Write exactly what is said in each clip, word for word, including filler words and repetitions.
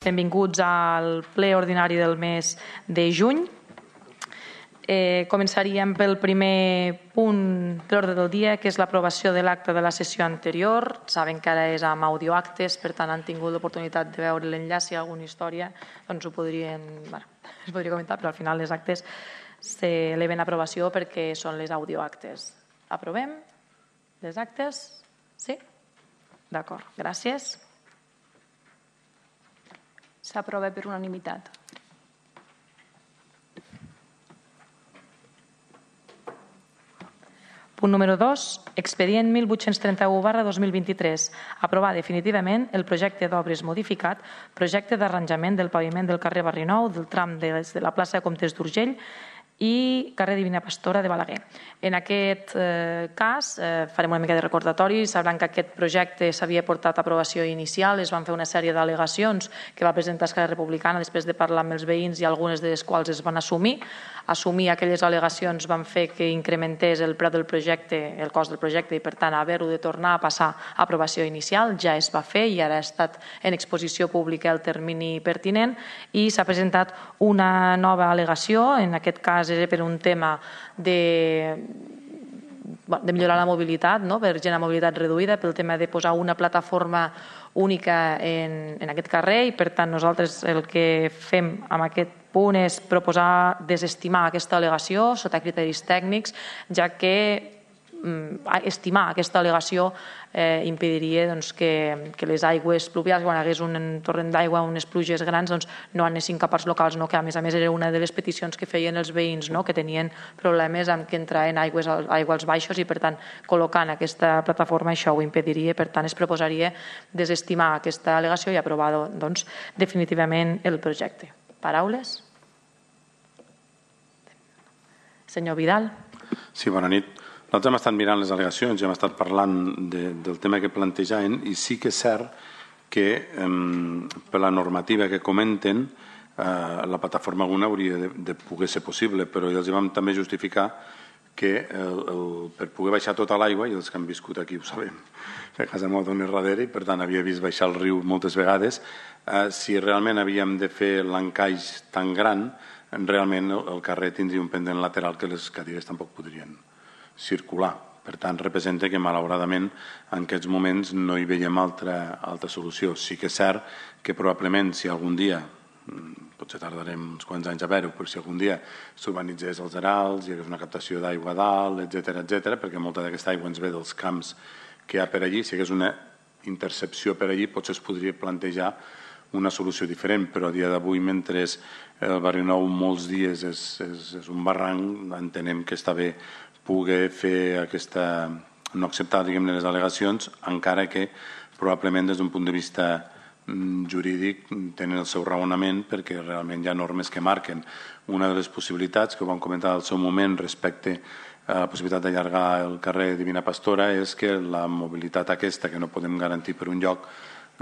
Benvinguts al ple ordinari del mes de juny. Eh, començaríem pel primer punt de l'ordre del dia, que és l'aprovació de l'acte de la sessió anterior. Saben que ara és amb audioactes, per tant han tingut l'oportunitat de veure l'enllaç. Si hi ha alguna història, doncs ho podrien, bueno, es podria comentar, però al final les actes s'eleven a aprovació perquè són les audioactes. Aprovem les actes? Sí? D'acord, gràcies. S'aprova per unanimitat. Punt número dos. Expedient mil vuit-cents trenta-u barra dos mil vint-i-tres. Aprovar definitivament el projecte d'obres modificat, projecte d'arranjament del paviment del carrer Barrinou, del tram de la plaça de Comtes d'Urgell i carrer Divina Pastora de Balaguer. En aquest eh, cas eh, farem una mica de recordatori. Sabran que aquest projecte s'havia portat a aprovació inicial, es van fer una sèrie d'al·legacions que va presentar Esquerra Republicana després de parlar amb els veïns i algunes de les quals es van assumir. Assumir aquelles al·legacions van fer que incrementés el preu del projecte, el cost del projecte, i per tant haver-ho de tornar a passar a aprovació inicial. Ja es va fer i ara ha estat en exposició pública el termini pertinent i s'ha presentat una nova al·legació, en aquest cas era per un tema de, de millorar la mobilitat, no? Per gent amb mobilitat reduïda, pel tema de posar una plataforma única en, en aquest carrer, i per tant nosaltres el que fem amb aquest punt és proposar desestimar aquesta al·legació sota criteris tècnics, ja que estimar aquesta al·legació eh, impediria doncs, que, que les aigües pluvials, quan hi hagués un torrent d'aigua, unes pluges grans, doncs, no anessin cap als locals, no? Que a més a més era una de les peticions que feien els veïns, no? Que tenien problemes amb que entraven aigües, aigua als baixos, i per tant col·locant aquesta plataforma això ho impediria. Per tant es proposaria desestimar aquesta al·legació i aprovar doncs, definitivament el projecte. Paraules? Senyor Vidal. Sí, bona nit. Nosaltres hem estat mirant les al·legacions i hem estat parlant de, del tema que plantejaven, i sí que és cert que eh, per la normativa que comenten eh, la plataforma alguna hauria de, de poder ser possible, però els vam també justificar que el, el, per poder baixar tota l'aigua, i els que han viscut aquí ho sabem, que a casa meva és darrere i per tant havia vist baixar el riu moltes vegades, eh, si realment havíem de fer l'encaix tan gran, realment el, el carrer tindria un pendent lateral que les cadires tampoc podrien circular. Per tant, representa que malauradament en aquests moments no hi veiem altra, altra solució. Sí que és cert que probablement si algun dia, potser tardarem uns quants anys a veure-ho, però si algun dia s'urbanitzés els arals, hi hagués una captació d'aigua a dalt, etcètera, etcètera, perquè molta d'aquesta aigua ens ve dels camps que hi ha per allí, si hi hagués una intercepció per allí, potser es podria plantejar una solució diferent, però a dia d'avui, mentre el Barrinou molts dies és, és, és un barranc, entenem que està bé poder fer aquesta, no acceptar diguem-ne les al·legacions, encara que probablement des d'un punt de vista jurídic tenen el seu raonament, perquè realment hi ha normes que marquen. Una de les possibilitats que ho vam comentar al seu moment respecte a la possibilitat d'allargar el carrer Divina Pastora és que la mobilitat aquesta que no podem garantir per un lloc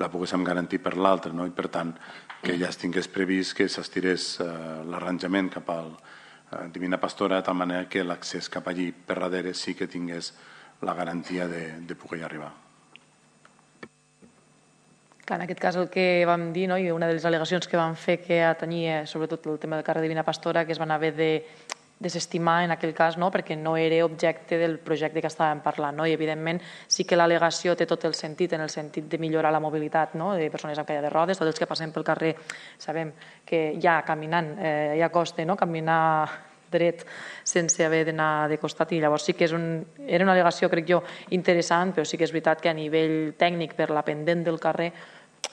la poguéssim garantir per l'altre, no? I per tant que ja es tingués previst que s'estirés eh, l'arranjament cap al Divina Pastora, de tal manera que l'accés cap allí per darrere sí que tingués la garantia de, de poder arribar. En aquest cas el que vam dir, no? I una de les al·legacions que vam fer que tenia sobretot el tema del carrer Divina Pastora, que es van haver de desestimar en aquell cas, no? Perquè no era objecte del projecte que estàvem parlant, no? I evidentment sí que l'al·legació té tot el sentit, en el sentit de millorar la mobilitat, no? De persones amb caia de rodes, tots els que passem pel carrer sabem que ja caminant eh, ja costa, no? Caminar dret sense haver d'anar de costat, i llavors sí que és un, era una al·legació, crec jo, interessant, però sí que és veritat que a nivell tècnic per la pendent del carrer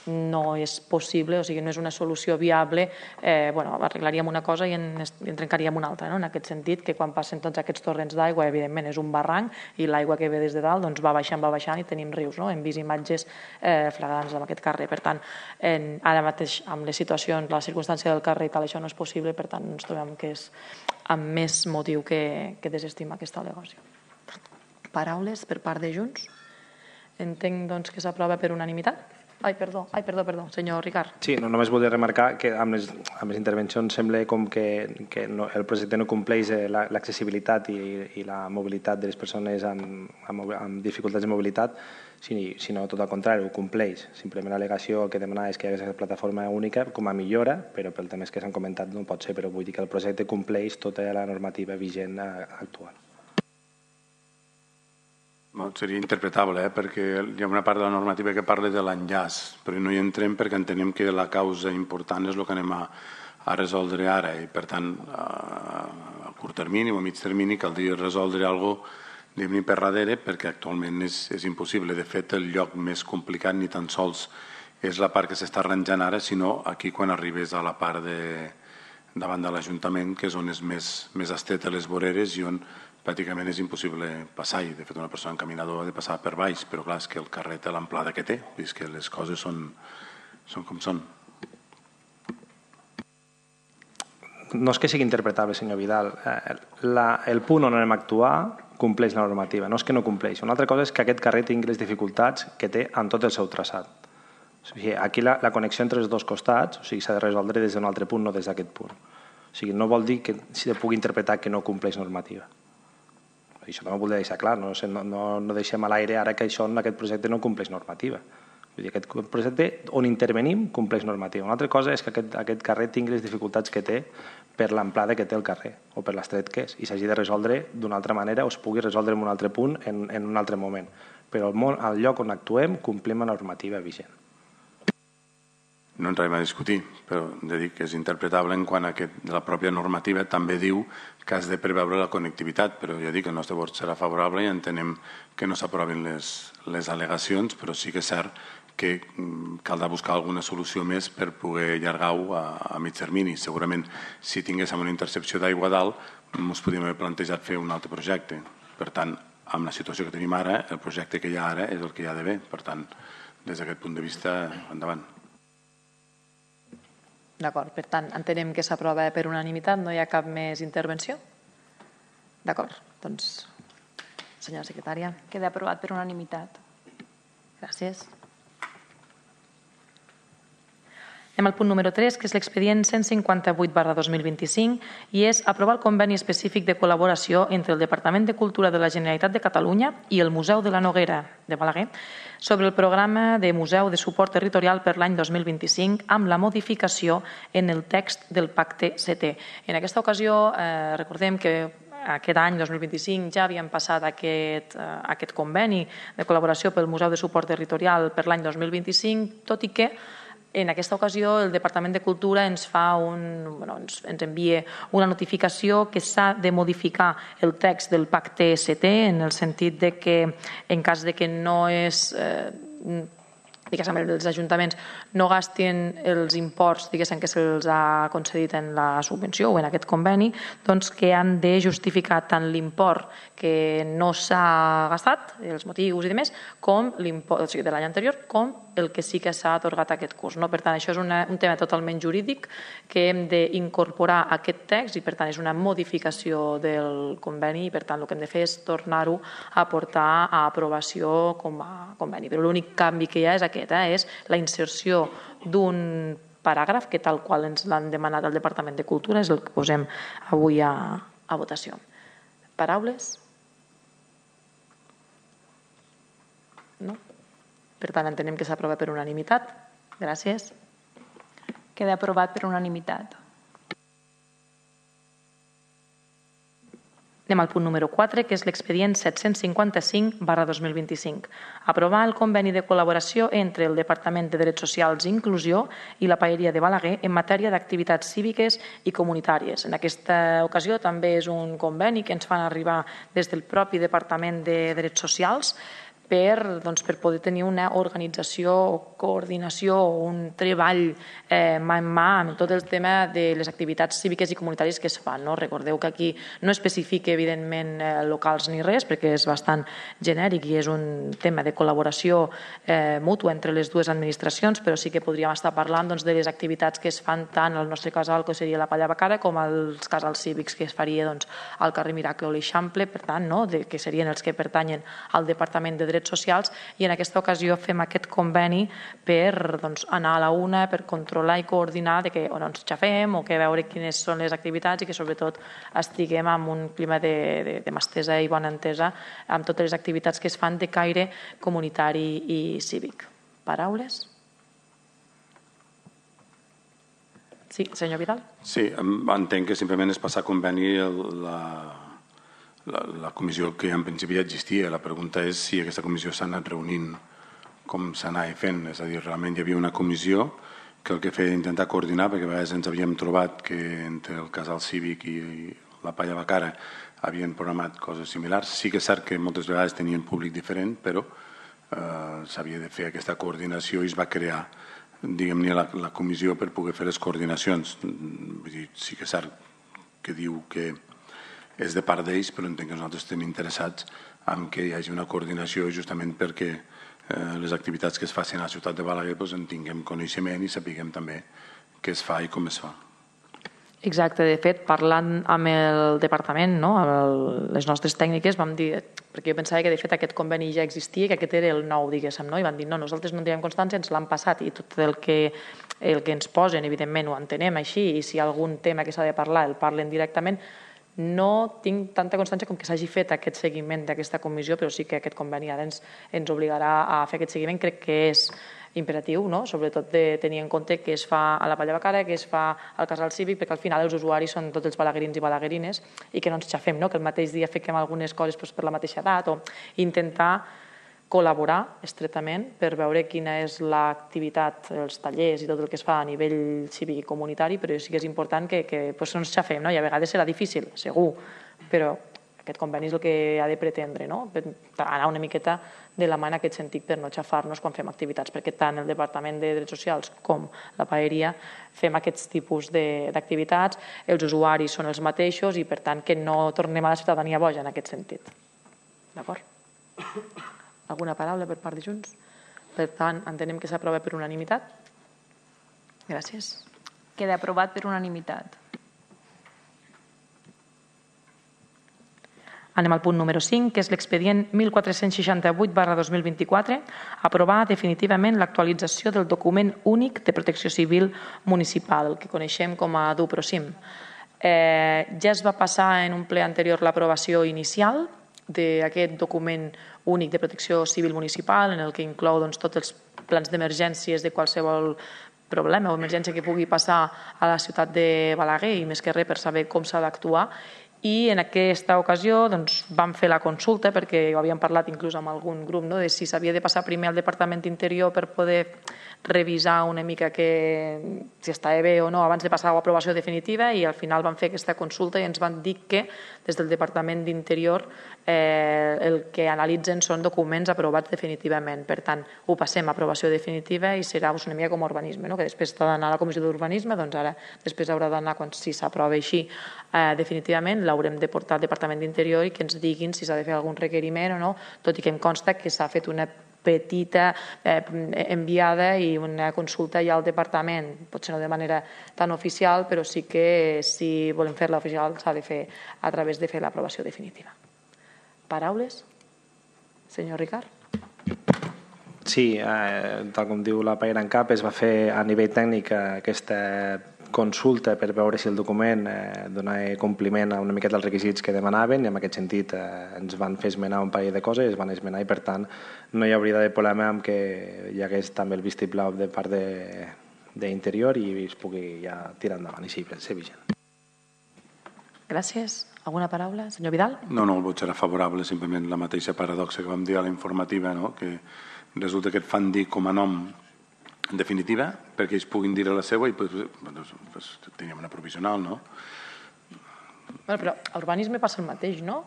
no és possible, o sigui, no és una solució viable. Eh, bueno, arreglaríem una cosa i en, en trencaríem una altra, no? En aquest sentit, que quan passen tots aquests torrents d'aigua, evidentment és un barranc, i l'aigua que ve des de dalt doncs va baixant, va baixant, i tenim rius, no? Hem vist imatges eh, flagrants en aquest carrer. Per tant, en, ara mateix, amb les situacions, la circumstància del carrer i tal, això no és possible, per tant, ens trobem que és amb més motiu que, que desestima aquesta al·legació. Paraules per part de Junts? Entenc doncs, que s'aprova per unanimitat. Ai, perdó, ai, perdó, perdó, senyor Ricard. Sí, no, només volia remarcar que amb les, amb les intervencions sembla com que, que no, el projecte no compleix l'accessibilitat i, i la mobilitat de les persones amb, amb, amb dificultats de mobilitat, sinó tot al contrari, ho compleix. Simplement l'al·legació que demanava és que hi hagués aquesta plataforma única com a millora, però pel temes que s'han comentat no pot ser, però vull dir que el projecte compleix tota la normativa vigent actual. Seria interpretable, eh? perquè hi ha una part de la normativa que parla de l'enllaç, però no hi entrem perquè entenem que la causa important és el que anem a, a resoldre ara i, per tant, a, a curt termini o a mig termini caldria resoldre alguna cosa d'anem per darrere perquè actualment és, és impossible. De fet, el lloc més complicat ni tan sols és la part que s'està arranjant ara, sinó aquí quan arribes a la part de, davant de l'Ajuntament, que és on és més, més estreta les voreres i on pràcticament és impossible passar-hi. De fet, una persona en caminador ha de passar per baix, però clar, és que el carrer té l'amplada que té, és que les coses són, són com són. No és que sigui interpretable, senyor Vidal. La, el punt on anem a actuar compleix la normativa, no és que no compleix. Una altra cosa és que aquest carrer tingui les dificultats que té en tot el seu traçat. O sigui, aquí la, la connexió entre els dos costats o sigui, s'ha de resoldre des d'un altre punt, no des d'aquest punt. O sigui, no vol dir que si pugui interpretar que no compleix normativa. Això també ho volia deixar clar, no, no, no deixem a l'aire ara que això en aquest projecte no compleix normativa. Vull dir, aquest projecte on intervenim compleix normativa. Una altra cosa és que aquest, aquest carrer tingui les dificultats que té per l'amplada que té el carrer o per l'estret que és i s'hagi de resoldre d'una altra manera o es pugui resoldre en un altre punt en, en un altre moment. Però al, món, al lloc on actuem complim la normativa vigent. No entrarem a discutir, però hem de dir que és interpretable en quant a que la pròpia normativa també diu que has de preveure la connectivitat, però ja dic que el nostre vot serà favorable i entenem que no s'aprovin les, les al·legacions, però sí que és cert que caldrà buscar alguna solució més per poder allargar-ho a, a mig termini. Segurament, si tinguéssim una intercepció d'aigua dalt, ens podríem haver plantejat fer un altre projecte. Per tant, amb la situació que tenim ara, el projecte que hi ha ara és el que hi ha d'haver. Per tant, des d'aquest punt de vista, endavant. D'acord, per tant, entenem que s'aprova per unanimitat, no hi ha cap més intervenció? D'acord, doncs, senyora secretària. Queda aprovat per unanimitat. Gràcies. Anem al punt número tres, que és l'expedient cent cinquanta-vuit barra dos mil vint-i-cinc i és aprovar el conveni específic de col·laboració entre el Departament de Cultura de la Generalitat de Catalunya i el Museu de la Noguera de Balaguer sobre el programa de museu de suport territorial per l'any dos mil vint-i-cinc amb la modificació en el text del pacte setè. En aquesta ocasió eh, recordem que aquest any, dos mil vint-i-cinc, ja havíem passat aquest, eh, aquest conveni de col·laboració pel Museu de Suport Territorial per l'any dos mil vint-i-cinc, tot i que en aquesta ocasió el Departament de Cultura ens fa un, bueno, ens, ens envia una notificació que s'ha de modificar el text del pacte setè en el sentit de que en cas de que no és eh, diguéssim, els ajuntaments no gastin els imports diguéssim, que se'ls ha concedit en la subvenció o en aquest conveni, doncs que han de justificar tant l'import que no s'ha gastat, els motius i demés, com l'import, o sigui, de l'any anterior, com el que sí que s'ha atorgat aquest curs. No? Per tant, això és una, un tema totalment jurídic que hem d'incorporar a aquest text i, per tant, és una modificació del conveni i, per tant, el que hem de fer és tornar-ho a portar a aprovació com a conveni. Però l'únic canvi que hi ha és aquest, eh? És la inserció d'un paràgraf que tal qual ens l'han demanat al Departament de Cultura és el que posem avui a, a votació. Paraules? No? Per tant, entenem que s'aprova per unanimitat. Gràcies. Queda aprovat per unanimitat. Anem al punt número quatre, que és l'expedient set-cents cinquanta-cinc barra dos mil vint-i-cinc. Aprovar el conveni de col·laboració entre el Departament de Drets Socials i Inclusió i la Paeria de Balaguer en matèria d'activitats cíviques i comunitàries. En aquesta ocasió també és un conveni que ens fan arribar des del propi Departament de Drets Socials per, doncs, per poder tenir una organització o coordinació o un treball eh, mà en mà amb tot el tema de les activitats cíviques i comunitàries que es fan. No? Recordeu que aquí no especifica evidentment eh, locals ni res perquè és bastant genèric i és un tema de col·laboració eh, mútua entre les dues administracions, però sí que podríem estar parlant doncs, de les activitats que es fan tant al nostre casal, que seria la Palla Bacara, com als casals cívics que es faria doncs, al carrer Miracle o l'Eixample, per tant, no? de, que serien els que pertanyen al Departament de drets socials, i en aquesta ocasió fem aquest conveni per doncs, anar a la una, per controlar i coordinar de que o no ens xafem o que veure quines són les activitats i que sobretot estiguem en un clima de, de, de mà estesa i bona entesa amb totes les activitats que es fan de caire comunitari i cívic. Paraules? Sí, senyor Vidal. Sí, entenc que simplement és passar a conveni la, la, la comissió que en principi ja existia. La pregunta és si aquesta comissió s'ha anat reunint com s'anava fent. És a dir, realment hi havia una comissió que el que feia intentar coordinar, perquè a vegades ens havíem trobat que entre el casal cívic i la Palla Bacara havien programat coses similars. Sí que és cert que moltes vegades tenien públic diferent, però eh, s'havia de fer aquesta coordinació i es va crear diguem-ne la, la comissió per poder fer les coordinacions. Vull dir, sí que és cert que diu que és de part d'ells, però entenc que nosaltres estem interessats en que hi hagi una coordinació justament perquè eh, les activitats que es facin a la ciutat de Balaguer doncs, en tinguem coneixement i sapiguem també què es fa i com es fa. Exacte, de fet, parlant amb el departament, no? amb el, les nostres tècniques, vam dir, perquè jo pensava que de fet aquest conveni ja existia, que aquest era el nou, diguéssim, no? I van dir, no, nosaltres no en teníem constància, ens l'han passat i tot el que, el que ens posen, evidentment, ho entenem així, i si hi ha algun tema que s'ha de parlar, el parlen directament. No tinc tanta constància com que s'hagi fet aquest seguiment d'aquesta comissió, però sí que aquest conveni ara ens, ens obligarà a fer aquest seguiment. Crec que és imperatiu, no? Sobretot de tenir en compte que es fa a la Palla Bacara, que es fa al casal cívic, perquè al final els usuaris són tots els balaguerins i balaguerines i que no ens xafem, no? Que el mateix dia fiquem algunes coses doncs, per la mateixa edat o intentar col·laborar estretament per veure quina és l'activitat, els tallers i tot el que es fa a nivell cívic i comunitari, però sí que és important que, que doncs, no ens xafem, no? I a vegades serà difícil, segur, però aquest conveni és el que ha de pretendre, no? Per anar una miqueta de la mà en aquest sentit per no xafar-nos quan fem activitats, perquè tant el Departament de Drets Socials com la paeria fem aquests tipus d'activitats, els usuaris són els mateixos i per tant que no tornem a la ciutadania boja en aquest sentit. D'acord? Alguna paraula per part de Junts? Per tant, entenem que s'aprova per unanimitat. Gràcies. Queda aprovat per unanimitat. Anem al punt número cinc, que és l'expedient mil quatre-cents seixanta-vuit barra dos mil vint-i-quatre, aprovar definitivament l'actualització del document únic de protecció civil municipal, el que coneixem com a DUPROCIM. Eh, ja es va passar en un ple anterior l'aprovació inicial d'aquest document únic de protecció civil municipal, en el que inclou doncs, tots els plans d'emergències de qualsevol problema o emergència que pugui passar a la ciutat de Balaguer i més que res per saber com s'ha d'actuar. I en aquesta ocasió doncs, vam fer la consulta, perquè ho havíem parlat inclús amb algun grup, no? De si s'havia de passar primer al Departament d'Interior per poder revisar una mica que, si estava bé o no abans de passar a l'aprovació definitiva, i al final vam fer aquesta consulta i ens van dir que des del Departament d'Interior eh, el que analitzen són documents aprovats definitivament. Per tant, ho passem a aprovació definitiva i serà una mica com a urbanisme, no? Que després ha d'anar a la Comissió d'Urbanisme, doncs ara després haurà d'anar, quan si s'aprova així eh, definitivament, l'haurem de portar al Departament d'Interior i que ens diguin si s'ha de fer algun requeriment o no, tot i que em consta que s'ha fet una petita eh, enviada i una consulta ja al departament, potser no de manera tan oficial, però sí que si volem fer-la oficial s'ha de fer a través de fer l'aprovació definitiva. Paraules? Senyor Ricard? Sí, eh, tal com diu la Paera en Cap, es va fer a nivell tècnic aquesta consulta per veure si el document eh, donava compliment a una miqueta els requisits que demanaven, i en aquest sentit eh, ens van fer esmenar un parell de coses, es van esmenar i per tant no hi hauria de problema amb que hi hagués també el vistiplau de part d'Interior i es pugui ja tirar endavant i sí, ser vigent. Gràcies. Alguna paraula? Senyor Vidal? No, no, el vot serà favorable, simplement la mateixa paradoxa que vam dir a la informativa, no? Que resulta que et fan dir com a nom en definitiva, perquè ells puguin dir la seva i pues, pues, pues, teníem una provisional, no? Bueno, però a urbanisme passa el mateix, no?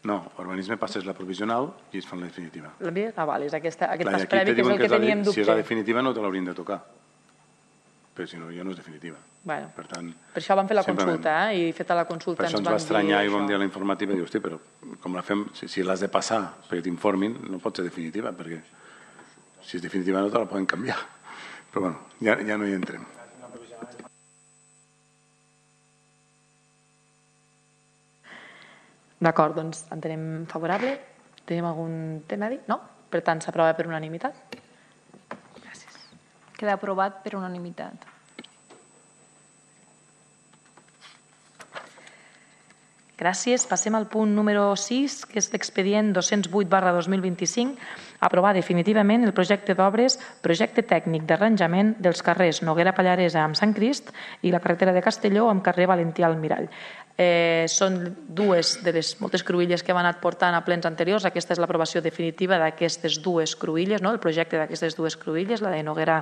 No, a urbanisme passes la provisional i ells fan la definitiva. Ah, vale, és aquesta, aquest Clar, pas previ que és el que, que teníem dubte. Si és la definitiva no te l'haurien de tocar, però si no, ja no és definitiva. Bueno, per, tant, per això vam fer la consulta, eh? I feta la consulta per això ens va estranyar i vam dir a la informativa, diu, hosti, però com la fem, si, si l'has de passar perquè t'informin, no pot ser definitiva, perquè si és definitiva no te la poden canviar. Però bueno, ja, ja no hi entrem. D'acord, doncs entenem favorable. Tenim algun tema a dir? No? Per tant, s'aprova per unanimitat. Gràcies. Queda aprovat per unanimitat. Gràcies. Passem al punt número sis, que és l'expedient dos-cents vuit barra dos mil vint-i-cinc, aprovar definitivament el projecte d'obres, projecte tècnic d'arranjament dels carrers Noguera Pallaresa amb Sant Crist i la carretera de Castelló amb carrer Valentí Almirall. Eh, són dues de les moltes cruïlles que hem anat portant a plens anteriors. Aquesta és l'aprovació definitiva d'aquestes dues cruïlles, no? El projecte d'aquestes dues cruïlles, la de Noguera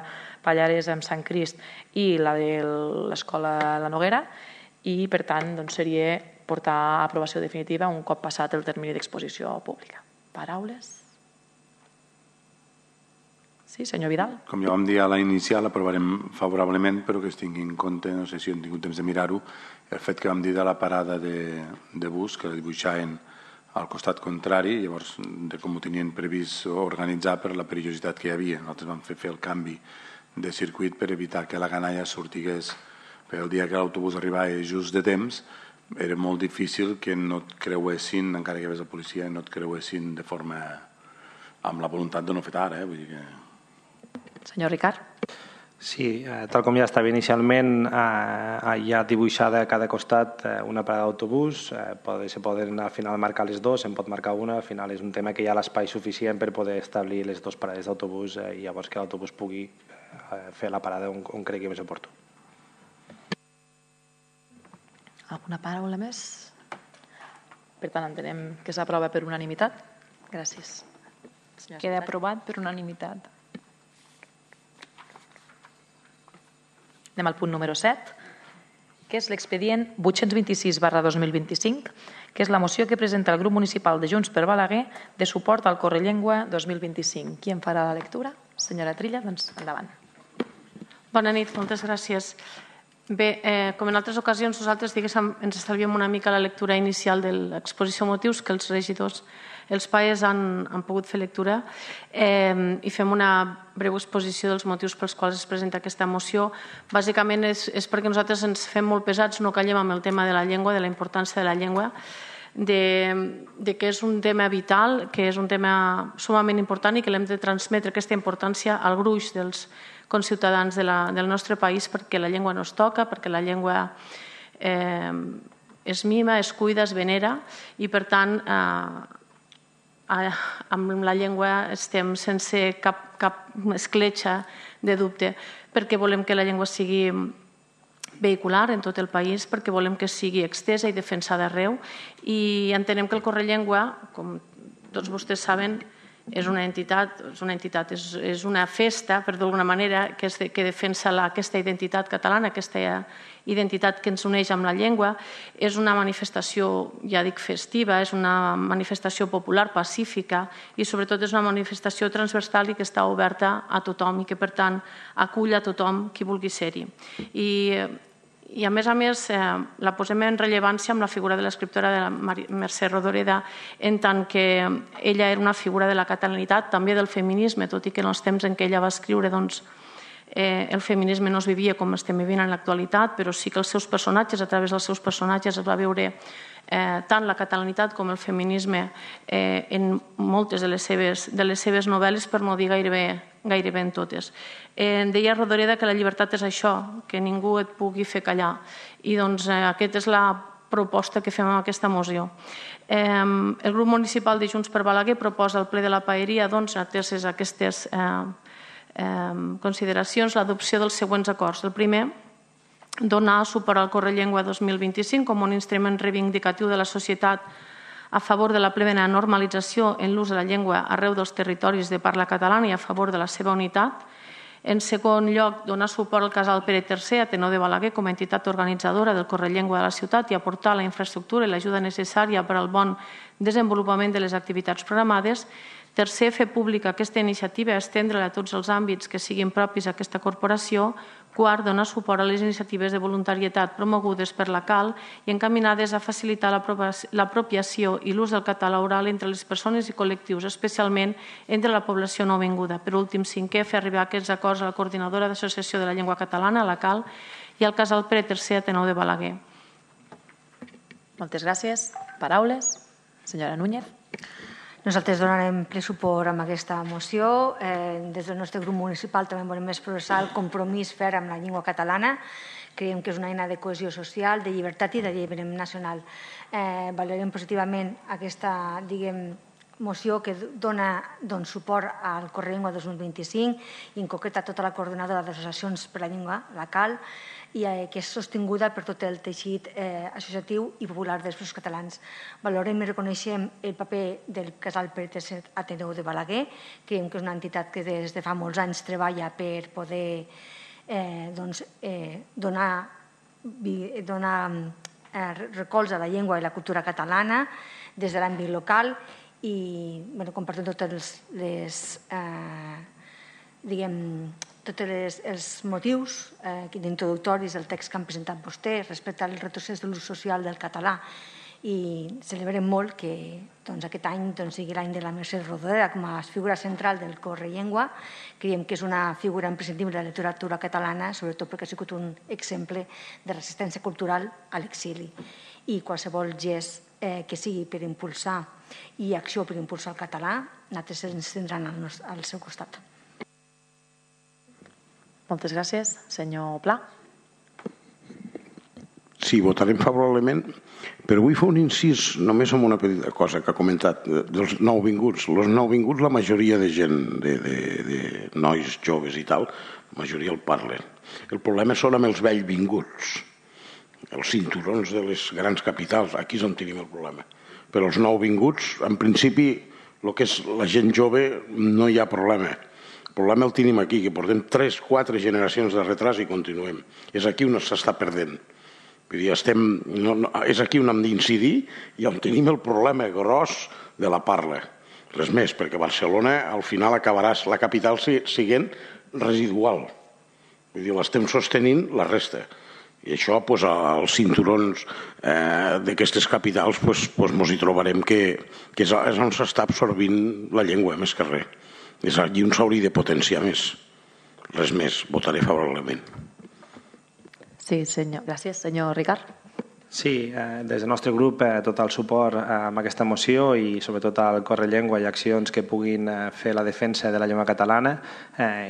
Pallaresa amb Sant Crist i la de l'escola La Noguera, i per tant doncs, seria portar a aprovació definitiva un cop passat el termini d'exposició pública. Paraules? Sí, senyor Vidal. Com ja vam dir a la inicial, aprovarem favorablement, però que es tingui en compte, no sé si hem tingut temps de mirar-ho, el fet que vam dir de la parada de, de bus, que la dibuixaven al costat contrari, llavors de com ho tenien previst organitzar per la perillositat que hi havia. Nosaltres vam fer, fer el canvi de circuit per evitar que la canalla sortigués, perquè el dia que l'autobús arribava just de temps, era molt difícil que no et creuessin, encara que hi hagués la policia, no et creuessin de forma amb la voluntat de no fer tard. Eh? Vull dir que... Senyor Ricard. Sí, eh, tal com ja estava inicialment, eh, hi ha dibuixada a cada costat eh, una parada d'autobús, eh, pot, se poden al final marcar les dues, se'n pot marcar una, al final és un tema que hi ha l'espai suficient per poder establir les dues parades d'autobús eh, i llavors que l'autobús pugui eh, fer la parada on, on cregui més oportú. Alguna paraula més? Per tant, entenem que s'aprova per unanimitat. Gràcies. Queda aprovat per unanimitat. Anem al punt número set, que és l'expedient vuit-cents vint-i-sis barra dos mil vint-i-cinc, que és la moció que presenta el grup municipal de Junts per Balaguer de suport al Correllengua dos mil vint-i-cinc. Qui en farà la lectura? Senyora Trilla, doncs endavant. Bona nit, moltes gràcies. Bé, eh, com en altres ocasions, nosaltres diguéssim, ens estalviem una mica la lectura inicial de l'exposició motius que els regidors, els paes han, han pogut fer lectura eh, i fem una breu exposició dels motius pels quals es presenta aquesta moció. Bàsicament és, és perquè nosaltres ens fem molt pesats, no callem amb el tema de la llengua, de la importància de la llengua, de, de que és un tema vital, que és un tema sumament important i que l'hem de transmetre aquesta importància al gruix dels conciutadans de la, del nostre país, perquè la llengua no es toca, perquè la llengua eh, es mima, es cuida, es venera i per tant eh, amb la llengua estem sense cap, cap escletxa de dubte, perquè volem que la llengua sigui vehicular en tot el país, perquè volem que sigui extesa i defensada arreu i entenem que el Correllengua, com tots vostès saben, és una entitat, és una, entitat, és, és una festa, per d'alguna manera, que, és de, que defensa la, aquesta identitat catalana, aquesta identitat que ens uneix amb la llengua. És una manifestació, ja dic, festiva, és una manifestació popular, pacífica i sobretot és una manifestació transversal i que està oberta a tothom i que, per tant, acull a tothom qui vulgui ser-hi. I I, a més a més, eh, la posem en rellevància amb la figura de l'escriptora de la Mercè Rodoreda, en tant que ella era una figura de la catalanitat, també del feminisme, tot i que en els temps en què ella va escriure doncs, eh, el feminisme no es vivia com estem vivint en l'actualitat, però sí que els seus personatges, a través dels seus personatges, es va veure eh, tant la catalanitat com el feminisme eh, en moltes de les seves, de les seves novel·les, per no dir gairebé, gairebé en totes. Eh, deia Rodoreda que la llibertat és això, que ningú et pugui fer callar. I doncs eh, aquesta és la proposta que fem amb aquesta moció. Eh, el grup municipal de Junts per Balaguer proposa al ple de la paeria, doncs, ateses aquestes eh, eh, consideracions, l'adopció dels següents acords. El primer, donar suport al Correllengua dos mil vint-i-cinc com un instrument reivindicatiu de la societat a favor de la plena normalització en l'ús de la llengua arreu dels territoris de parla catalana i a favor de la seva unitat. En segon lloc, donar suport al Casal Pere tercer, Ateneu de Balaguer, com a entitat organitzadora del Correllengua de la ciutat i aportar la infraestructura i l'ajuda necessària per al bon desenvolupament de les activitats programades. Tercer, fer pública aquesta iniciativa i estendre-la a tots els àmbits que siguin propis a aquesta corporació. Quart, donar suport a les iniciatives de voluntarietat promogudes per la C A L i encaminades a facilitar l'apropiació i l'ús del català oral entre les persones i col·lectius, especialment entre la població nouvinguda. Per últim, cinquè, fer arribar aquests acords a la Coordinadora d'Associació de la Llengua Catalana, la C A L, i al Casal Pere tercer, Ateneu de Balaguer. Moltes gràcies. Paraules? Senyora Núñez. Nosaltres donarem ple suport amb aquesta moció. Des del nostre grup municipal també volem expressar el compromís ferm amb la llengua catalana. Creiem que és una eina de cohesió social, de llibertat i d'alliberament nacional. Valorem positivament aquesta, diguem, moció que dona suport al Correllengua dos mil vint-i-cinc i en concret a tota la coordinadora d'associacions per la llengua, la C A L, i que és sostinguda per tot el teixit associatiu i popular dels Països Catalans. Valorem i reconeixem el paper del Casal Pérez Ateneu de Balaguer. Creiem que és una entitat que des de fa molts anys treballa per poder donar recolz a la llengua i la cultura catalana des de l'àmbit local i compartim tots els motius introductoris del text que han presentat vostès respecte al retrocés de l'ús social del català i celebrem molt que aquest any sigui l'any de la Mercè Rodoreda com a figura central del Correllengua. Creiem que és una figura imprescindible de la literatura catalana, sobretot perquè ha sigut un exemple de resistència cultural a l'exili i qualsevol gest que sigui per impulsar i acció per impulsar el català, nosaltres ens tindran al seu costat. Moltes gràcies. Senyor Pla. Sí, votarem favorablement, però vull fer un incís només en una petita cosa que ha comentat dels nouvinguts. Els nouvinguts, la majoria de gent, de nois joves i tal, la majoria el parlen. El problema són amb els vells vinguts, els cinturons de les grans capitals, aquí és on tenim el problema. Però els nouvinguts, en principi, el que és la gent jove, no hi ha problema. El problema el tenim aquí, que portem tres, quatre generacions de retras i continuem. És aquí on s'està perdent. És aquí on hem d'incidir i on tenim el problema gros de la parla. Res més, perquè Barcelona al final acabarà la capital sent residual. Vull dir, l'estem sostenint la resta. I això, als cinturons d'aquestes capitals, ens hi trobarem que és on s'està absorbint la llengua, més que res. És allí on s'hauria de potenciar més. Res més, votaré favorablement. Sí, senyor. Gràcies. Senyor Ricard. Sí, des del nostre grup tot el suport a aquesta moció i sobretot al Correllengua i accions que puguin fer la defensa de la llengua catalana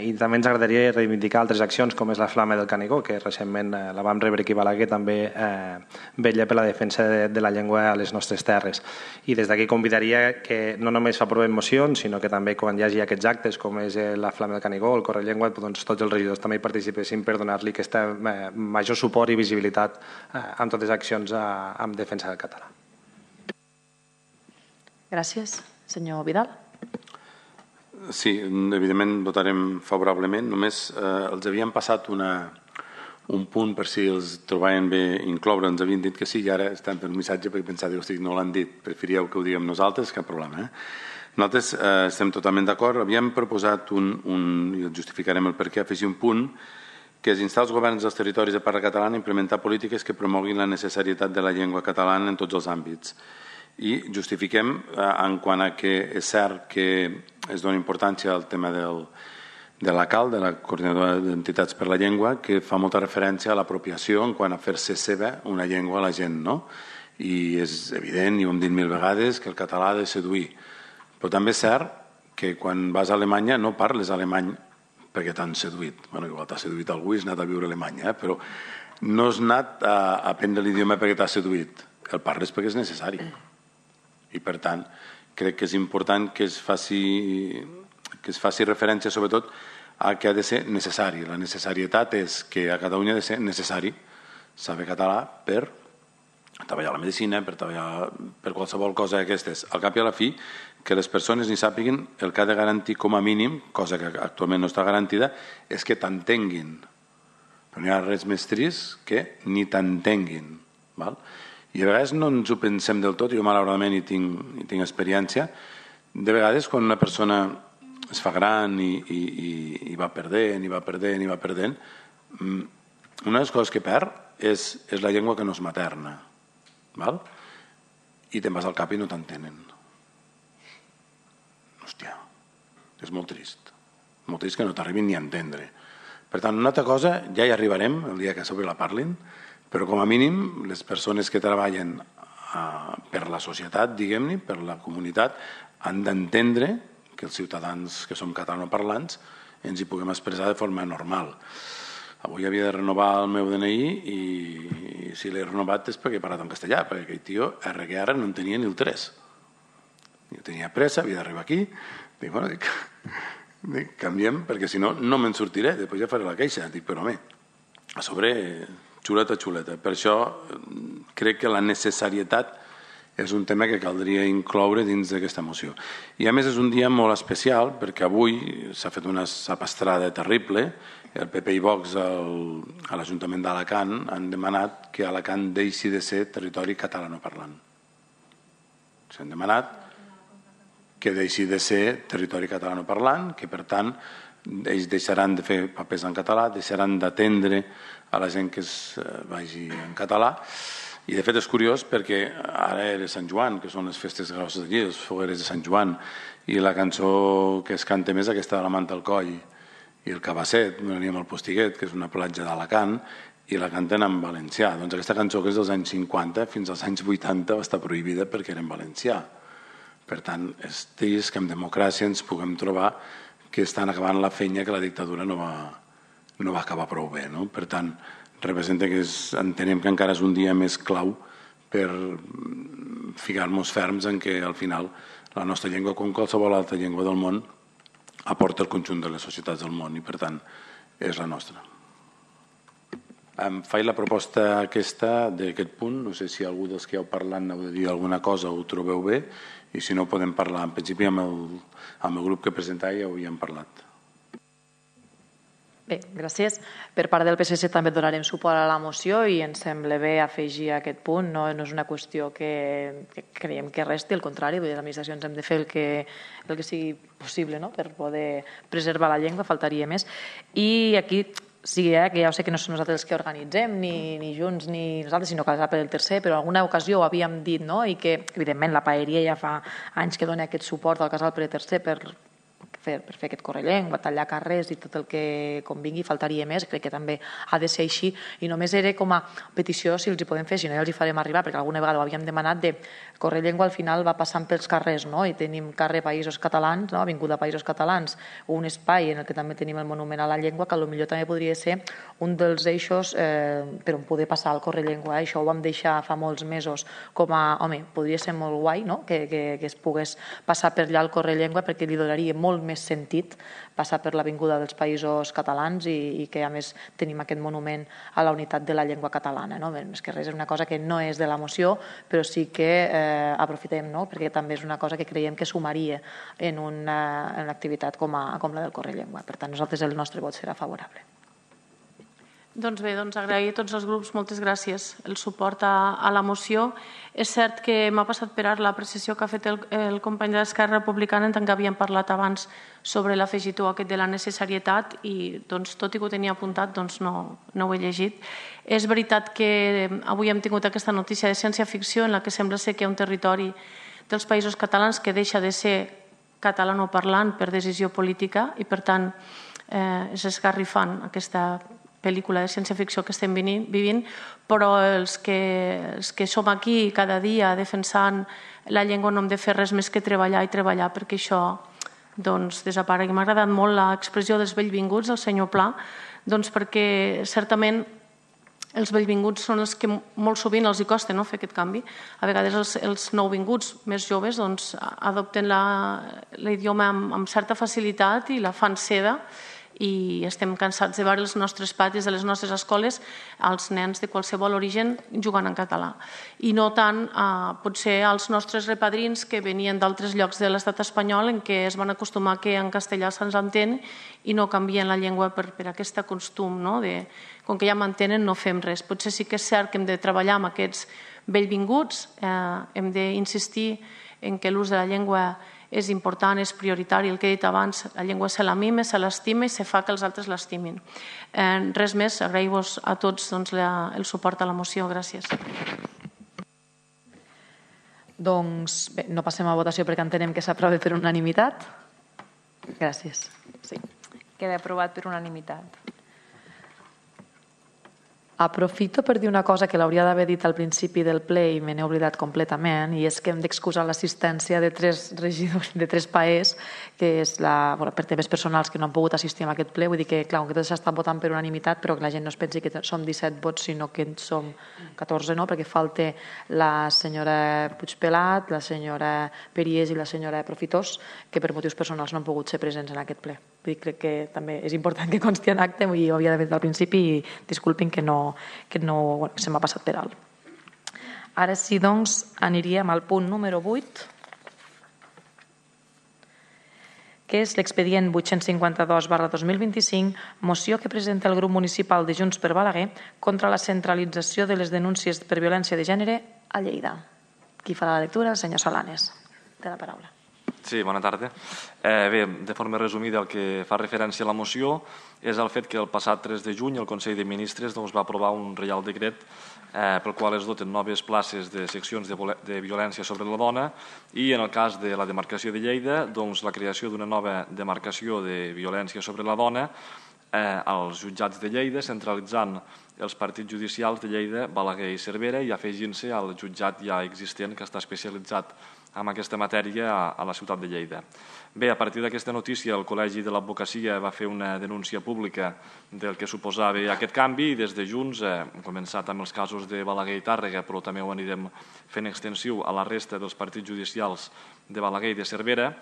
i també ens agradaria reivindicar altres accions com és la Flama del Canigó, que recentment la vam rebre aquí a Balaguer, també vetlla per la defensa de la llengua a les nostres terres. I des d'aquí convidaria que no només aprovem mocions, sinó que també quan hi hagi aquests actes com és la Flama del Canigó o el Correllengua, tots els regidors també hi participessin per donar-li aquest major suport i visibilitat en totes les accions en defensa del català. Gràcies. Senyor Vidal. Sí, evidentment votarem favorablement. Només els havíem passat un punt per si els trobaven bé incloure. Ens havien dit que sí i ara estan per un missatge perquè pensava que no l'han dit. Preferíeu que ho diguem nosaltres, cap problema. Nosaltres estem totalment d'acord. Havíem proposat un, i justificarem el perquè, afegir un punt que és instar els governs dels territoris de parla catalana a implementar polítiques que promoguin la necessitat de la llengua catalana en tots els àmbits. I justifiquem en quant a que és cert que es dona importància al tema de la C A L, de la Coordinadora d'Entitats per la Llengua, que fa molta referència a l'apropiació en quant a fer-se seva una llengua a la gent, no? I és evident, i ho hem dit mil vegades, que el català ha de seduir. Però també és cert que quan vas a Alemanya no parles alemany perquè t'han seduït. Bé, igual t'ha seduït algú i has anat a viure a Alemanya, però no has anat a aprendre l'idioma perquè t'ha seduït. El parles perquè és necessari. I, per tant, crec que és important que es faci, que es faci referència, sobretot, a que ha de ser necessari. La necessarietat és que a Catalunya ha de ser necessari saber català per treballar a la medicina, per treballar per qualsevol cosa d'aquestes. Al cap i a la fi, que les persones ni sàpiguin el que ha de garantir com a mínim, cosa que actualment no està garantida, és que t'entenguin. Però no hi ha res més trist que ni t'entenguin. I a vegades no ens ho pensem del tot, jo malauradament hi tinc, hi tinc experiència, de vegades quan una persona es fa gran i, i, i va perdent, i va perdent, i va perdent, una de les coses que perd és, és la llengua que no és materna. Val? I te'n vas al cap i no t'entenen. Hòstia, és molt trist. Molt trist que no t'arribin ni a entendre. Per tant, una altra cosa, ja hi arribarem el dia que sobre la parlin, però com a mínim les persones que treballen uh, per la societat, diguem-ne, per la comunitat, han d'entendre que els ciutadans que som catalanoparlants ens hi puguem expressar de forma normal. Avui havia de renovar el meu D N I i si l'he renovat és perquè he parlat en castellà, perquè aquell tio R que ara no en tenia ni el tres. Jo tenia pressa, havia d'arribar aquí, dic, bueno, dic, dic, canviem, perquè si no, no me'n sortiré, després ja faré la queixa. Dic, però home, a sobre, xuleta, xuleta. Per això crec que la necessarietat és un tema que caldria incloure dins d'aquesta moció. I a més és un dia molt especial perquè avui s'ha fet una sapastrada terrible. El P P i Vox al, a l'Ajuntament d'Alacant han demanat que Alacant deixi de ser territori catalanoparlant. S'han demanat que deixi de ser territori catalanoparlant, que per tant ells deixaran de fer papers en català, deixaran d'atendre a la gent que es vagi en català. I de fet és curiós perquè ara era Sant Joan, que són les festes grosses d'aquí, les fogueres de Sant Joan, i la cançó que es canta més aquesta de la Manta al Coll i el Cabasset, veníem al Postiguet, que és una platja d'Alacant, i la canten en valencià. Doncs aquesta cançó, que és dels anys cinquanta fins als anys vuitanta, va estar prohibida perquè era en valencià. Per tant, és trist que en democràcia ens puguem trobar que estan acabant la feina que la dictadura no va, no va acabar prou bé. No? Per tant, representa que és, entenem que encara és un dia més clau per ficar-nos ferms en que al final la nostra llengua, com qualsevol altra llengua del món, aporta el conjunt de les societats del món i per tant és la nostra. Em faig la proposta aquesta d'aquest punt, no sé si algú dels que heu parlat n'heu de dir alguna cosa o ho trobeu bé i si no podem parlar, en principi amb el, amb el grup que presentava ja ho havíem parlat. Bé, gràcies. Per part del P S C també donarem suport a la moció i ens sembla bé afegir aquest punt. No, no és una qüestió que, que creiem que resti, al contrari, les administracions hem de fer el que, el que sigui possible, no? Per poder preservar la llengua, faltaria més. I aquí sí, eh, que ja sé que no som nosaltres els que organitzem, ni, ni Junts ni nosaltres, sinó que per el tercer, però en alguna ocasió ho havíem dit, no? I que, evidentment, la Paeria ja fa anys que dona aquest suport al casal per el tercer per fer, per fer aquest correllengua, tallar carrers i tot el que convingui, faltaria més, crec que també ha de ser així, i només era com a petició si els hi podem fer, si no ja els hi farem arribar, perquè alguna vegada ho havíem demanat, de correllengua al final va passant pels carrers, no? I tenim carrer Països Catalans, no? Avinguda Països Catalans, un espai en el que també tenim el monument a la llengua, que potser també podria ser un dels eixos eh, per on poder passar el correllengua. Això ho vam deixar fa molts mesos com a, home, podria ser molt guai, no? que, que, que es pogués passar per allà el correllengua, perquè li donaria molt més sentit passar per l'Avinguda dels Països Catalans i, i que a més tenim aquest monument a la unitat de la llengua catalana. No? Més que res és una cosa que no és de la moció, però sí que eh, aprofitem, no? Perquè també és una cosa que creiem que sumaria en una, en una activitat com, a, com la del correllengua. Per tant, nosaltres el nostre vot serà favorable. Doncs bé, doncs agrair a tots els grups, moltes gràcies, el suport a, a la moció. És cert que m'ha passat per ara l'apreciació que ha fet el, el company de l'Esquerra Republicana, en tant que havíem parlat abans sobre l'afegitó aquest de la necessarietat i doncs, tot i que ho tenia apuntat doncs no, no ho he llegit. És veritat que avui hem tingut aquesta notícia de ciència-ficció en la que sembla ser que hi ha un territori dels Països Catalans que deixa de ser catalanoparlant per decisió política i per tant eh, és esgarrifant aquesta pel·lícula de ciència-ficció que estem vivint, però els que, els que som aquí cada dia defensant la llengua no hem de fer res més que treballar i treballar perquè això doncs, desaparegui. M'ha agradat molt l'expressió dels bellvinguts del senyor Pla, doncs perquè certament els bellvinguts són els que molt sovint els hi costa no, fer aquest canvi. A vegades els, els nouvinguts més joves doncs, adopten l'idioma amb, amb certa facilitat i la fan seva i estem cansats de veure els nostres patis de les nostres escoles els nens de qualsevol origen jugant en català i no tant eh, potser als nostres repadrins que venien d'altres llocs de l'estat espanyol en què es van acostumar que en castellà se'ns entén i no canvien la llengua per, per aquest costum no? de, com que ja m'entenen no fem res. Potser sí que és cert que hem de treballar amb aquests bellvinguts, eh, hem d'insistir en que l'ús de la llengua és important, és prioritari, el que he dit abans, la llengua se la mima, se l'estima i se fa que els altres l'estimin. Eh, res més, agraïu-vos a tots doncs, la, el suport a la moció. Gràcies. Doncs bé, no passem a votació perquè entenem que s'aprova per unanimitat. Gràcies. Sí. Queda aprovat per unanimitat. Aprofito per dir una cosa que l'hauria d'haver dit al principi del ple i me n'he oblidat completament, i és que hem d'excusar l'assistència de tres regidors, de tres paers, que és la, bueno, per temes personals que no han pogut assistir a aquest ple. Vull dir que, clar, que tot s'ha estat votant per unanimitat, però que la gent no es pensi que som disset vots, sinó que som catorze, no? Perquè falta la senyora Puigpelat, la senyora Peries i la senyora Profitós, que per motius personals no han pogut ser presents en aquest ple. Vull dir, crec que també és important que consti en acte, i ho havia d'haver dit al principi, i disculpin que no que no, bueno, se m'ha passat per alt. Ara sí, doncs, aniríem al punt número vuit, que és l'expedient vuit-cents cinquanta-dos barra dos mil vint-i-cinc, moció que presenta el grup municipal de Junts per Balaguer contra la centralització de les denúncies per violència de gènere a Lleida. Qui farà la lectura? El senyor Solanes. Té la paraula. Sí, bona tarda. Eh, bé, de forma resumida, el que fa referència a la moció és el fet que el passat tres de juny el Consell de Ministres doncs, va aprovar un reial decret eh, pel qual es doten noves places de seccions de, de violència sobre la dona, i en el cas de la demarcació de Lleida, doncs, la creació d'una nova demarcació de violència sobre la dona eh, als jutjats de Lleida, centralitzant els partits judicials de Lleida, Balaguer i Cervera, i afegint-se al jutjat ja existent que està especialitzat en aquesta matèria a la ciutat de Lleida. Bé, a partir d'aquesta notícia, el Col·legi de l'Advocacia va fer una denúncia pública del que suposava aquest canvi, i des de Junts eh, hem començat amb els casos de Balaguer i Tàrrega, però també ho anirem fent extensiu a la resta dels partits judicials de Balaguer i de Cervera.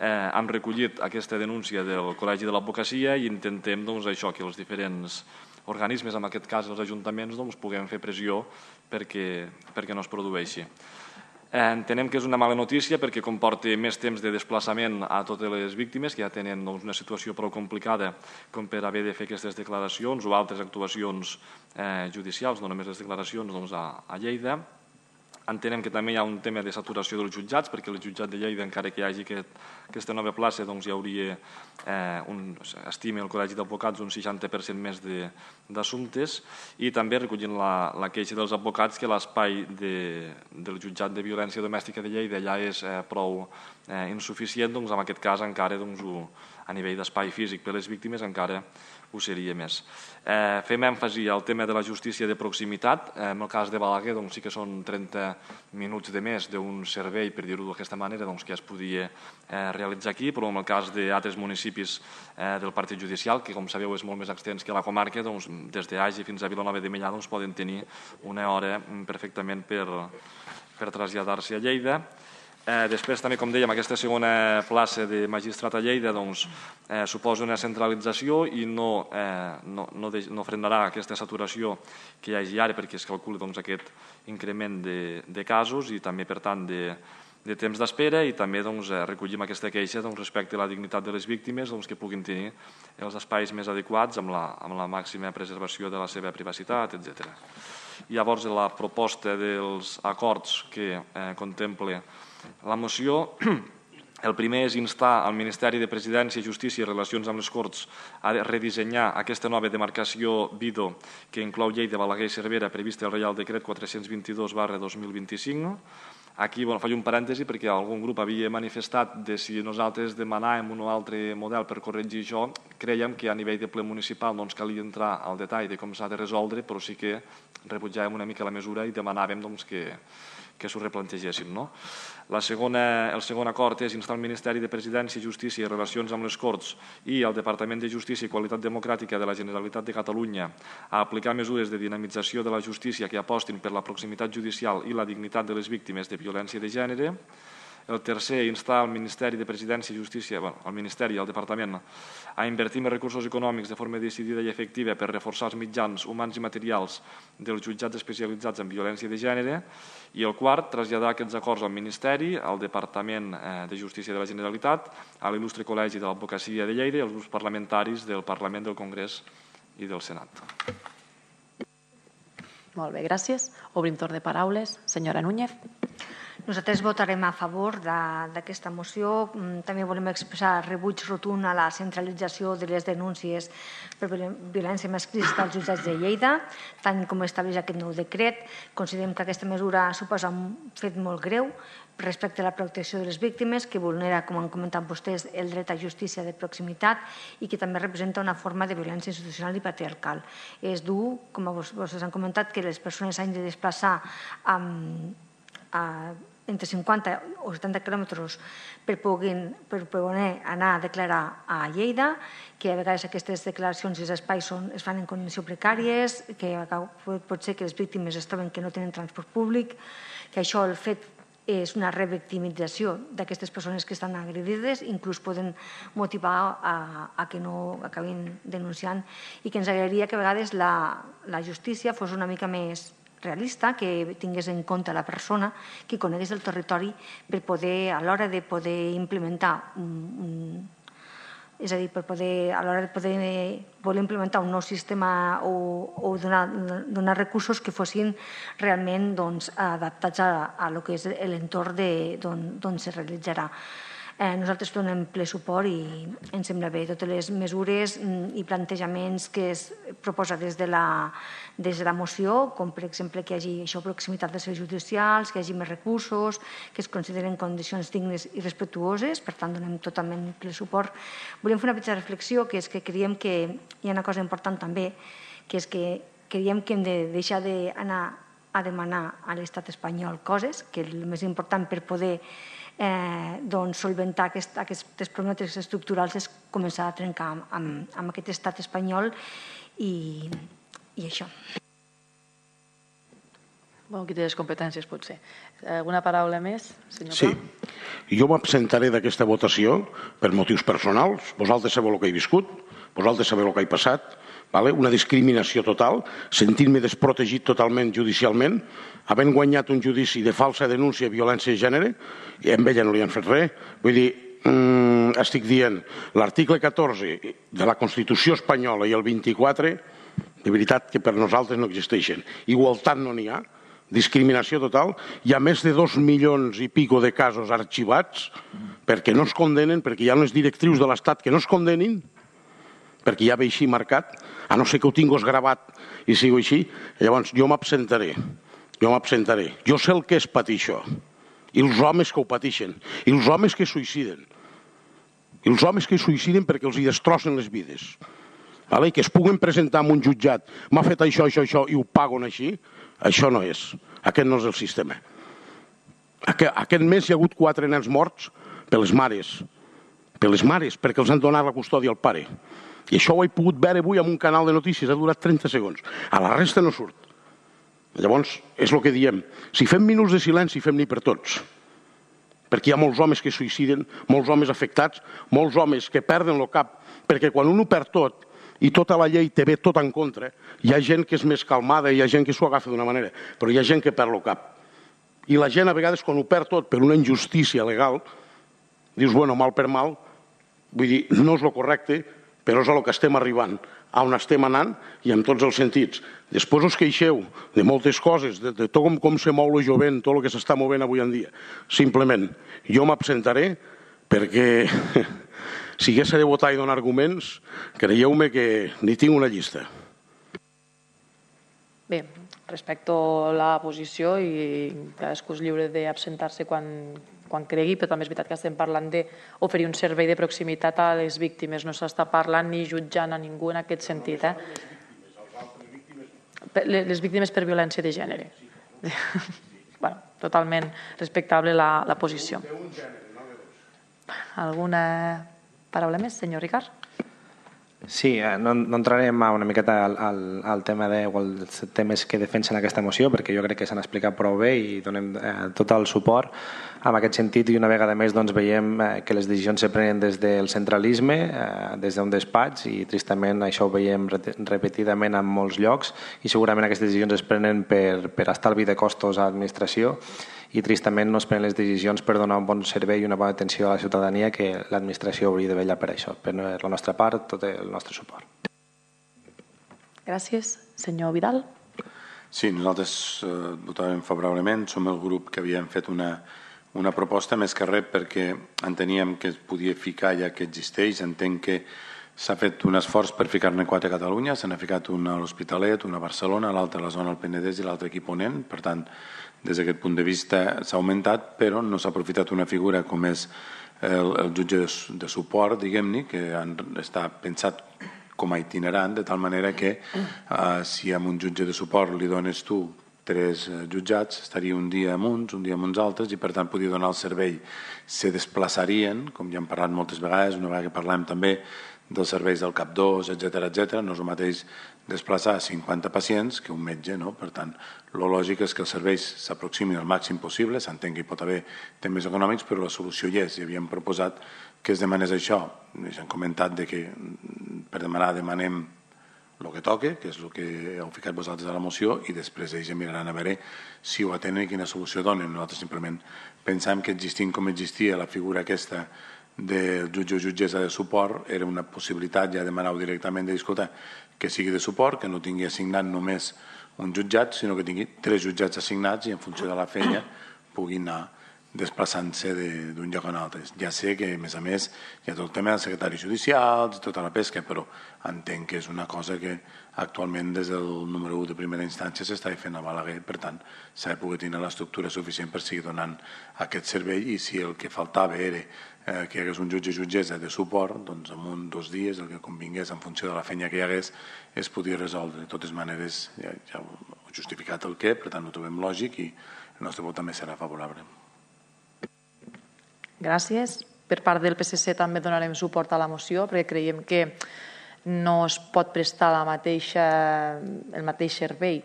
Eh, hem recollit aquesta denúncia del Col·legi de l'Advocacia i intentem doncs, això, que els diferents organismes, en aquest cas els ajuntaments, doncs, puguem fer pressió perquè, perquè no es produeixi. Entenem que és una mala notícia perquè comporta més temps de desplaçament a totes les víctimes, que ja tenen doncs, una situació prou complicada com per haver de fer aquestes declaracions o altres actuacions eh, judicials, no només les declaracions doncs, a, a Lleida. Entenem que també hi ha un tema de saturació dels jutjats, perquè el jutjat de Lleida, encara que hi hagi aquest, aquesta nova plaça, doncs hi hauria, eh, un, estima el Col·legi d'Advocats, un seixanta per cent més d'assumptes, i també recollint la, la queixa dels advocats que l'espai de, del jutjat de violència domèstica de Lleida ja és eh, prou eh, insuficient, doncs en aquest cas encara doncs, ho, a nivell d'espai físic per a les víctimes encara ho seria més. Eh, fem èmfasi al tema de la justícia de proximitat. Eh, en el cas de Balaguer doncs, sí que són trenta minuts de més d'un servei, per dir-ho d'aquesta manera, doncs, que es podia eh, realitzar aquí, però en el cas d'altres municipis eh, del partit judicial, que com sabeu és molt més extens que la comarca, doncs, des d'Agi fins a Vilanova de Meià doncs, poden tenir una hora perfectament per, per traslladar-se a Lleida. Eh, després també, com dèiem, aquesta segona plaça de magistrat a Lleida doncs, eh, suposa una centralització i no, eh, no, no, de, no frenarà aquesta saturació que hi hagi ara, perquè es calcula doncs, aquest increment de, de casos i també, per tant, de, de temps d'espera, i també doncs, recollim aquesta queixa doncs, respecte a la dignitat de les víctimes, doncs, que puguin tenir els espais més adequats amb la, amb la màxima preservació de la seva privacitat, etcètera. Llavors, la proposta dels acords que eh, contempla la moció, el primer és instar al Ministeri de Presidència, Justícia i Relacions amb les Corts a redissenyar aquesta nova demarcació Vido que inclou Lleida, Balaguer i Cervera prevista al Reial Decret quatre-cents vint-i-dos barra dos mil vint-i-cinc. Aquí bueno, faig un parèntesi perquè algun grup havia manifestat de si nosaltres demanàvem un o altre model per corregir això. Creiem que a nivell de ple municipal no ens calia entrar al detall de com s'ha de resoldre, però sí que rebutjàvem una mica la mesura i demanàvem doncs, que que s'ho replantegessin. No? La segona, el segon acord és instar el Ministeri de Presidència, Justícia i Relacions amb les Corts i el Departament de Justícia i Qualitat Democràtica de la Generalitat de Catalunya a aplicar mesures de dinamització de la justícia que apostin per la proximitat judicial i la dignitat de les víctimes de violència de gènere. El tercer, instar el Ministeri de Presidència i Justícia, bueno, el Ministeri i el Departament a invertir més recursos econòmics de forma decidida i efectiva per reforçar els mitjans humans i materials dels jutjats especialitzats en violència de gènere. I el quart, traslladar aquests acords al Ministeri, al Departament de Justícia de la Generalitat, a l'il·lustre Col·legi de l'Advocacia de Lleida i als grups parlamentaris del Parlament, del Congrés i del Senat. Molt bé, gràcies. Obrim torn de paraules. Senyora Núñez. Nosaltres votarem a favor d'aquesta moció. També volem expressar rebuig rotund a la centralització de les denúncies per violència masclista als jutjats de Lleida, tant com estableix aquest nou decret. Considerem que aquesta mesura suposa un fet molt greu respecte a la protecció de les víctimes, que vulnera, com han comentat vostès, el dret a justícia de proximitat i que també representa una forma de violència institucional i patriarcal. És dur, com vostès han comentat, que les persones s'han de desplaçar entre cinquanta o setanta quilòmetres per poder anar a declarar a Lleida, que a vegades aquestes declaracions i els espais es fan en condicions precàries, que pot ser que les víctimes es troben que no tenen transport públic, que això, el fet, és una revictimització d'aquestes persones que estan agredides, inclús poden motivar a que no acabin denunciant, i que ens agradaria que a vegades la justícia fos una mica més realista, que tingués en compte la persona, que conegués el territori per poder, a l'hora de poder implementar és a dir, per poder, a l'hora de poder voler implementar un nou sistema o donar recursos que fossin realment adaptats a lo que és l'entorn d'on se realitzarà. Nosaltres donem ple suport i ens sembla bé totes les mesures i plantejaments que es proposa des de la moció, com per exemple que hi hagi proximitat de serveis judicials, que hi hagi més recursos, que es consideren condicions dignes i respectuoses, per tant donem totalment ple suport. Volem fer una petita reflexió, que és que creiem que hi ha una cosa important també, que és que creiem que hem de deixar d'anar a demanar a l'estat espanyol coses, que el més important per poder solventar aquestes problemàtiques estructurals és començar a trencar amb aquest estat espanyol i això. Bon, qui té les competències, potser. Alguna paraula més, senyor Pla? Sí. Jo m'absentaré d'aquesta votació per motius personals. Vosaltres sabeu el que he viscut, vosaltres sabeu el que he passat, una discriminació total, sentint-me desprotegit totalment judicialment, havent guanyat un judici de falsa denúncia de violència de gènere, i a ella no li han fet res. Vull dir, estic dient, l'article catorze de la Constitució espanyola i el vint-i-quatre, de veritat que per nosaltres no existeixen. Igualtat no n'hi ha, discriminació total. Hi ha més de dos milions i pico de casos arxivats perquè no es condenen, perquè hi ha unes directrius de l'Estat que no es condenin, perquè ja ve així marcat, a no ser que ho tinguis gravat i sigui així. Llavors jo m'absentaré, jo m'absentaré. Jo sé el que és patir això, i els homes que ho pateixen, i els homes que suïciden, i els homes que suïciden perquè els hi destrossen les vides, i que es puguen presentar en un jutjat, m'ha fet això, això, això, i ho paguen així, això no és, aquest no és el sistema. Aquest mes hi ha hagut quatre nens morts per les mares, per les mares, perquè els han donat la custòdia al pare. I això ho he pogut veure avui en un canal de notícies, ha durat trenta segons. A la resta no surt. Llavors, és el que diem. Si fem minuts de silenci, fem-n'hi per tots. Perquè hi ha molts homes que suïciden, molts homes afectats, molts homes que perden el cap, perquè quan un ho perd tot i tota la llei te ve tot en contra, hi ha gent que és més calmada, hi ha gent que s'ho agafa d'una manera, però hi ha gent que perd el cap. I la gent, a vegades, quan ho perd tot per una injustícia legal, dius, bueno, mal per mal, vull dir, no és el correcte, però és a lo que estem arribant, a on estem anant i en tots els sentits. Després us queixeu de moltes coses, de tot com se mou el jovent, tot el que s'està movent avui en dia. Simplement, jo m'absentaré perquè si hagués de votar i donar arguments, creieu-me que ni tinc una llista. Bé, respecto la posició i cadascú és lliure d'absentar-se quan quan cregui, però també és veritat que estem parlant d'oferir un servei de proximitat a les víctimes. No s'està parlant ni jutjant a ningú en aquest sentit. Les víctimes per violència de gènere. Totalment respectable la posició. Alguna paraula més, senyor Ricard? Sí, no entrarem una miqueta al tema dels temes que defensen aquesta moció, perquè jo crec que s'han explicat prou bé i donem tot el suport en aquest sentit, i una vegada més veiem que les decisions se prenen des del centralisme, des d'un despatx, i tristament això ho veiem repetidament en molts llocs, i segurament aquestes decisions es prenen per estalvi de costos a l'administració, i tristament no es prenen les decisions per donar un bon servei i una bona atenció a la ciutadania, que l'administració hauria de vetllar per això. Per la nostra part, tot el nostre suport. Gràcies. Senyor Vidal. Sí, nosaltres eh, votàvem favorablement. Som el grup que havíem fet una, una proposta més que res perquè enteníem que es podia ficar ja que existeix. Entenc que s'ha fet un esforç per ficar-ne quatre a Catalunya. Se n'ha ficat una a l'Hospitalet, una a Barcelona, l'altra a la zona del Penedès i l'altra aquí a Ponent. Per tant, des d'aquest punt de vista s'ha augmentat, però no s'ha aprofitat una figura com és el, el jutge de, de suport, diguem-ne, que han, està pensat com a itinerant, de tal manera que eh, si amb un jutge de suport li dones tu tres eh, jutjats, estaria un dia amb uns, un dia amb uns altres, i per tant podria donar el servei. Se desplaçarien, com ja hem parlat moltes vegades, una vegada que parlem també dels serveis del CAP dos, etcètera, etcètera, no és el mateix desplaçar cinquanta pacients que un metge, no? Per tant, el lògic és que els serveis s'aproximin al màxim possible, s'entén que hi pot haver temes econòmics, però la solució hi és, i havíem proposat que es demanés això. Ja hem comentat de que per demanar demanem el que toque, que és el que heu ficat vosaltres a la moció, i després ells miraran a veure si ho atenen i quina solució donen. Nosaltres simplement pensàvem que existint com existia la figura aquesta del jutge o jutgessa de suport era una possibilitat, ja demanar-ho directament, de dir, escolta, que sigui de suport, que no tingui assignat només un jutjat, sinó que tingui tres jutjats assignats i en funció de la feina pugui anar desplaçant-se d'un lloc a un altre. Ja sé que, a més a més, hi ha tot el tema dels secretaris judicials i tota la pesca, però entenc que és una cosa que actualment des del número u de primera instància s'està fent a Balaguer, per tant, s'ha de poder tenir l'estructura suficient per seguir donant aquest servei, i si el que faltava era eh, que hi hagués un jutge o jutgessa de suport, doncs en un dos dies, el que convingués en funció de la feina que hi hagués, es podia resoldre. De totes maneres, ja, ja heu justificat el què, per tant, ho trobem lògic i el nostre vot també serà favorable. Gràcies. Per part del P S C també donarem suport a la moció perquè creiem que no es pot prestar la mateixa, el mateix servei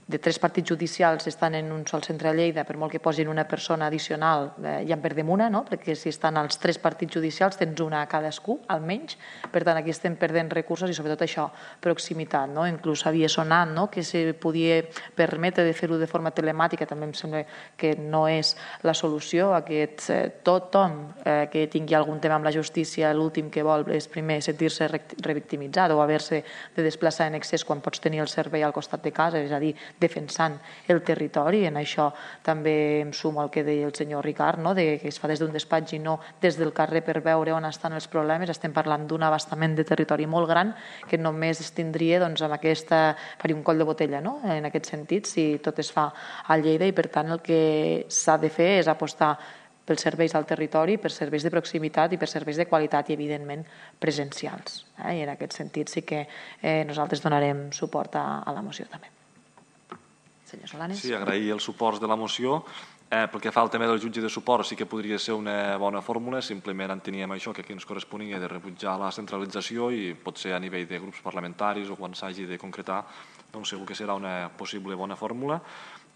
de tres partits judicials estan en un sol centre a Lleida, per molt que posin una persona addicional, eh, ja en perdem una, no? Perquè si estan els tres partits judicials tens una a cadascú, almenys. Per tant, aquí estem perdent recursos i sobretot això, proximitat. No? Inclús havia sonat no? que se podia permetre de fer-ho de forma telemàtica, també em sembla que no és la solució. Aquest, eh, tothom eh, que tingui algun tema amb la justícia, l'últim que vol és primer sentir-se revictimitzat o haver-se de desplaçar en excés quan pots tenir el servei al costat de casa, és a dir, defensant el territori. En això també em sumo al que deia el senyor Ricard, no? de que es fa des d'un despatx i no des del carrer per veure on estan els problemes. Estem parlant d'un abastament de territori molt gran que només es tindria doncs, amb aquesta, faria un coll de botella, no? En aquest sentit, si tot es fa a Lleida, i per tant el que s'ha de fer és apostar pels serveis al territori, per serveis de proximitat i per serveis de qualitat i, evidentment, presencials. Eh? I en aquest sentit sí que eh, nosaltres donarem suport a, a la moció també. Senyor Solanes. Sí, agrair els suports de la moció. Eh, pel que fa al tema del jutge de suport, sí que podria ser una bona fórmula, simplement enteníem això, que aquí ens corresponia de rebutjar la centralització i potser a nivell de grups parlamentaris o quan s'hagi de concretar, doncs segur que serà una possible bona fórmula.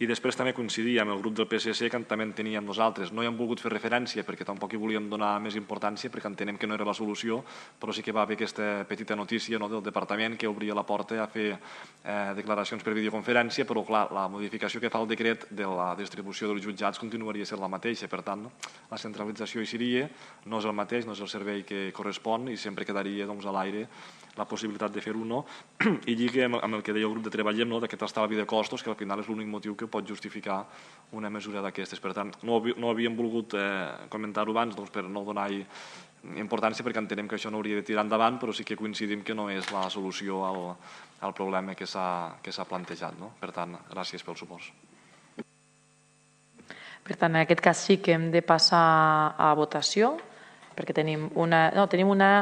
I després també coincidir amb el grup del P S C que també en teníem nosaltres. No hi hem volgut fer referència perquè tampoc hi volíem donar més importància perquè entenem que no era la solució, però sí que va haver aquesta petita notícia no, del departament que obria la porta a fer eh, declaracions per videoconferència, però clar, la modificació que fa el decret de la distribució dels jutjats continuaria sent la mateixa, per tant, no? La centralització hi seria, no és el mateix, no és el servei que correspon i sempre quedaria doncs, a l'aire la possibilitat de fer-ho no, i lliga amb el que deia el grup de Treballem, no, d'aquest estalvi de costos, que al final és l'únic motiu que pot justificar una mesura d'aquestes. Per tant, no, no havíem volgut eh, comentar-ho abans doncs, per no donar-hi importància, perquè entenem que això no hauria de tirar endavant, però sí que coincidim que no és la solució al, al problema que s'ha plantejat. No? Per tant, gràcies pels suports. Per tant, en aquest cas sí que hem de passar a votació, perquè tenim una... No, tenim una...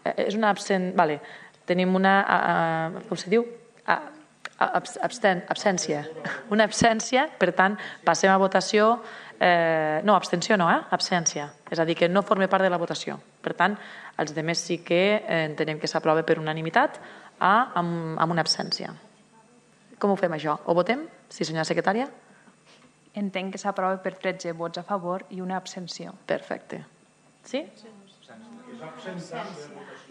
És una absent... Vale. Tenim una... Uh, com se diu? Uh, absten, absència. Una absència, per tant, passem a votació... Eh, no, abstenció no, eh? Absència. És a dir, que no forma part de la votació. Per tant, els altres sí que eh, entenem que s'aprova per unanimitat a, amb, amb una absència. Com ho fem, això? Ho votem? Sí, senyora secretària? Entenc que s'aprova per tretze vots a favor i una abstenció. Perfecte. Sí?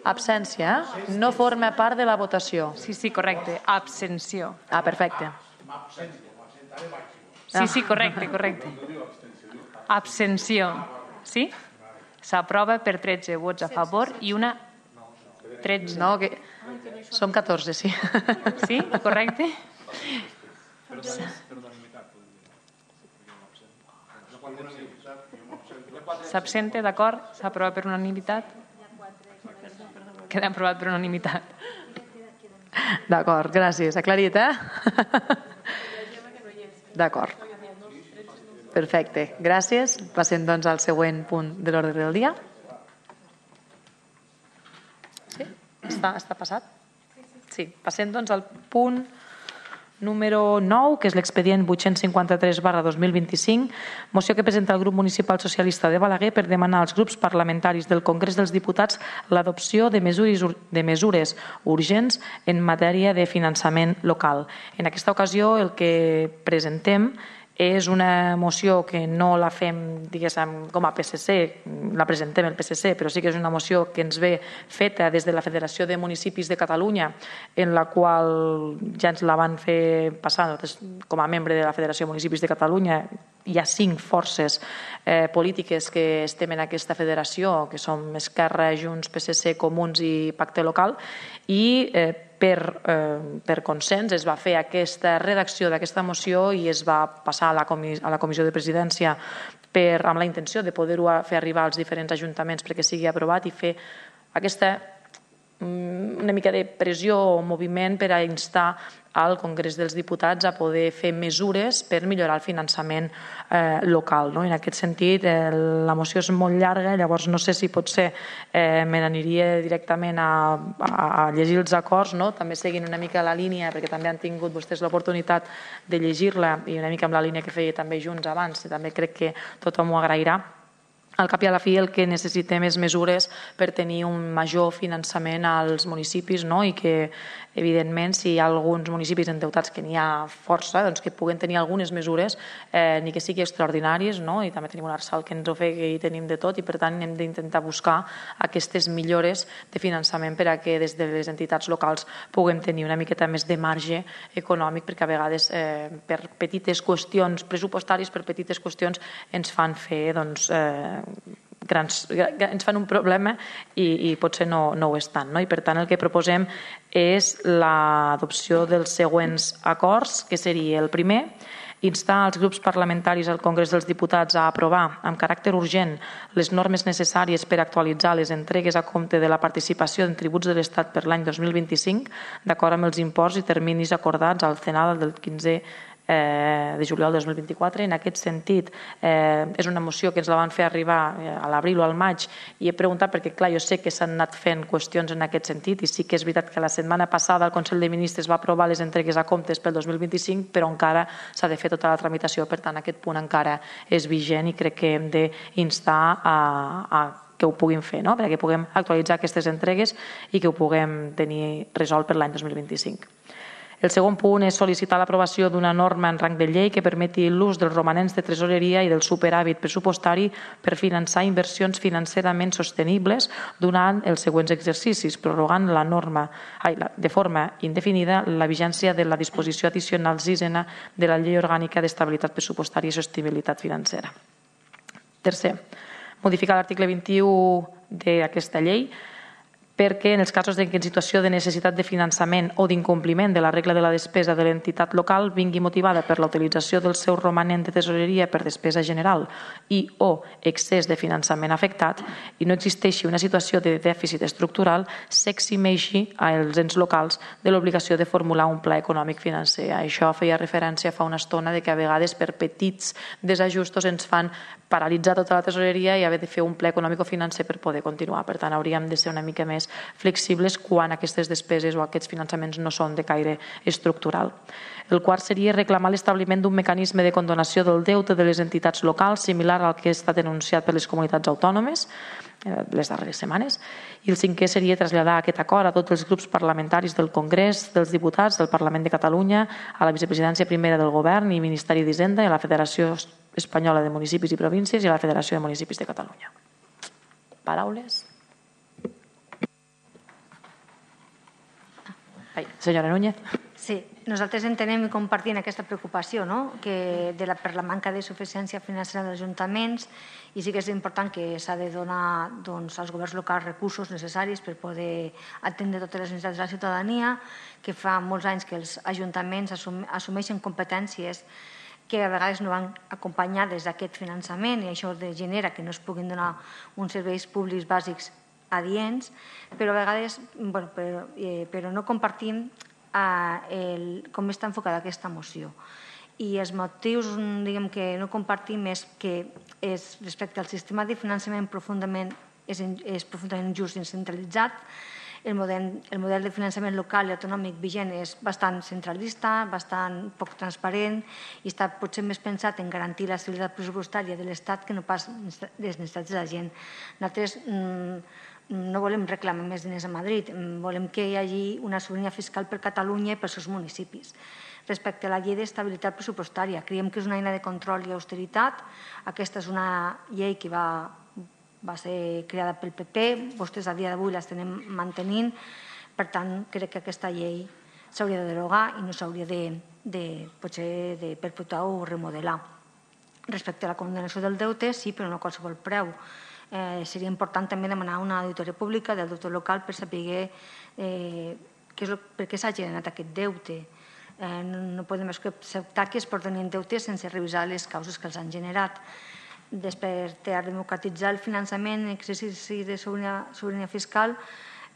Absència. No forma part de la votació. Sí, sí, correcte. Abstenció. Ah, perfecte. Sí, sí, correcte, correcte. Abstenció. Sí? S'aprova per tretze vots a favor i una... tretze. No, que... Som catorze, sí. Sí, correcte? S'absente, d'acord? S'aprova per unanimitat? Queda aprovat per unanimitat. D'acord, gràcies. Aclarit, eh? D'acord. Perfecte, gràcies. Passem doncs al següent punt de l'ordre del dia. Sí? Està, està passat? Sí. Passem doncs al punt número nou, que és l'expedient vuit-cents cinquanta-tres barra dos mil vint-i-cinc, moció que presenta el grup municipal socialista de Balaguer per demanar als grups parlamentaris del Congrés dels Diputats l'adopció de mesures, de mesures urgents en matèria de finançament local. En aquesta ocasió el que presentem és una moció que no la fem, diguéssim, com a P S C, la presentem el P S C, però sí que és una moció que ens ve feta des de la Federació de Municipis de Catalunya, en la qual ja ens la van fer passar com a membre de la Federació de Municipis de Catalunya. Hi ha cinc forces eh, polítiques que estem en aquesta federació, que som Esquerra, Junts, P S C, Comuns i Pacte Local, i eh, per, eh, per consens es va fer aquesta redacció d'aquesta moció i es va passar a la, comis a la Comissió de Presidència per, amb la intenció de poder-ho fer arribar als diferents ajuntaments perquè sigui aprovat i fer aquesta una mica de pressió o moviment per a instar al Congrés dels Diputats a poder fer mesures per millorar el finançament eh, local. No? En aquest sentit, eh, la moció és molt llarga, llavors no sé si potser eh, me n'aniria directament a, a, a llegir els acords, no? També seguint una mica la línia, perquè també han tingut vostès l'oportunitat de llegir-la i una mica amb la línia que feia també Junts abans, i també crec que tothom ho agrairà. Al cap i a la fi el que necessitem és mesures per tenir un major finançament als municipis, no? I que, evidentment, si hi ha alguns municipis endeutats que n'hi ha força, doncs que puguen tenir algunes mesures, eh, ni que sigui extraordinaris, no? I també tenim un arsal que ens ofega i tenim de tot i, per tant, hem d'intentar buscar aquestes millores de finançament per a que des de les entitats locals puguem tenir una miqueta més de marge econòmic, perquè a vegades eh, per petites qüestions pressupostàries, per petites qüestions ens fan fer, doncs, eh, grans, ens fan un problema i, i potser no, no ho és tant. No? I per tant el que proposem és l'adopció dels següents acords, que seria el primer, instar els grups parlamentaris al Congrés dels Diputats a aprovar amb caràcter urgent les normes necessàries per actualitzar les entregues a compte de la participació en tributs de l'Estat per l'any dos mil vint-i-cinc, d'acord amb els imports i terminis acordats al CENAL del quinze de juliol de dos mil vint-i-quatre. En aquest sentit, eh, és una moció que ens la van fer arribar a l'abril o al maig i he preguntat perquè, clar, jo sé que s'han anat fent qüestions en aquest sentit i sí que és veritat que la setmana passada el Consell de Ministres va aprovar les entregues a comptes pel dos mil vint-i-cinc, però encara s'ha de fer tota la tramitació, per tant aquest punt encara és vigent i crec que hem d'instar a, a que ho puguin fer, no? Perquè puguem actualitzar aquestes entregues i que ho puguem tenir resolt per l'any dos mil vint-i-cinc. El segon punt és sol·licitar l'aprovació d'una norma en rang de llei que permeti l'ús dels romanents de tresoreria i del superàvit pressupostari per finançar inversions financerament sostenibles durant els següents exercicis, prorrogant la norma ai, la, de forma indefinida la vigència de la disposició addicional sisena de la Llei Orgànica d'Estabilitat Pressupostària i Sostenibilitat Financera. Tercer, modificar l'article vint-i-u d'aquesta llei perquè en els casos en què en situació de necessitat de finançament o d'incompliment de la regla de la despesa de l'entitat local vingui motivada per la utilització del seu romanent de tesoreria per despesa general i o excés de finançament afectat i no existeixi una situació de dèficit estructural, s'eximeixi als ens locals de l'obligació de formular un pla econòmic financer. Això feia referència fa una estona de que a vegades per petits desajustos ens fan paralitzar tota la tesoreria i haver de fer un pla econòmic-financer per poder continuar. Per tant, hauríem de ser una mica més flexibles quan aquestes despeses o aquests finançaments no són de caire estructural. El quart seria reclamar l'establiment d'un mecanisme de condonació del deute de les entitats locals similar al que està denunciat per les comunitats autònomes les darreres setmanes. I el cinquè seria traslladar aquest acord a tots els grups parlamentaris del Congrés dels Diputats del Parlament de Catalunya, a la Vicepresidència Primera del Govern i Ministeri d'Hisenda i a la Federació Espanyola de Municipis i Províncies i a la Federació de Municipis de Catalunya. Paraules? Ai, senyora Núñez. Sí, nosaltres entenem i compartim aquesta preocupació per la manca de suficiència financera dels ajuntaments i sí que és important que s'ha de donar als governs locals recursos necessaris per poder atendre totes les necessitats de la ciutadania, que fa molts anys que els ajuntaments assumeixen competències que a vegades no van acompanyades d'aquest finançament i això genera que no es puguin donar uns serveis públics bàsics adients, però a vegades però no compartim com està enfocada aquesta moció. I els motius que no compartim és que respecte al sistema de finançament és profundament just i centralitzat. El model de finançament local i autonòmic vigent és bastant centralista, bastant poc transparent i està potser més pensat en garantir l'estabilitat pressupostària de l'Estat que no pas les necessitats de la gent. Nosaltres no volem reclamar més diners a Madrid, volem que hi hagi una sobirania fiscal per Catalunya i pels seus municipis. Respecte a la llei d'estabilitat pressupostària, creiem que és una eina de control i austeritat. Aquesta és una llei que va va ser creada pel P P, vostès a dia d'avui l'estem mantenint, per tant crec que aquesta llei s'hauria de derogar i no s'hauria de potser de perpetuar o remodelar. Respecte a la condonació del deute, sí, però no a qualsevol preu. Seria important també demanar una auditoria pública del deute local per saber per què s'ha generat aquest deute. No podem acceptar que es portin en deute sense revisar les causes que els han generat. Després, per democratitzar el finançament en exercici de sobirania fiscal,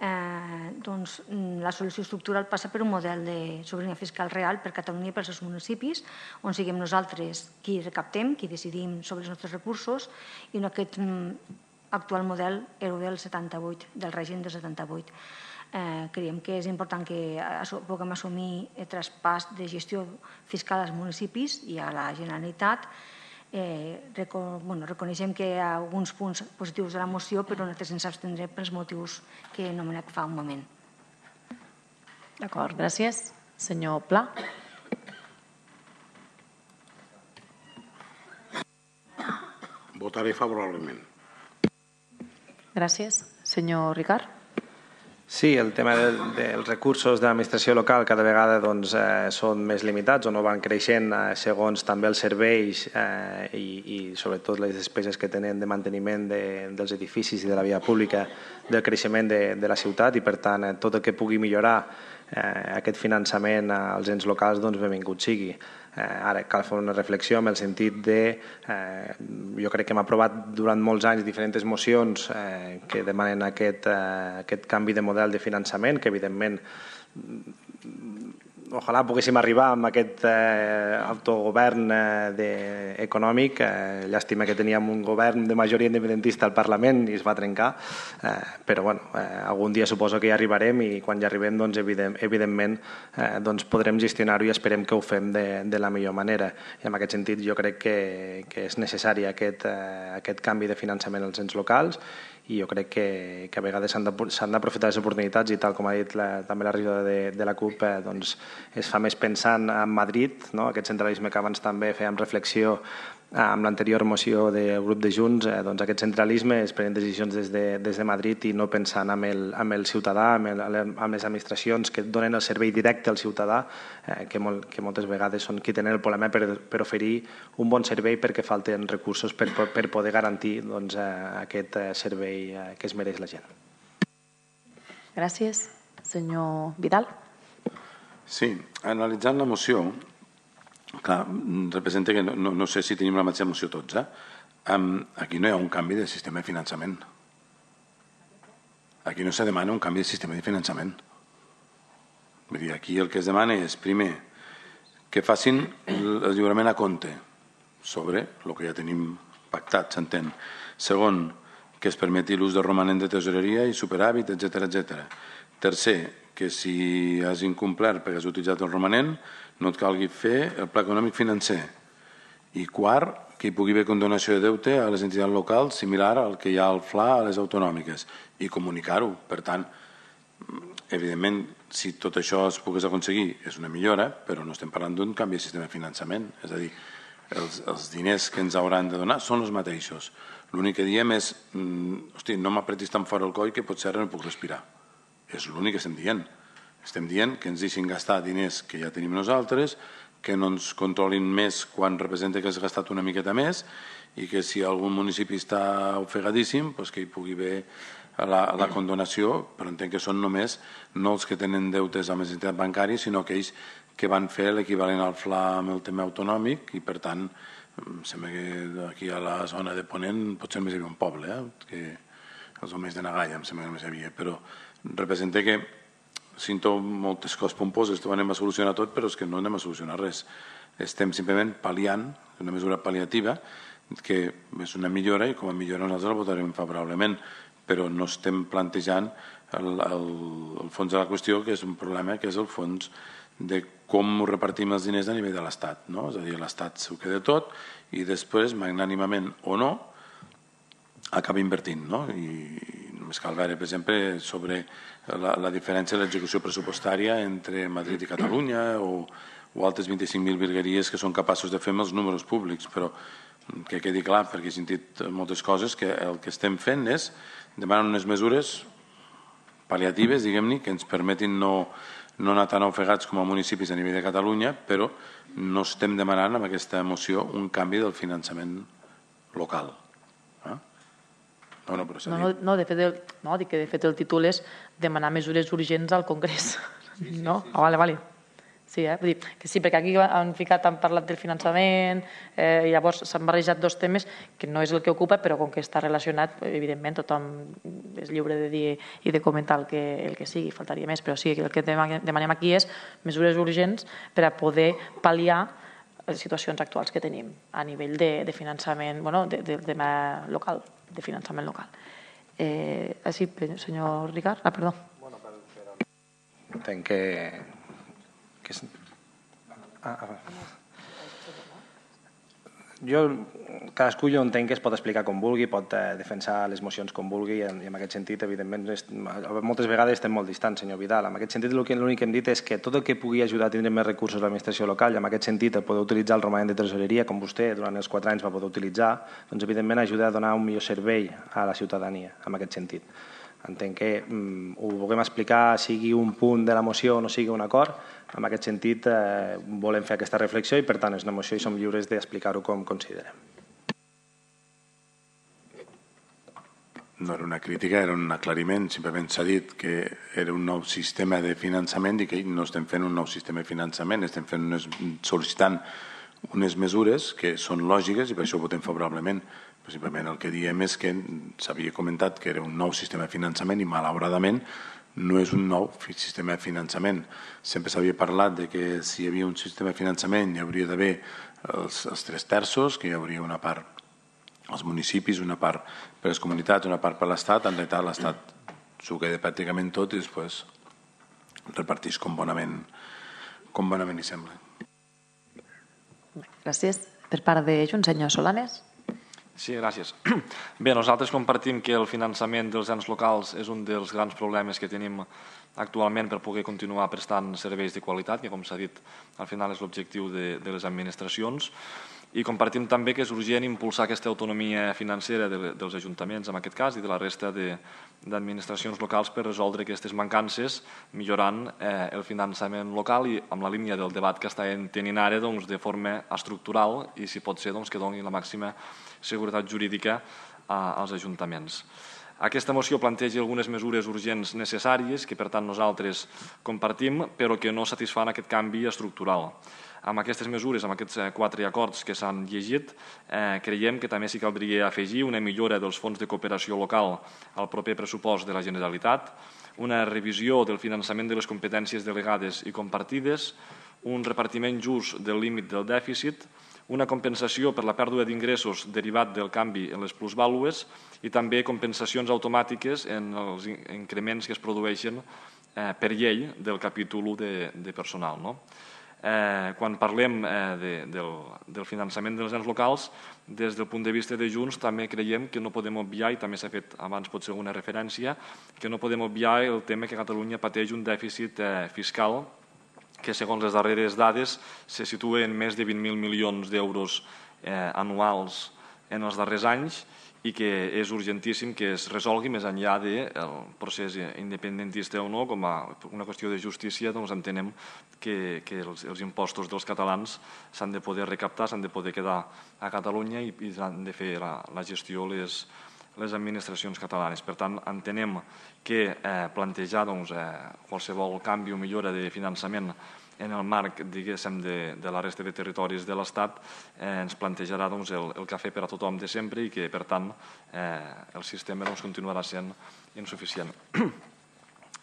la solució estructural passa per un model de sobirania fiscal real per Catalunya i pels seus municipis, on siguem nosaltres qui recaptem, qui decidim sobre els nostres recursos, i no aquest actual model del setanta-vuit, del règim del setanta-vuit. Creiem que és important que puguem assumir el traspàs de gestió fiscal als municipis i a la Generalitat. Reconeixem que hi ha alguns punts positius de la moció, però nosaltres ens abstindrem pels motius que he anomenat fa un moment. D'acord, gràcies. Senyor Pla. Votaré favorablement. Gràcies. Senyor Ricard. Sí, el tema dels recursos de l'administració local cada vegada són més limitats o no van creixent segons també els serveis i sobretot les despeses que tenen de manteniment dels edificis i de la via pública del creixement de la ciutat i per tant tot el que pugui millorar aquest finançament als ens locals benvingut sigui. Ara cal fer una reflexió en el sentit de, jo crec que hem aprovat durant molts anys diferents mocions que demanen aquest canvi de model de finançament, que evidentment ojalà poguéssim arribar amb aquest autogovern econòmic. Llàstima que teníem un govern de majoria independentista al Parlament i es va trencar, però algun dia suposo que hi arribarem i quan hi arribem evidentment podrem gestionar-ho i esperem que ho fem de la millor manera. I en aquest sentit jo crec que és necessari aquest canvi de finançament als ens locals i jo crec que a vegades s'han d'aprofitar les oportunitats i tal com ha dit també la regidora de la CUP es fa més pensant en Madrid, aquest centralisme que abans també fèiem reflexió amb l'anterior moció del grup de Junts, aquest centralisme es prenen decisions des de Madrid i no pensant en el ciutadà, en les administracions que donen el servei directe al ciutadà, que moltes vegades són qui tenen el problema per oferir un bon servei perquè falten recursos per poder garantir aquest servei que es mereix la gent. Gràcies. Senyor Vidal. Sí, analitzant la moció, clar, representa que no sé si tenim la mateixa moció tots, aquí no hi ha un canvi de sistema de finançament. Aquí no se demana un canvi de sistema de finançament. Vull dir, aquí el que es demana és, primer, que facin el lliurament a compte sobre el que ja tenim pactat, s'entén. Segon, que es permeti l'ús de romanent de tesoreria i superàvit, etcètera, etcètera. Tercer, que si has incomplert perquè has utilitzat el romanent no et calgui fer el pla econòmic financer. I quart, que hi pugui haver condonació de deute a les entitats locals similar al que hi ha al F L A a les autonòmiques i comunicar-ho. Per tant, evidentment, si tot això es pogués aconseguir és una millora, però no estem parlant d'un canvi de sistema de finançament. És a dir, els diners que ens hauran de donar són els mateixos. L'únic que diem és, hosti, no m'apretis tan fora el coll que potser ara no puc respirar. És l'únic que estem dient. Estem dient que ens deixin gastar diners que ja tenim nosaltres, que no ens controlin més quan representa que has gastat una miqueta més i que si algun municipi està ofegadíssim, doncs que hi pugui haver la, la condonació, però entenc que són només no els que tenen deutes amb les entitats bancàries, sinó aquells que van fer l'equivalent al F L A amb el tema autonòmic i, per tant, em sembla que aquí a la zona de Ponent potser només hi havia un poble, eh? Que els homes de Nagalla em sembla que només hi havia, però representa que sento moltes coses pomposes, que ho anem a solucionar tot, però és que no anem a solucionar res. Estem simplement pal·liant, una mesura pal·liativa, que és una millora i com a millora nosaltres la votarem favorablement, però no estem plantejant el, el, el fons de la qüestió, que és un problema, que és el fons de com repartim els diners a nivell de l'Estat, no? És a dir, l'Estat s'ho queda tot i després, magnànimament o no, acaba invertint, no? I només cal veure, per exemple, sobre la, la diferència de l'execució pressupostària entre Madrid i Catalunya o, o altres vint-i-cinc mil virgueries que són capaços de fer amb els números públics, però que quedi clar, perquè he sentit moltes coses, que el que estem fent és demanar unes mesures pal·liatives, diguem-ne, que ens permetin no, no anar tan ofegats com a municipis a nivell de Catalunya, però no estem demanant amb aquesta moció un canvi del finançament local. Eh? No, no, però s'ha No, dit. no, de fet, el, no, dic que de fet el títol és demanar mesures urgents al Congrés. Sí, sí, no? Sí. Ah, vale, vale. Sí, eh? Vull dir que sí, perquè aquí han ficat, han parlat del finançament, eh, i llavors s'han barrejat dos temes que no és el que ocupa, però com que està relacionat, evidentment tothom és lliure de dir i de comentar el que, el que sigui, faltaria més, però sí, el que demanem aquí és mesures urgents per a poder pal·liar les situacions actuals que tenim a nivell de, de finançament, bueno, de, de, de local, de finançament local. Eh, sí, senyor Ricard, ah, perdó. Bueno, però entenc que que és... ah, ah. Jo, cadascú jo entenc que es pot explicar com vulgui, pot eh, defensar les mocions com vulgui i en, i en aquest sentit, evidentment, és, moltes vegades estem molt distants, senyor Vidal. En aquest sentit, l'únic que hem dit és que tot el que pugui ajudar a tindre més recursos a l'administració local i en aquest sentit el poder utilitzar el romanent de tresoreria, com vostè durant els quatre anys va poder utilitzar, doncs evidentment ajuda a donar un millor servei a la ciutadania, en aquest sentit. Entenc que mm, ho vulguem explicar, sigui un punt de la moció o no sigui un acord. En aquest sentit, eh, volem fer aquesta reflexió i, per tant, és una moció i som lliures d'explicar-ho com considerem. No era una crítica, era un aclariment. Simplement s'ha dit que era un nou sistema de finançament i que no estem fent un nou sistema de finançament, estem fent unes, sol·licitant unes mesures que són lògiques i per això ho votem favorablement. Però simplement el que diem és que s'havia comentat que era un nou sistema de finançament i malauradament no és un nou sistema de finançament. Sempre s'havia parlat de que si hi havia un sistema de finançament hi hauria d'haver els, els tres terços, que hi hauria una part als municipis, una part per les comunitats, una part per l'Estat. En realitat l'Estat s'ho queda pràcticament tot i després reparteix com bonament, com bonament hi sembla. Gràcies. Per part de Junts, senyor Solanes. Sí, gràcies. Bé, nosaltres compartim que el finançament dels ens locals és un dels grans problemes que tenim actualment per poder continuar prestant serveis de qualitat, que com s'ha dit al final és l'objectiu de, de les administracions, i compartim també que és urgent impulsar aquesta autonomia financera de, dels ajuntaments, en aquest cas, i de la resta d'administracions locals per resoldre aquestes mancances, millorant eh, el finançament local i amb la línia del debat que estem tenint ara doncs, de forma estructural i, si pot ser, doncs, que doni la màxima seguretat jurídica a, als ajuntaments. Aquesta moció planteja algunes mesures urgents necessàries que, per tant, nosaltres compartim, però que no satisfan aquest canvi estructural. Amb aquestes mesures, amb aquests quatre acords que s'han llegit, eh, creiem que també s'hi caldria afegir una millora dels fons de cooperació local al proper pressupost de la Generalitat, una revisió del finançament de les competències delegades i compartides, un repartiment just del límit del dèficit, una compensació per la pèrdua d'ingressos derivat del canvi en les plusvàlues i també compensacions automàtiques en els increments que es produeixen eh, per llei del capítol u de, de personal. No? Eh, quan parlem eh, de, del, del finançament dels ens locals, des del punt de vista de Junts també creiem que no podem obviar, i també s'ha fet abans potser alguna referència, que no podem obviar el tema que Catalunya pateix un dèficit eh, fiscal que segons les darreres dades se situa en més de vint mil milions d'euros eh, anuals en els darrers anys i que és urgentíssim que es resolgui més enllà del procés independentista o no, com a una qüestió de justícia, doncs entenem que, que els, els impostos dels catalans s'han de poder recaptar, s'han de poder quedar a Catalunya i, i han de fer la, la gestió les, les administracions catalanes. Per tant, entenem que eh, plantejar doncs, eh, qualsevol canvi o millora de finançament en el marc, diguéssim, de, de la resta de territoris de l'Estat eh, ens plantejarà doncs, el, el cafè per a tothom de sempre i que, per tant, eh, el sistema doncs, continuarà sent insuficient.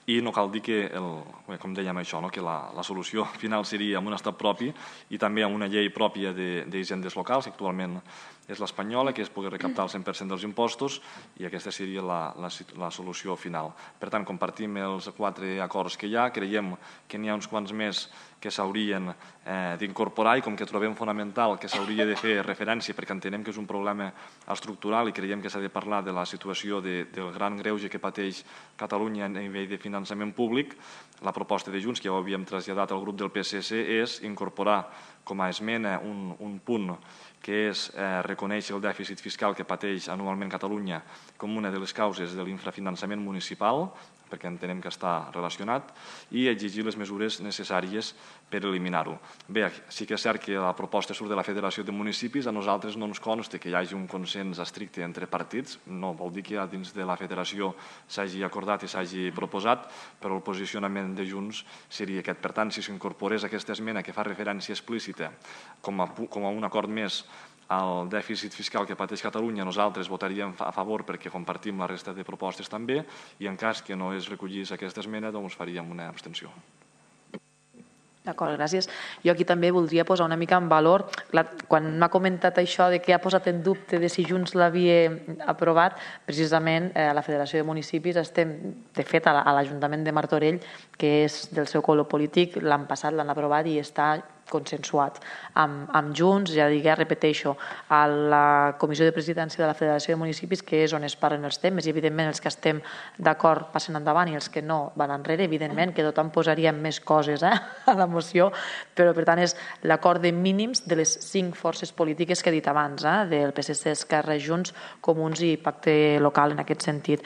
I no cal dir que, el, com dèiem això, no? que la, la solució final seria amb un estat propi i també amb una llei pròpia d'hisendes locals, que actualment és l'espanyola, que es pugui recaptar el cent per cent dels impostos i aquesta seria la, la, la solució final. Per tant, compartim els quatre acords que hi ha, creiem que n'hi ha uns quants més que s'haurien eh, d'incorporar i com que trobem fonamental que s'hauria de fer referència perquè entenem que és un problema estructural i creiem que s'ha de parlar de la situació de, del gran greuge que pateix Catalunya a nivell de finançament públic, la proposta de Junts, que ja ho havíem traslladat al grup del P S C, és incorporar com a esmena un, un punt que és eh, reconèixer el dèficit fiscal que pateix anualment Catalunya com una de les causes de l'infrafinançament municipal, perquè entenem que està relacionat, i exigir les mesures necessàries per eliminar-ho. Bé, sí que és cert que la proposta surt de la Federació de Municipis, a nosaltres no ens consta que hi hagi un consens estricte entre partits, no vol dir que dins de la Federació s'hagi acordat i s'hagi proposat, però el posicionament de Junts seria aquest. Per tant, si s'incorporés aquesta esmena que fa referència explícita com a, com a un acord més al dèficit fiscal que pateix Catalunya, nosaltres votaríem a favor perquè compartim la resta de propostes també i en cas que no es recollís aquesta esmena doncs faríem una abstenció. D'acord, gràcies. Jo aquí també voldria posar una mica en valor, quan m'ha comentat això de que ha posat en dubte de si Junts l'havia aprovat, precisament a la Federació de Municipis estem, de fet, a l'Ajuntament de Martorell, que és del seu color polític, l'han passat, l'han aprovat i està consensuat amb, amb Junts, ja digué, repeteixo, a la Comissió de Presidència de la Federació de Municipis, que és on es parlen els temes, i evidentment els que estem d'acord passen endavant i els que no van enrere, evidentment que tothom posaria més coses eh, a la moció, però per tant és l'acord de mínims de les cinc forces polítiques que he dit abans, eh, del P S C, Esquerra, Junts, Comuns i Pacte Local en aquest sentit.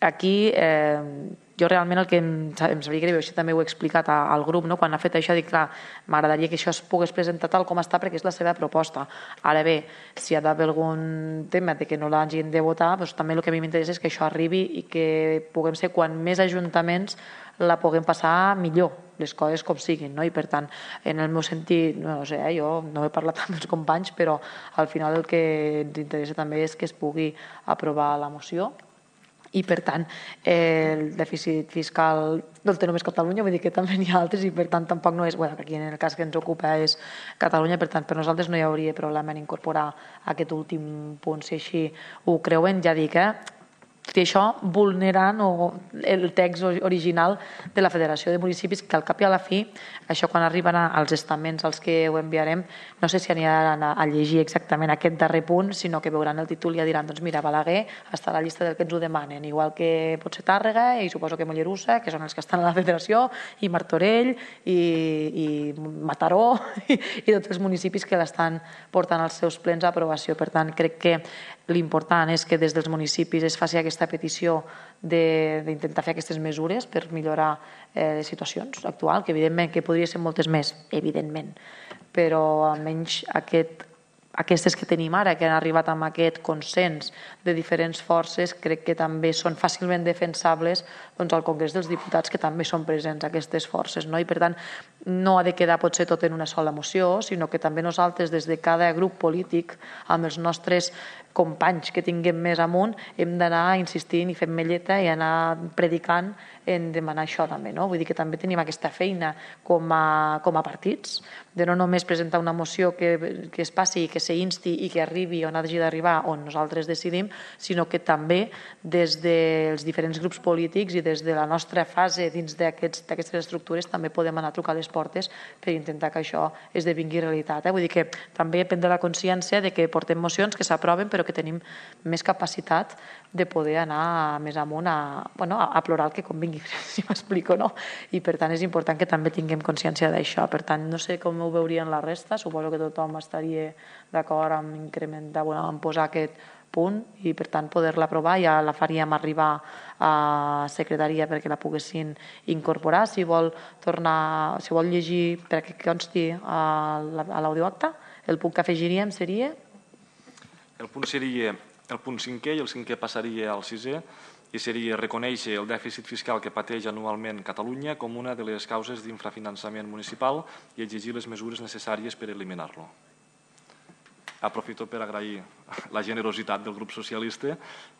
Aquí eh, jo realment el que em, em sabria greu, això també ho he explicat al grup, no? Quan ha fet això dic, clar, m'agradaria que això es pogués presentar tal com està perquè és la seva proposta. Ara bé, si hi ha d'haver algun tema de que no l'hagin de votar, doncs també el que a mi m'interessa és que això arribi i que puguem ser quan més ajuntaments la puguem passar millor, les coses com siguin, no? I per tant, en el meu sentit, no sé, eh, jo no he parlat amb els companys, però al final el que ens interessa també és que es pugui aprovar la moció i per tant el dèficit fiscal no el té només Catalunya, vull dir que també n'hi ha altres i per tant tampoc no és, bueno, aquí en el cas que ens ocupa és Catalunya, per tant per nosaltres no hi hauria problema en incorporar aquest últim punt, si així ho creuen, ja dic, eh? Tot i això vulnerant el text original de la Federació de Municipis, que al cap i a la fi, això quan arriben als estaments als que ho enviarem, no sé si aniran a llegir exactament aquest darrer punt, sinó que veuran el títol i ja diran, doncs mira, Balaguer està a la llista del que ens ho demanen, igual que pot ser Tàrrega i suposo que Mollerussa, que són els que estan a la Federació, i Martorell, i, i Mataró, i, i tots els municipis que l'estan portant als seus plens a aprovació. Per tant, crec que l'important és que des dels municipis es faci aquesta petició d'intentar fer aquestes mesures per millorar eh, les situacions actuals, que evidentment que podria ser moltes més, evidentment, però almenys aquest, aquestes que tenim ara, que han arribat amb aquest consens de diferents forces, crec que també són fàcilment defensables doncs, al Congrés dels Diputats, que també són presents aquestes forces, no? I per tant no ha de quedar potser tot en una sola moció, sinó que també nosaltres des de cada grup polític amb els nostres companys que tinguem més amunt hem d'anar insistint i fent melleta i anar predicant en demanar això també, no? Vull dir que també tenim aquesta feina com a, com a partits, de no només presentar una moció que, que es passi i que s'insti i que arribi on hagi d'arribar, on nosaltres decidim, sinó que també des dels diferents grups polítics i des de la nostra fase dins d'aquestes estructures també podem anar a trucar a les portes per intentar que això esdevingui realitat. Eh? Vull dir que també prendre la consciència de que portem mocions que s'aproven però que tenim més capacitat de poder anar més amunt a, bueno, a plorar el que convingui, si m'explico, no? I per tant és important que també tinguem consciència d'això. Per tant, no sé com ho veurien la resta, suposo que tothom estaria d'acord amb incrementar, bueno, amb posar aquest punt i per tant poder-la aprovar. Ja la faríem arribar a secretaria perquè la poguessin incorporar. Si vol tornar, si vol llegir perquè consti a l'audioacte, el punt que afegiríem seria? El punt seria el punt cinquè i el cinquè passaria al sisè i seria reconèixer el dèficit fiscal que pateix anualment Catalunya com una de les causes d'infrafinançament municipal i exigir les mesures necessàries per eliminar-lo. Aprofito per agrair la generositat del grup socialista.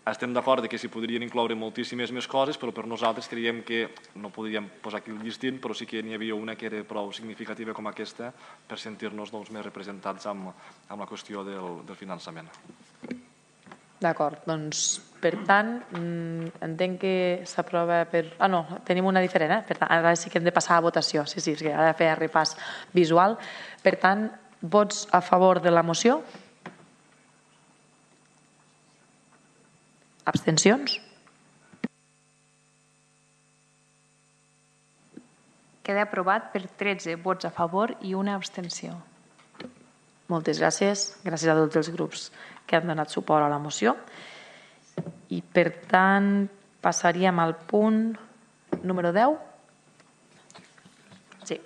Estem d'acord que s'hi podrien incloure moltíssimes més coses, però per nosaltres creiem que no podríem posar aquí el llistint, però sí que n'hi havia una que era prou significativa com aquesta per sentir-nos més representats amb la qüestió del finançament. D'acord, doncs per tant entenc que s'aprova per... Ah no, tenim una diferent, eh? Per tant, ara sí que hem de passar a votació, sí, sí, és que ha de fer repàs visual. Per tant, vots a favor de la moció? Abstencions? Queda aprovat per tretze vots a favor i una abstenció. Moltes gràcies. Gràcies a tots els grups que han donat suport a la moció. I per tant passaríem al punt número deu. Sí.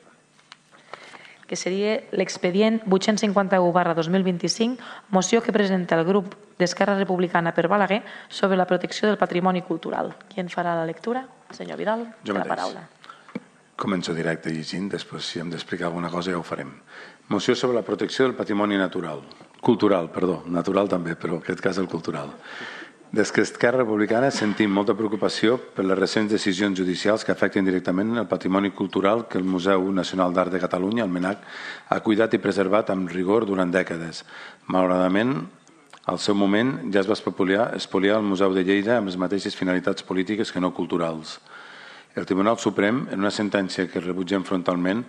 Que seria l'expedient vuit-cents cinquanta-u barra dos mil vint-i-cinc, moció que presenta el grup d'Esquerra Republicana per Balaguer sobre la protecció del patrimoni cultural. Qui en farà la lectura? Senyor Vidal, jo la mateix. paraula. Començo directe llegint, després si hem d'explicar alguna cosa ja ho farem. Moció sobre la protecció del patrimoni natural. Cultural, perdó, natural també, però en aquest cas el cultural. Des que Esquerra Republicana sentim molta preocupació per les recents decisions judicials que afecten directament el patrimoni cultural que el Museu Nacional d'Art de Catalunya, el MNAC, ha cuidat i preservat amb rigor durant dècades. Malauradament, al seu moment ja es va espoliar, espoliar el Museu de Lleida amb les mateixes finalitats polítiques que no culturals. El Tribunal Suprem, en una sentència que rebutgem frontalment,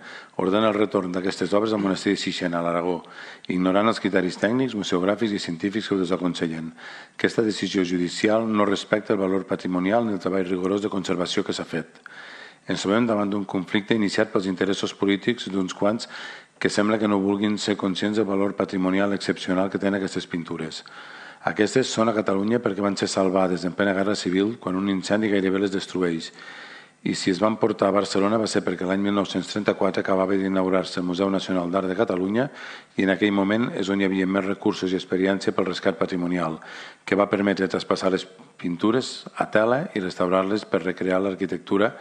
ordena el retorn d'aquestes obres al monestir de Sixena, a l'Aragó, ignorant els criteris tècnics, museogràfics i científics que ho desaconsellen. Aquesta decisió judicial no respecta el valor patrimonial ni el treball rigorós de conservació que s'ha fet. Ens trobem davant d'un conflicte iniciat pels interessos polítics d'uns quants que sembla que no vulguin ser conscients del valor patrimonial excepcional que tenen aquestes pintures. Aquestes són a Catalunya perquè van ser salvades en plena guerra civil quan un incendi gairebé les destrueix. I si es van portar a Barcelona va ser perquè l'any mil nou-cents trenta-quatre acabava d'inaugurar-se el Museu Nacional d'Art de Catalunya i en aquell moment és on hi havia més recursos i experiència pel rescat patrimonial, que va permetre traspassar les pintures a tela i restaurar-les per recrear l'arquitectura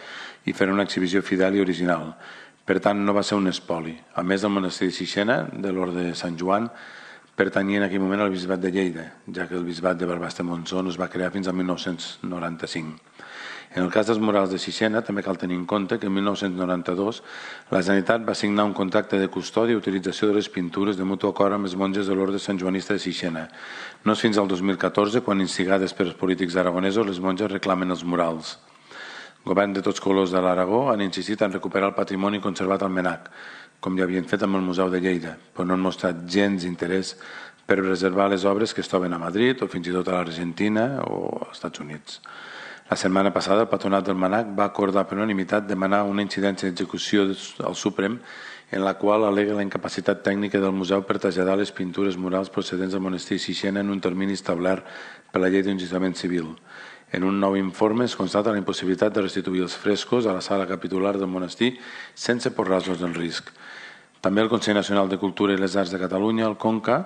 i fer una exhibició fidel i original. Per tant, no va ser un espoli. A més, el monestir de Sixena, de l'Orde de Sant Joan, pertanyia en aquell moment al bisbat de Lleida, ja que el bisbat de Barbastremontsó no es va crear fins al mil nou-cents noranta-cinc. En el cas dels murals de Sixena, també cal tenir en compte que en mil nou-cents noranta-dos la Generalitat va signar un contracte de custòdia i utilització de les pintures de mutu acord amb les monges de l'Orde Santjoanista de Sixena. No és fins al dos mil catorze quan, instigades per els polítics aragonesos, les monges reclamen els murals. Governs de tots colors de l'Aragó han insistit en recuperar el patrimoni conservat al MNAC, com ja havien fet amb el Museu de Lleida, però no han mostrat gens interès per preservar les obres que es troben a Madrid o fins i tot a l'Argentina o als Estats Units. La setmana passada el patronat del MNAC va acordar per unanimitat demanar una incidència d'execució al Suprem en la qual al·lega la incapacitat tècnica del museu per traslladar les pintures murals procedents del monestir Sixena en un termini establert per la llei d'enregistrament civil. En un nou informe es constata la impossibilitat de restituir els frescos a la sala capitular del monestir sense posar-los en risc. També el Consell Nacional de Cultura i les Arts de Catalunya, el CONCA,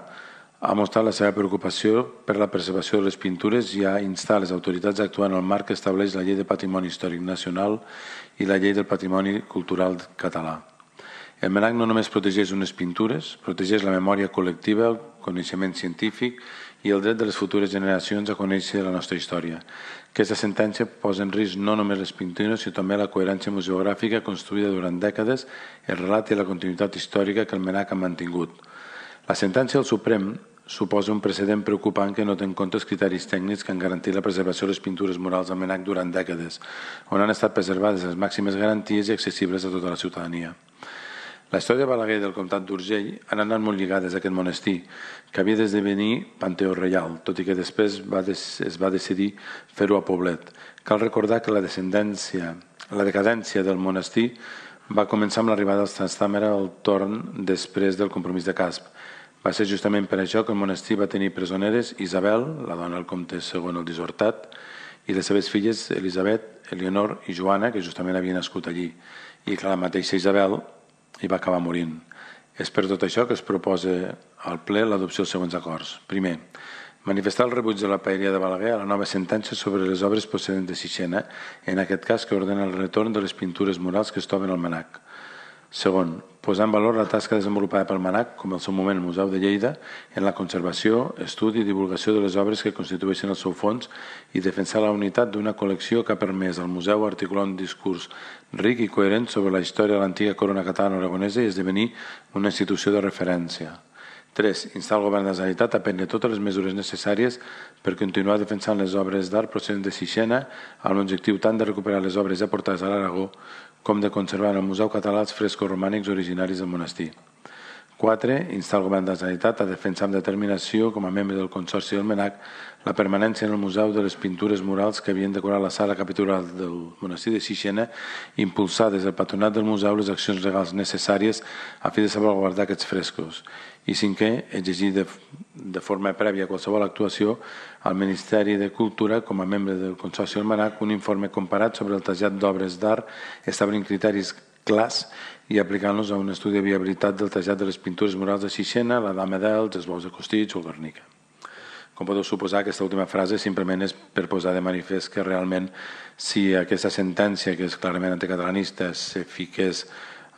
ha mostrat la seva preocupació per la preservació de les pintures i ha instat les autoritats a actuar en el marc que estableix la Llei de Patrimoni Històric Nacional i la Llei del Patrimoni Cultural Català. El MNAC no només protegeix unes pintures, protegeix la memòria col·lectiva, el coneixement científic i el dret de les futures generacions a conèixer la nostra història. Aquesta sentència posa en risc no només les pintures, sinó també la coherència museogràfica construïda durant dècades, el relat i la continuïtat històrica que el MNAC ha mantingut. La sentència del Suprem suposa un precedent preocupant que no té en compte els criteris tècnics que han garantit la preservació de les pintures murals del MNAC durant dècades, on han estat preservades les màximes garanties i accessibles a tota la ciutadania. La història de Balaguer i del comtat d'Urgell han anat molt lligades a aquest monestir, que havia d'esdevenir Panteó Reial, tot i que després va des, es va decidir fer-ho a Poblet. Cal recordar que la descendència, la decadència del monestir va començar amb l'arribada dels Trastàmera al torn després del compromís de Casp. Va ser justament per això que el monestir va tenir presoneres Isabel, la dona del comte segon el Disortat, i les seves filles Elisabet, Eleonor i Joana, que justament havien nascut allí. I que la mateixa Isabel hi va acabar morint. És per tot això que es proposa al ple l'adopció dels següents acords. Primer, manifestar el rebuig de la paeria de Balaguer a la nova sentència sobre les obres procedents de Sixena, en aquest cas que ordena el retorn de les pintures murals que es troben al MANAC. Segon, posar en valor la tasca desenvolupada pel MANAC, com al seu moment el Museu de Lleida, en la conservació, estudi i divulgació de les obres que constitueixen el seu fons i defensar la unitat d'una col·lecció que ha permès al museu articular un discurs ric i coherent sobre la història de l'antiga corona catalana aragonesa i esdevenir una institució de referència. Tres, instar el govern de la Generalitat a prendre totes les mesures necessàries per continuar defensant les obres d'art procedents de Sixena amb l'objectiu tant de recuperar les obres aportades a l'Aragó com de conservar en el Museu Català els frescos romànics originaris del monestir. Quatre, instar el govern de la Generalitat a defensar amb determinació, com a membre del Consorci del MANAC, la permanència en el museu de les pintures murals que havien decorat la sala capitular del monestir de Sixena i impulsar des del patronat del museu les accions legals necessàries a fi de salvaguardar aquests frescos. I cinquè, exigir de, de forma prèvia a qualsevol actuació al Ministeri de Cultura, com a membre del Consorci del MANAC, un informe comparat sobre el trasllat d'obres d'art, establint criteris clars i aplicant-los a un estudi de viabilitat del trasllat de les pintures murals de Sixena, la Dama d'Els, els Bous de Costitx o el Guernica. Com podeu suposar, aquesta última frase simplement és per posar de manifest que realment si aquesta sentència, que és clarament anticatalanista, se fiqués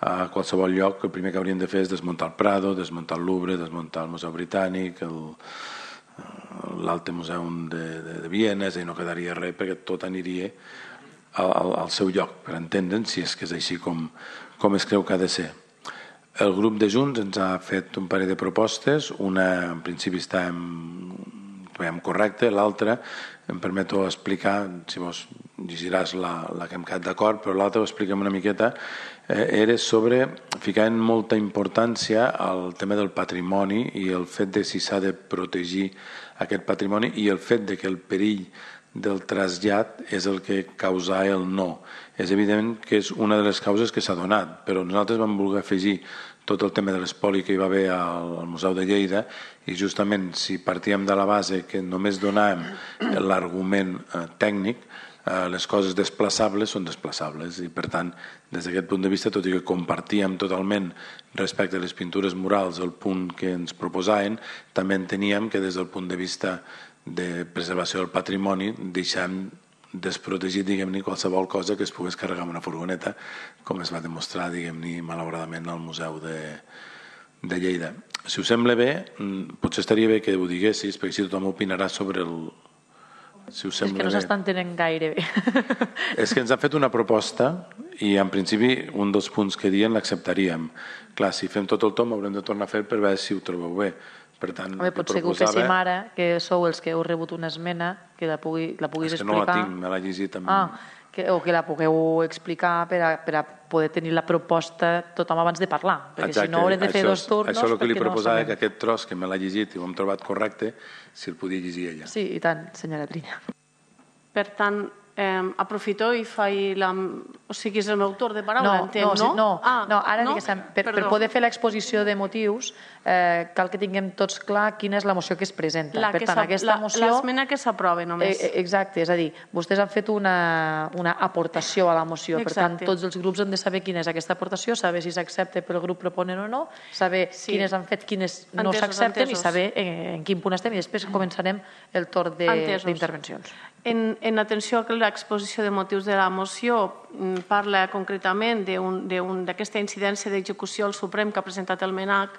a qualsevol lloc, el primer que haurien de fer és desmuntar el Prado, desmuntar el Louvre, desmuntar el Museu Britànic, l'Alte Museum de, de, de Viena, és a dir, no quedaria res perquè tot aniria al, al, al seu lloc, per entendre'n, si és que és així com, com es creu que ha de ser. El grup de Junts ens ha fet un parell de propostes, una en principi està en, en correcte, l'altra em permeto explicar, si vos llegiràs la, la que hem quedat d'acord, però l'altra ho expliquem una miqueta, eh, era sobre ficar en molta importància al tema del patrimoni i el fet de si s'ha de protegir aquest patrimoni i el fet de que el perill del trasllat és el que causa el no. És evident que és una de les causes que s'ha donat, però nosaltres vam voler afegir tot el tema de l'espoli que hi va haver al, al Museu de Lleida i justament si partíem de la base que només donàvem l'argument eh, tècnic, eh, les coses desplaçables són desplaçables i per tant des d'aquest punt de vista, tot i que compartíem totalment respecte a les pintures murals el punt que ens proposaven, també enteníem que des del punt de vista de preservació del patrimoni deixem desprotegit, diguem-ne, qualsevol cosa que es pogués carregar amb una furgoneta, com es va demostrar, diguem-ne, malauradament al Museu de, de Lleida. Si us sembla bé, potser estaria bé que ho diguessis, perquè si tothom opinarà sobre el... Si us sembla és que no s'està entenent gaire bé. És que ens han fet una proposta i en principi un dels punts que diuen l'acceptaríem. Clar, si fem tot el tom haurem de tornar a fer per veure si ho trobeu bé. Per tant, Home, potser que ho féssim ara, que sou els que heu rebut una esmena, que la, pugui, la puguis explicar. És que no la tinc, me l'ha llegit també. Ah, que, o que la pugueu explicar per a, per a poder tenir la proposta tothom abans de parlar, perquè Exacte. Si no haurem de fer això, dos turnos... Això és el que li proposava, no que aquest tros que me l'ha llegit i ho hem trobat correcte, si el podia llegir ella. Sí, i tant, senyora Trinya. Per tant, eh, aprofito i faig la... O sigui, és el meu torn de paraula, no, entenc, no? no? No, ah, no ara no? per, per poder fer l'exposició de motius eh, cal que tinguem tots clar quina és la moció que es presenta. La per que tant, aquesta moció... L'esmena que s'aprova només. Eh, exacte, és a dir, vostès han fet una, una aportació a la moció, Exacte. Per tant, tots els grups han de saber quina és aquesta aportació, saber si s'accepta pel grup proponent o no, saber sí. quines han fet, quines no s'accepten i saber en, en quin punt estem i després començarem el torn d'intervencions. En, en atenció a l'exposició de motius de la moció parla concretament d'aquesta incidència d'execució al Suprem que ha presentat el MANAC.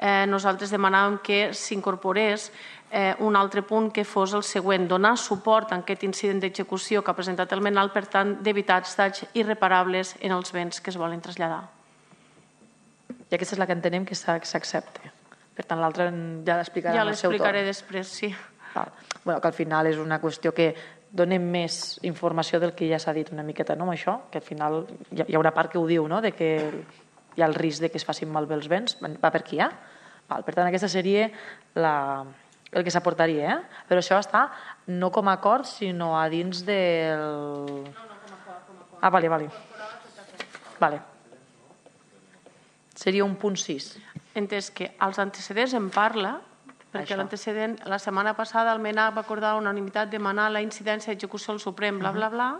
Eh, nosaltres demanàvem que s'incorporés eh, un altre punt que fos el següent, donar suport a aquest incident d'execució que ha presentat el MANAC, per tant, d'evitar danys irreparables en els béns que es volen traslladar. I aquesta és la que entenem que s'accepta. Per tant, l'altra ja l'explicarà ja en el seu torn. Ja l'explicaré després, sí. Val. Bueno, que al final és una qüestió que donem més informació del que ja s'ha dit una miqueta, no, amb això, que al final hi ha una part que ho diu, no?, de que hi ha el risc de que es facin malbé els béns, va per aquí, eh? Val, per tant, aquesta seria la, el que s'aportaria, eh? Però això està no com a acord, sinó a dins del... No, no, com a acord. Com a acord. Ah, vale, vale. Vale. Seria un punt sis. entès que als antecedents en parla, perquè l'antecedent, la setmana passada el MENAC va acordar unanimitat demanar la incidència d'execució al Suprem, bla, bla, bla.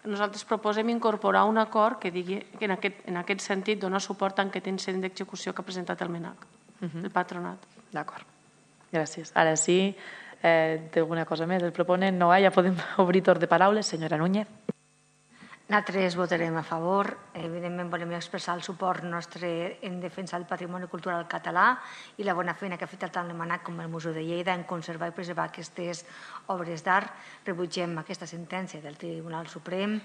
Nosaltres proposem incorporar un acord que digui que en aquest, en aquest sentit dona suport a aquest incident d'execució que ha presentat el MENAC, el patronat. D'acord. Gràcies. Ara sí, eh, té alguna cosa més? El proponent no, ja podem obrir torn de paraules. Senyora Núñez. Nosaltres votarem a favor. Evidentment volem expressar el suport nostre en defensa del patrimoni cultural català i la bona feina que ha fet tant el MANAC com el Museu de Lleida en conservar i preservar aquestes obres d'art. Rebutgem aquesta sentència del Tribunal Suprem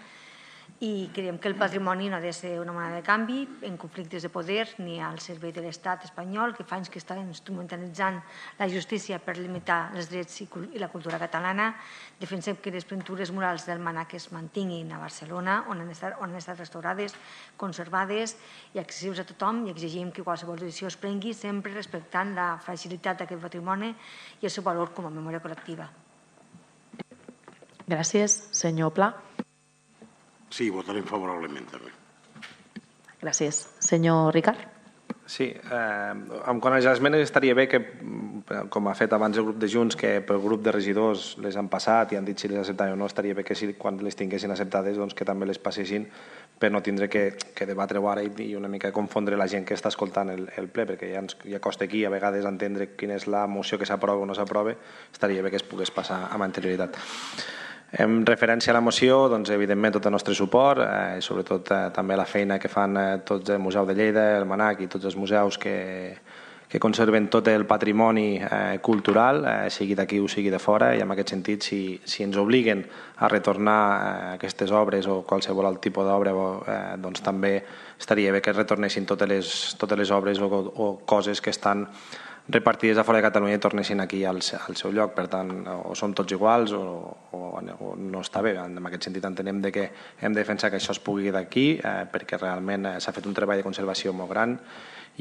i creiem que el patrimoni no ha de ser una moneda de canvi en conflictes de poder ni al servei de l'estat espanyol, que fa anys que està instrumentalitzant la justícia per limitar els drets i la cultura catalana. Defensem que les pintures murals del MANAC es mantinguin a Barcelona, on han estat, on han estat restaurades, conservades i accessibles a tothom, i exigim que qualsevol decisió es prengui sempre respectant la fragilitat d'aquest patrimoni i el seu valor com a memòria col·lectiva. Gràcies. Senyor Pla. Sí, votarem favorablement també. Gràcies. Senyor Ricard. Sí, eh, en quant a les esmenes estaria bé que, com ha fet abans el grup de Junts, que pel grup de regidors les han passat i han dit si les acceptaven o no, estaria bé que si, quan les tinguessin acceptades doncs que també les passessin per no tindre que, que debatre-ho ara i una mica confondre la gent que està escoltant el, el ple, perquè ja, ens, ja costa aquí a vegades entendre quina és la moció que s'aprova o no s'aprova, estaria bé que es pogués passar amb anterioritat. En referència a la moció, doncs, evidentment tot el nostre suport, eh, sobretot eh, també la feina que fan eh, tots el Museu de Lleida, el MANAC i tots els museus que, que conserven tot el patrimoni eh, cultural, eh, sigui d'aquí o sigui de fora, i en aquest sentit, si, si ens obliguen a retornar eh, aquestes obres o qualsevol alt tipus d'obra, eh, doncs també estaria bé que retornessin totes les, totes les obres o, o coses que estan repartides a fora de Catalunya i tornessin aquí al, al seu lloc. Per tant, o som tots iguals o, o, o no està bé. En aquest sentit entenem de que hem de defensar que això es pugui d'aquí eh, perquè realment eh, s'ha fet un treball de conservació molt gran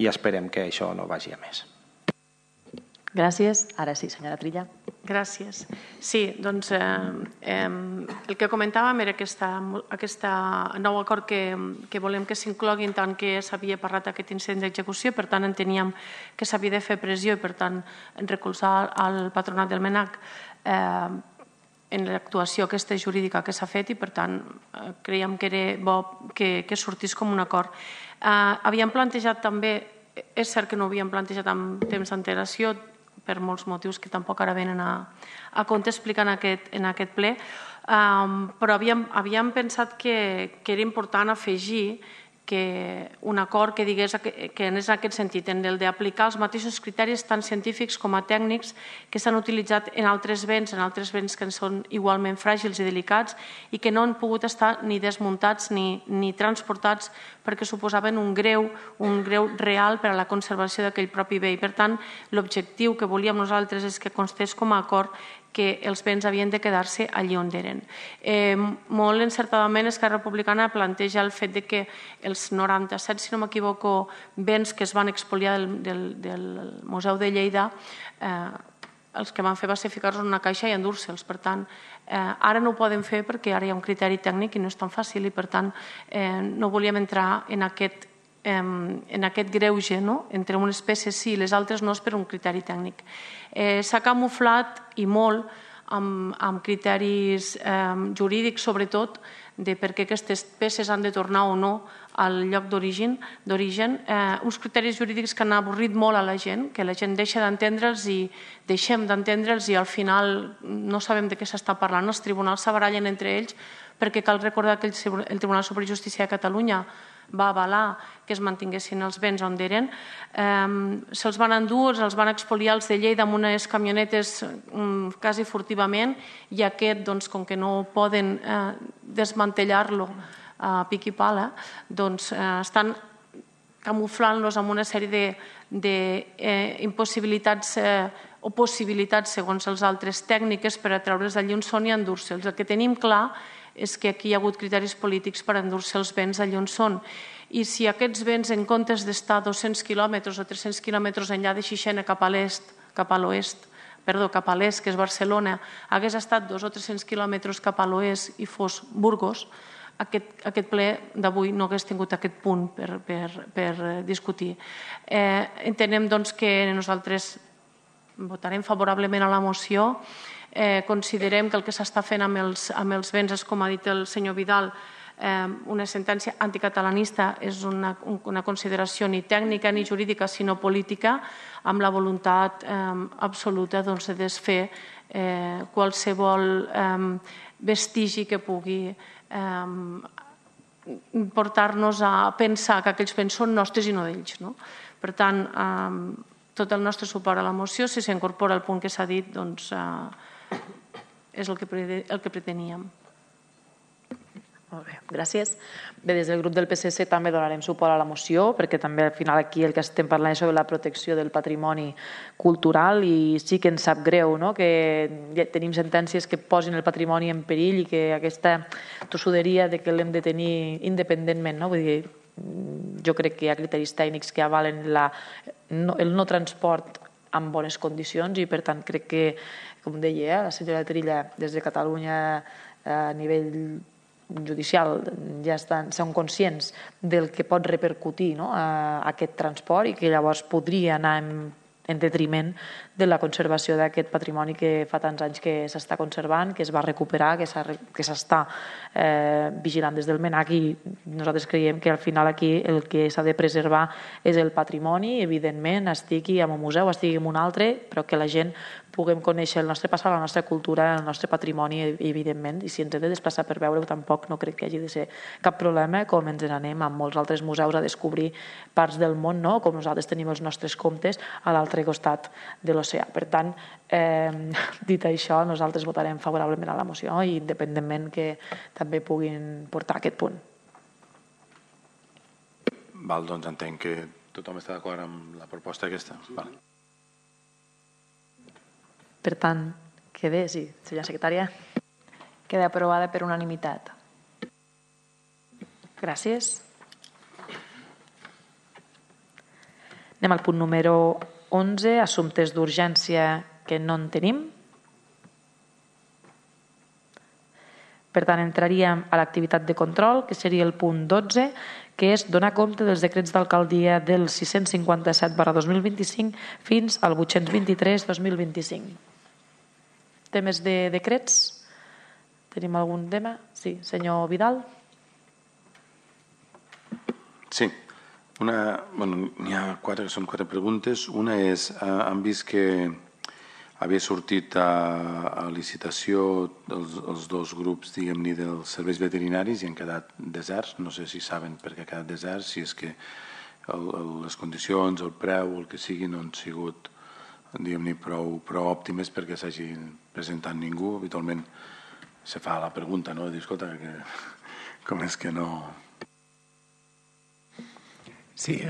i esperem que això no vagi a més. Gràcies. Ara sí, senyora Trilla. Gràcies. Sí, doncs eh, eh, el que comentàvem era aquesta, aquesta nou acord que, que volem que s'inclogui en tant que s'havia parlat d'aquest incident d'execució, per tant enteníem que s'havia de fer pressió i per tant recolzar el patronat del MANAC eh, en l'actuació aquesta jurídica que s'ha fet i per tant eh, creiem que era bo que, que sortís com un acord. Eh, havíem plantejat també, és cert que no ho havíem plantejat amb temps d'antelació, per molts motius que tampoc ara venen a, a compte explicar en aquest, en aquest ple, um, però havíem, havíem pensat que, que era important afegir que un acord que digués que anés en aquest sentit, en el d'aplicar els mateixos criteris tant científics com a tècnics que s'han utilitzat en altres béns, en altres béns que són igualment fràgils i delicats i que no han pogut estar ni desmuntats ni, ni transportats perquè suposaven un greu, un greu real per a la conservació d'aquell propi bé. I per tant, l'objectiu que volíem nosaltres és que constés com a acord que els béns havien de quedar-se allí on eren. Eh, molt encertadament Esquerra Republicana planteja el fet de que els noranta-set, si no m'equivoco, béns que es van expoliar del, del, del Museu de Lleida, eh, els que van fer va ser ficar-los en una caixa i endur-se'ls. Per tant, eh, ara no ho poden fer perquè ara hi ha un criteri tècnic i no és tan fàcil i per tant eh, no volíem entrar en aquest en aquest greuge, no? Entre unes peces sí i les altres no és per un criteri tècnic. Eh, s'ha camuflat i molt amb, amb criteris eh, jurídics, sobretot, de per què aquestes peces han de tornar o no al lloc d'origen, eh, uns criteris jurídics que han avorrit molt a la gent, que la gent deixa d'entendre'ls i deixem d'entendre'ls i al final no sabem de què s'està parlant. Els tribunals s'abarallen entre ells perquè cal recordar que el Tribunal Superior de Justícia de Catalunya va avalar que es mantinguessin els béns on eren. Eh, se'ls van endur, els van expoliar els de Lleida amb unes camionetes um, quasi furtivament i aquest, doncs, com que no poden eh, desmantellar-lo a pic i pala, doncs eh, estan camuflant-los amb una sèrie d'impossibilitats eh, o possibilitats, segons els altres tècniques, per a treure's d'allí on són i endur-se'ls. El que tenim clar és que aquí hi ha hagut criteris polítics per endur-se els béns allà on són. I si aquests béns, en comptes d'estar a dos-cents quilòmetres o tres-cents quilòmetres enllà de Xixena cap a l'est, cap a l'oest, perdó, cap a l'est, que és Barcelona, hagués estat dos o tres-cents quilòmetres cap a l'oest i fos Burgos, aquest, aquest ple d'avui no hagués tingut aquest punt per, per, per discutir. Eh, entenem doncs, que nosaltres votarem favorablement a la moció. Eh, considerem que el que s'està fent amb els, amb els béns és, com ha dit el senyor Vidal, eh, una sentència anticatalanista, és una, una consideració ni tècnica ni jurídica, sinó política, amb la voluntat eh, absoluta doncs, de desfer eh, qualsevol eh, vestigi que pugui eh, portar-nos a pensar que aquells béns són nostres i no d'ells. No? Per tant, eh, tot el nostre suport a la moció, si s'incorpora el punt que s'ha dit, doncs eh, és el que, el que preteníem. Molt bé, gràcies. Bé, des del grup del P S C també donarem suport a la moció, perquè també al final aquí el que estem parlant és sobre la protecció del patrimoni cultural i sí que ens sap greu, no?, que ja tenim sentències que posin el patrimoni en perill i que aquesta tossuderia de que l'hem de tenir independentment, no? Vull dir, jo crec que hi ha criteris tècnics que avalen la, no, el no transport en bones condicions i per tant crec que, com deia la senyora Trilla, des de Catalunya a nivell judicial ja estan, són conscients del que pot repercutir, no?, a aquest transport i que llavors podria anar en, en detriment de la conservació d'aquest patrimoni que fa tants anys que s'està conservant, que es va recuperar, que s'està eh, vigilant des del MNAC i nosaltres creiem que al final aquí el que s'ha de preservar és el patrimoni, evidentment, estigui en un museu, estigui en un altre, però que la gent puguem conèixer el nostre passat, la nostra cultura, el nostre patrimoni, evidentment, i si ens hem de desplaçar per veure-ho tampoc no crec que hagi de ser cap problema, com ens n'anem a molts altres museus a descobrir parts del món, no?, com nosaltres tenim els nostres comptes a l'altre costat de l'oceà. Per tant, eh, dit això, nosaltres votarem favorablement a la moció, i independentment que també puguin portar aquest punt. Val, doncs entenc que tothom està d'acord amb la proposta aquesta. Val. Per tant, queda, sí, senyora secretària. Queda aprovada per unanimitat. Gràcies. Anem al punt número onze, assumptes d'urgència que no en tenim. Per tant, entraríem a l'activitat de control, que seria el punt dotze, que és donar compte dels decrets d'alcaldia del sis-cents cinquanta-set barra dos mil vint-i-cinc fins al vuit-cents vint-i-tres barra dos mil vint-i-cinc. Temes de decrets? Tenim algun tema? Sí, senyor Vidal. Sí. Una, bueno, n'hi ha quatre, que són quatre preguntes. Una és, eh, han vist que havia sortit a, a licitació els, els dos grups, diguem-ne, dels serveis veterinaris i han quedat deserts. No sé si saben per què ha quedat deserts, si és que el, el, les condicions, el preu, el que sigui, no han sigut, diguem-ne, prou, prou òptimes perquè s'hagi presentat ningú. Habitualment se fa la pregunta, no? De dir, escolta, que, com és que no... Sí,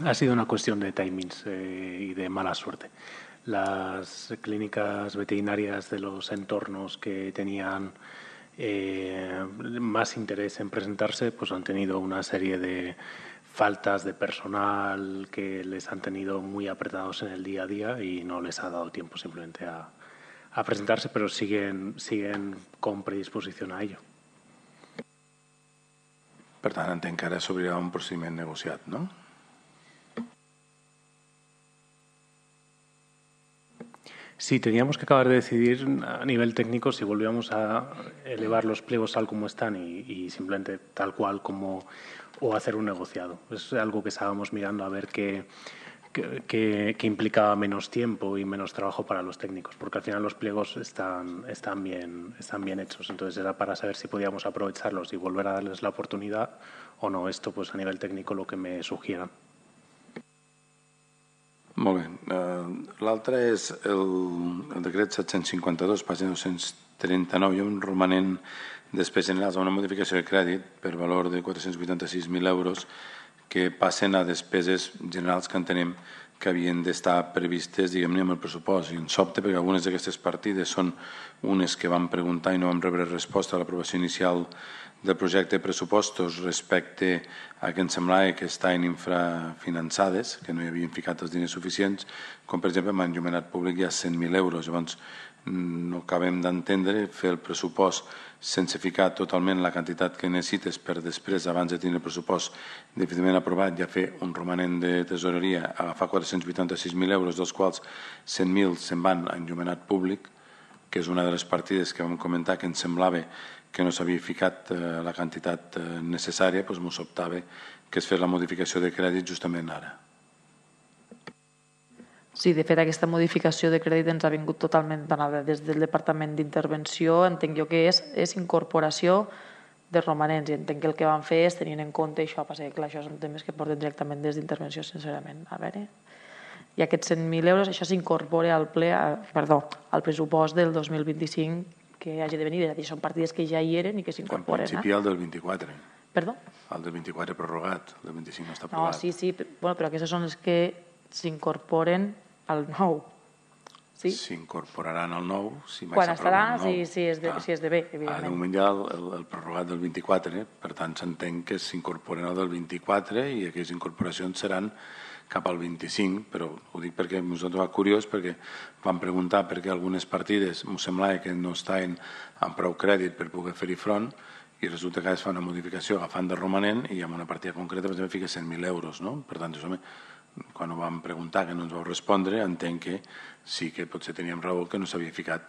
ha sido una cuestión de timings eh, y de mala suerte. Las clínicas veterinarias de los entornos que tenían eh, más interés en presentarse, pues han tenido una serie de faltas de personal que les han tenido muy apretados en el día a día y no les ha dado tiempo simplemente a, a presentarse, pero siguen, siguen con predisposición a ello. Per tant, entenc que ara s'obrirà un procediment negociat, no? Sí, teníamos que acabar de decidir a nivel técnico si volvíamos a elevar los pliegos tal como están y, y simplemente tal cual como o hacer un negociado. Es algo que estábamos mirando a ver qué, qué, qué, qué implicaba menos tiempo y menos trabajo para los técnicos, porque al final los pliegos están, están, bien, están bien hechos. Entonces era para saber si podíamos aprovecharlos y volver a darles la oportunidad o no. Esto pues a nivel técnico lo que me sugieran. Molt bé. Uh, L'altre és el, el decret set-cents cinquanta-dos, pàgina dos-cents trenta-nou. Hi ha un romanent despes generals a una modificació de crèdit per valor de quatre-cents vuitanta-sis mil euros que passen a despeses generals que entenem que havien d'estar previstes, diguem-ne, amb el pressupost. I ens sobta perquè algunes d'aquestes partides són unes que vam preguntar i no vam rebre resposta a l'aprovació inicial del projecte de pressupostos respecte a que ens semblava que estaven infrafinançades, que no hi havien ficat els diners suficients, com per exemple amb enllumenat públic hi ha cent mil euros. Llavors no acabem d'entendre fer el pressupost sense ficar totalment la quantitat que necessites per després, abans de tenir el pressupost definitivament aprovat, ja fer un romanent de tesoreria, agafar quatre-cents vuitanta-sis mil euros, dels quals cent mil se'n van a enllumenat públic, que és una de les partides que vam comentar que ens semblava que no s'havia ficat la quantitat necessària, doncs m'ho sobtava que es fes la modificació de crèdit justament ara. Sí, de fet, aquesta modificació de crèdit ens ha vingut totalment donada des del Departament d'Intervenció. Entenc jo que és, és incorporació de romanents i entenc que el que van fer és tenint en compte això. Passa que clar, això són temes que porten directament des d'Intervenció, sincerament. A veure, i aquests cent mil euros, això s'incorpora al ple, perdó, al pressupost del dos mil vint-i-cinc que hagi de venir. És a dir, són partides que ja hi eren i que s'incorporen. En principi, el del vint-i-quatre. Perdó? El del vint-i-quatre prorrogat, el del vint-i-cinc no està No, aprovat. sí, sí, bueno, però aquestes són les que s'incorporen al nou. Sí? S'incorporaran al nou si mai Quan estarà, s'aprova el nou. si, si, és de, Ah. si és de bé, Ah, de evidentment. moment hi ha el, el, el prorrogat del vint-i-quatre, per tant s'entén que s'incorporen al del vint-i-quatre i aquestes incorporacions seran cap al vint-i-cinc, però ho dic perquè ens va trobar curiós, perquè vam preguntar per què algunes partides m'ho semblava que no estaven amb prou crèdit per poder fer-hi front, i resulta que es fa una modificació agafant de romanent i amb una partida concreta per exemple fica cent mil euros, no? Per tant, això, quan ho vam preguntar que no ens vau respondre, entenc que sí que potser teníem raó que no s'havia ficat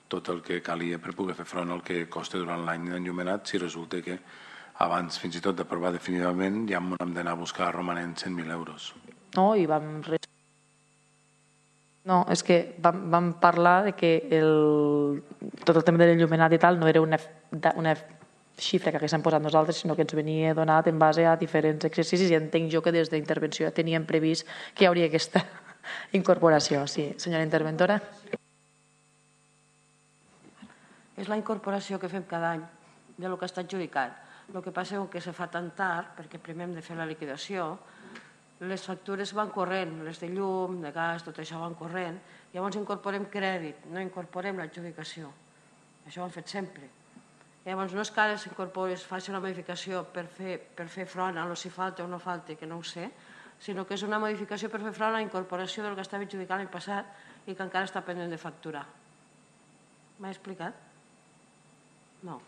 tot el que calia per poder fer front al que costa durant l'any d'enllumenat si resulta que abans fins i tot d'aprovar definitivament ja hem d'anar a buscar romanent cent mil euros. No, i vam... No, és que vam, vam parlar de que el, tot el tema de l'enllumenat i tal no era una, una xifra que haguéssim posat nosaltres, sinó que ens venia donat en base a diferents exercicis i entenc jo que des d'intervenció ja teníem previst que hi hauria aquesta incorporació. Sí, senyora interventora. És la incorporació que fem cada any de lo que està adjudicat. El que passa és que se fa tan tard, perquè primer hem de fer la liquidació, les factures van corrent, les de llum, de gas, tot això van corrent, llavors incorporem crèdit, no incorporem l'adjudicació. Això ho hem fet sempre. Llavors no és que ara s'incorpori, es faci una modificació per fer, per fer front a lo si falta o no falta, que no ho sé, sinó que és una modificació per fer front a la incorporació del que estava adjudicat l'any passat i que encara està pendent de facturar. M'he explicat? No.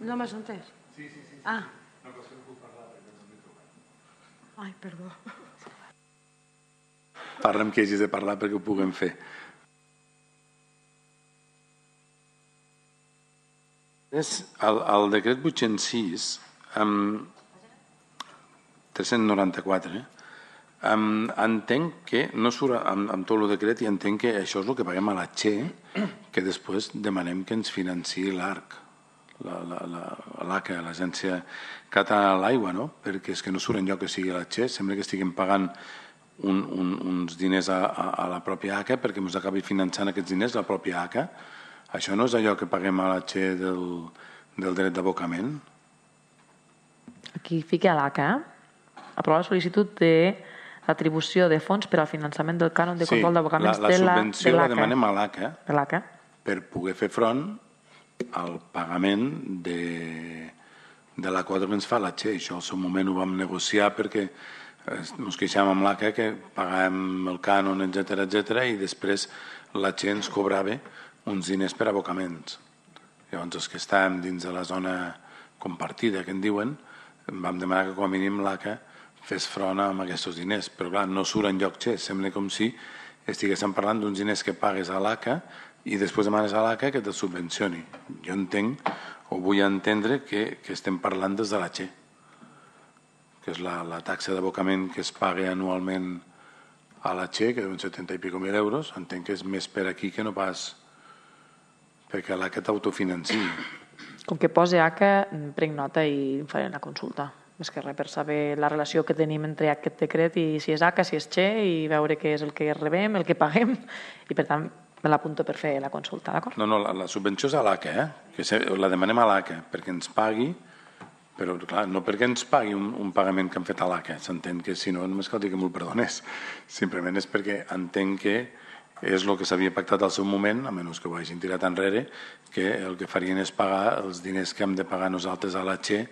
No m'has entès? Sí, sí, sí. Ah. No, que no puc parlar perquè ens hem de trucar. Ai, perdó. Parla amb qui hagis de parlar perquè ho puguem fer. El, el decret vuit-cents sis, um, tres-cents noranta-quatre, um, entenc que no surt amb, amb tot el decret i entenc que això és el que paguem a la Che, que després demanem que ens financiï l'ARC, l'A C A, l'Agència Catalana de l'Aigua, no? Perquè és que no surt enlloc que sigui la Che, sembla que estiguem pagant un, un, uns diners a, a, a la pròpia A C A perquè ens acabi finançant aquests diners la pròpia A C A. Això no és allò que paguem a la Che del, del dret d'abocament? Aquí fica l'A C A, aprovar la sol·licitud de l'atribució de fons per al finançament del cànon de control d'abocaments de l'A C A. La subvenció la demanem a l'A C A, de l'A C A per poder fer front al pagament de, de la quota que ens fa la Che. Això al seu moment ho vam negociar perquè ens queixàvem amb l'A C A que pagàvem el cànon, etcètera, etcètera, i després la Che ens cobrava uns diners per abocaments. Llavors, els que estàvem dins de la zona compartida, que en diuen, vam demanar que com a mínim l'A C A fes front amb aquests diners. Però clar, no surt enlloc Che. Sembla com si estiguéssim parlant d'uns diners que pagues a l'A C A i després demanes a l'A C A que te'l subvencioni. Jo entenc, o vull entendre, que, que estem parlant des de la Che, que és la, la taxa d'abocament que es paga anualment a la Che, que deuen setanta i pico mil euros. Entenc que és més per aquí que no pas perquè l'A C A t'autofinanci. Com que posa A C A, prenc nota i faré una consulta. Més que res per saber la relació que tenim entre aquest decret i si és A C A, si és Che, i veure què és el que rebem, el que paguem, i per tant me l'apunto per fer la consulta, d'acord? No, no, la, la subvenció és a l'A C A, eh? Que se, la demanem a l'A C A perquè ens pagui, però clar, no perquè ens pagui un, un pagament que han fet a l'A C A, s'entén que si no, només cal dir que m'ho perdonés. Simplement és perquè entenc que és el que s'havia pactat al seu moment, a menys que ho hagin tirat enrere, que el que farien és pagar els diners que hem de pagar nosaltres a la Che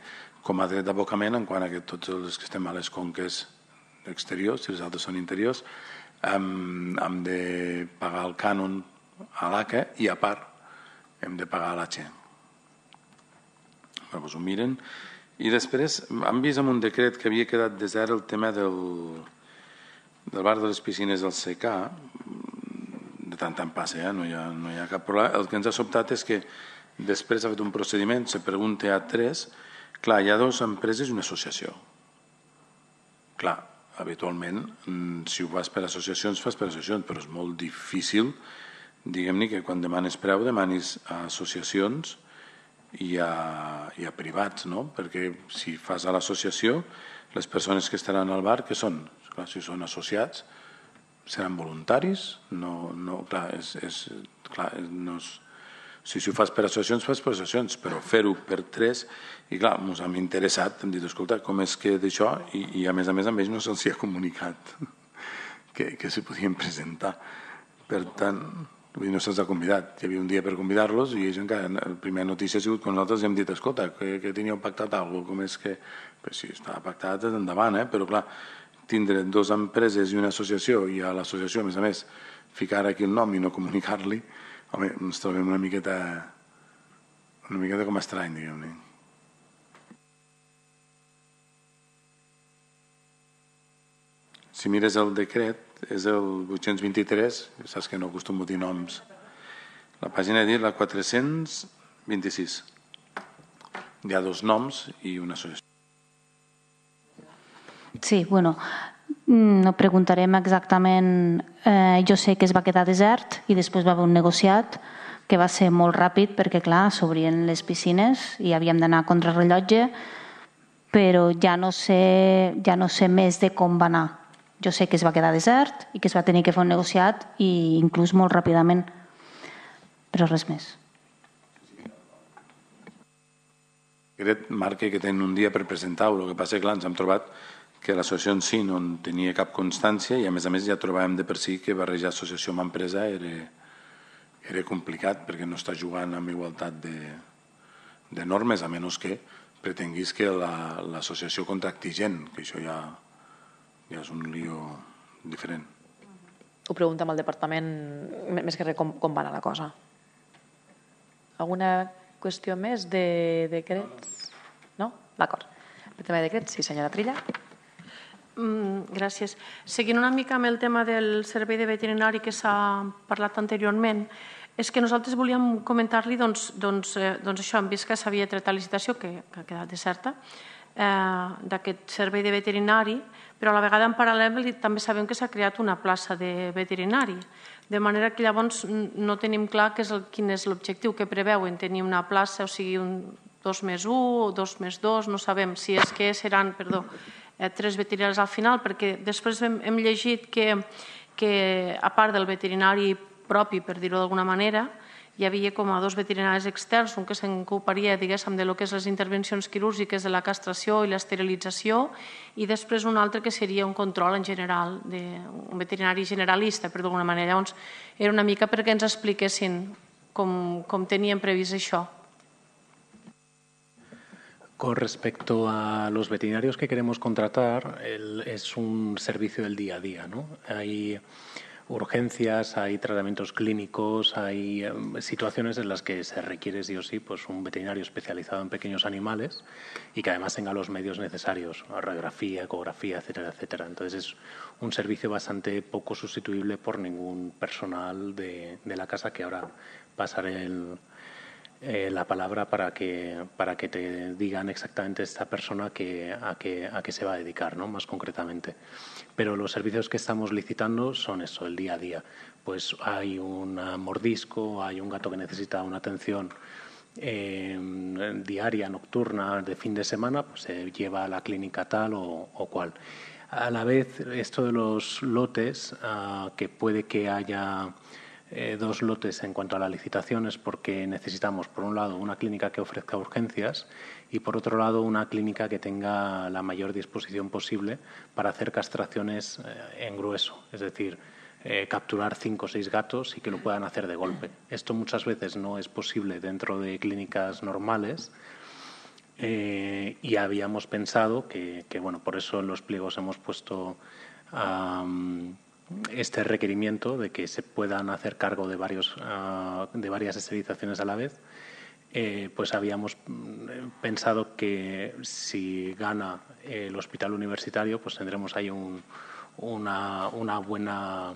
com a dret d'abocament, en quant a que tots els que estem a les conques exteriors, si els altres són interiors, hem, hem de pagar el cànon a l'A C A i a part hem de pagar a l'A H E. Però ho miren. I després han vist en un decret que havia quedat desert el tema del, del bar de les piscines del C K. De tant en tant passa, eh? no, hi ha, no hi ha cap problema. El que ens ha sobtat és que després ha fet un procediment, se pregunta a tres, clar, hi ha dues empreses i una associació. Clar, habitualment, si ho fas per associacions, fas per associacions, però és molt difícil, diguem-ne, que quan demanes preu, demanis a associacions i a, i a privats, no? Perquè si fas a l'associació, les persones que estaran al bar, què són? Clar, si són associats, seran voluntaris? No, no, clar, és, és, clar, no és, si, si ho fas per associacions, fas per associacions, però fer-ho per tres, i clar, ens hem interessat, hem dit, escolta, com és que d'això, i, i a més a més amb ells no se'ls ha comunicat que, que se podien presentar. Per tant, no se'ls ha convidat. Hi havia un dia per convidar-los i ells encara, la primera notícia ha sigut que nosaltres hem dit, escolta, que, que teníeu pactat alguna cosa, com és que... Pues sí, estava pactat endavant, eh? Però clar, tindre dues empreses i una associació i a l'associació, a més a més, ficar aquí el nom i no comunicar-li, home, ens trobem una miqueta una miqueta com estrany, diguem-ne. Si mires el decret, és el vuit-cents vint-i-tres, saps que no acostumo a dir noms. La pàgina de dir la quatre-cents vint-i-sis. Hi ha dos noms i una associació. Sí, bueno, no preguntarem exactament. Eh, jo sé que es va quedar desert i després va haver un negociat que va ser molt ràpid perquè, clar, s'obrien les piscines i havíem d'anar a contrarrellotge, però ja no sé, ja no sé més de com va anar. Jo sé que es va quedar desert i que es va tenir que fer un negociat i inclús molt ràpidament, però res més. Aquest marca que tenen un dia per presentar-ho, el que passa és que clar, ens hem trobat que l'associació en si no en tenia cap constància i a més a més ja trobàvem de per si que barrejar associació amb empresa era, era complicat perquè no està jugant amb igualtat de, de normes, a menys que pretenguis que l'associació la, contracti gent, que això ja, ja és un lío diferent. Ho pregunta amb el departament, més que res, com, com va anar la cosa. Alguna qüestió més de decrets? No? D'acord. El tema de decrets, sí, senyora Trilla. Mm, gràcies. Seguint una mica amb el tema del servei de veterinari que s'ha parlat anteriorment, és que nosaltres volíem comentar-li doncs, doncs, eh, doncs això, hem vist que s'havia tret la licitació, que, que ha quedat deserta, eh, d'aquest servei de veterinari, però a la vegada en paral·lel també sabem que s'ha creat una plaça de veterinari, de manera que llavors no tenim clar que és el, quin és l'objectiu que preveuen, tenir una plaça, o sigui, un dos més un o dos més dos, no sabem si és que seran, perdó, eh, tres veterinaris al final, perquè després hem, hem llegit que, que a part del veterinari propi, per dir-ho d'alguna manera, hi havia com a dos veterinaris externs, un que s'ocuparia, diguéssim, de lo que és les intervencions quirúrgiques de la castració i l'esterilització, i després un altre que seria un control en general, de, un veterinari generalista, per d'alguna manera. Llavors, era una mica perquè ens expliquessin com, com tenien previst això. Con respecto a los veterinarios que queremos contratar, el, es un servicio del día a día, ¿no? Hay urgencias, hay tratamientos clínicos, hay um, situaciones en las que se requiere sí o sí pues, un veterinario especializado en pequeños animales y que además tenga los medios necesarios, radiografía, ecografía, etcétera, etcétera. Entonces es un servicio bastante poco sustituible por ningún personal de, de la casa, que ahora pasaré el... Eh, la palabra para que para que te digan exactamente esta persona que, a qué a qué se va a dedicar, ¿no? Más concretamente. Pero los servicios que estamos licitando son eso, el día a día. Pues hay un mordisco, hay un gato que necesita una atención eh, diaria, nocturna, de fin de semana, pues se lleva a la clínica tal o, o cual. A la vez, esto de los lotes, uh, que puede que haya Eh, dos lotes en cuanto a la licitación, es porque necesitamos, por un lado, una clínica que ofrezca urgencias y, por otro lado, una clínica que tenga la mayor disposición posible para hacer castraciones eh, en grueso, es decir, eh, capturar cinco o seis gatos y que lo puedan hacer de golpe. Esto muchas veces no es posible dentro de clínicas normales eh, y habíamos pensado que, que, bueno, por eso en los pliegos hemos puesto um, este requerimiento de que se puedan hacer cargo de, varios, uh, de varias esterilizaciones a la vez, eh, pues habíamos pensado que si gana el hospital universitario, pues tendremos ahí un, una, una buena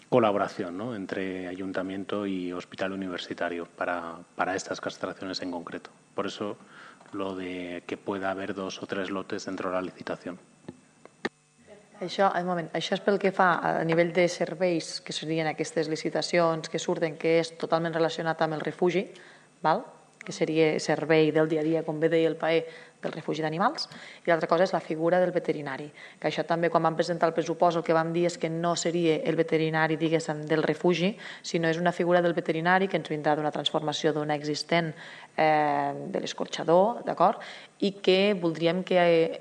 colaboración, ¿no?, entre ayuntamiento y hospital universitario para, para estas castraciones en concreto. Por eso lo de que pueda haver dos o tres lotes dentro de la licitació. Això, un moment, això és pel que fa a nivell de serveis, que serien aquestes licitacions que surten, que és totalment relacionat amb el refugi, val? Que seria servei del dia a dia, com bé deia el P A E, del refugi d'animals, i l'altra cosa és la figura del veterinari, que això també quan vam presentar el pressupost el que vam dir és que no seria el veterinari, diguéssim, del refugi, sinó és una figura del veterinari que ens vindrà d'una transformació d'una existent eh, de l'escorxador, d'acord? I que voldríem que eh,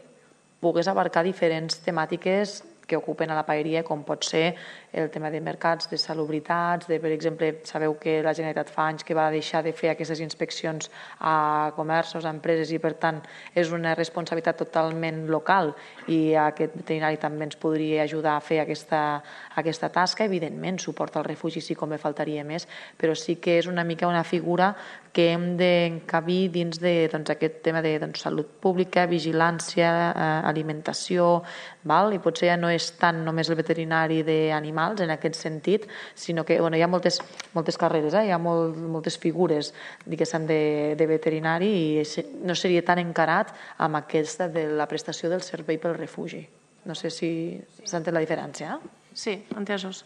pogués abarcar diferents temàtiques que ocupen a la paeria, com pot ser el tema de mercats, de salubritats, de, per exemple, sabeu que la Generalitat fa anys que va deixar de fer aquestes inspeccions a comerços, a empreses, i per tant és una responsabilitat totalment local i aquest veterinari també ens podria ajudar a fer aquesta, aquesta tasca. Evidentment, suport al refugi sí, com me faltaria més, però sí que és una mica una figura que hem d'encabir dins de, doncs, aquest tema de doncs, salut pública, vigilància, eh, alimentació, val? I potser ja no és tant només el veterinari d'animals en aquest sentit, sinó que bueno, hi ha moltes, moltes carreres, eh? Hi ha molt, moltes figures diguéssim de, de veterinari i no seria tan encarat amb aquesta de la prestació del servei pel refugi. No sé si s'entén la diferència. Eh? Sí, entesos.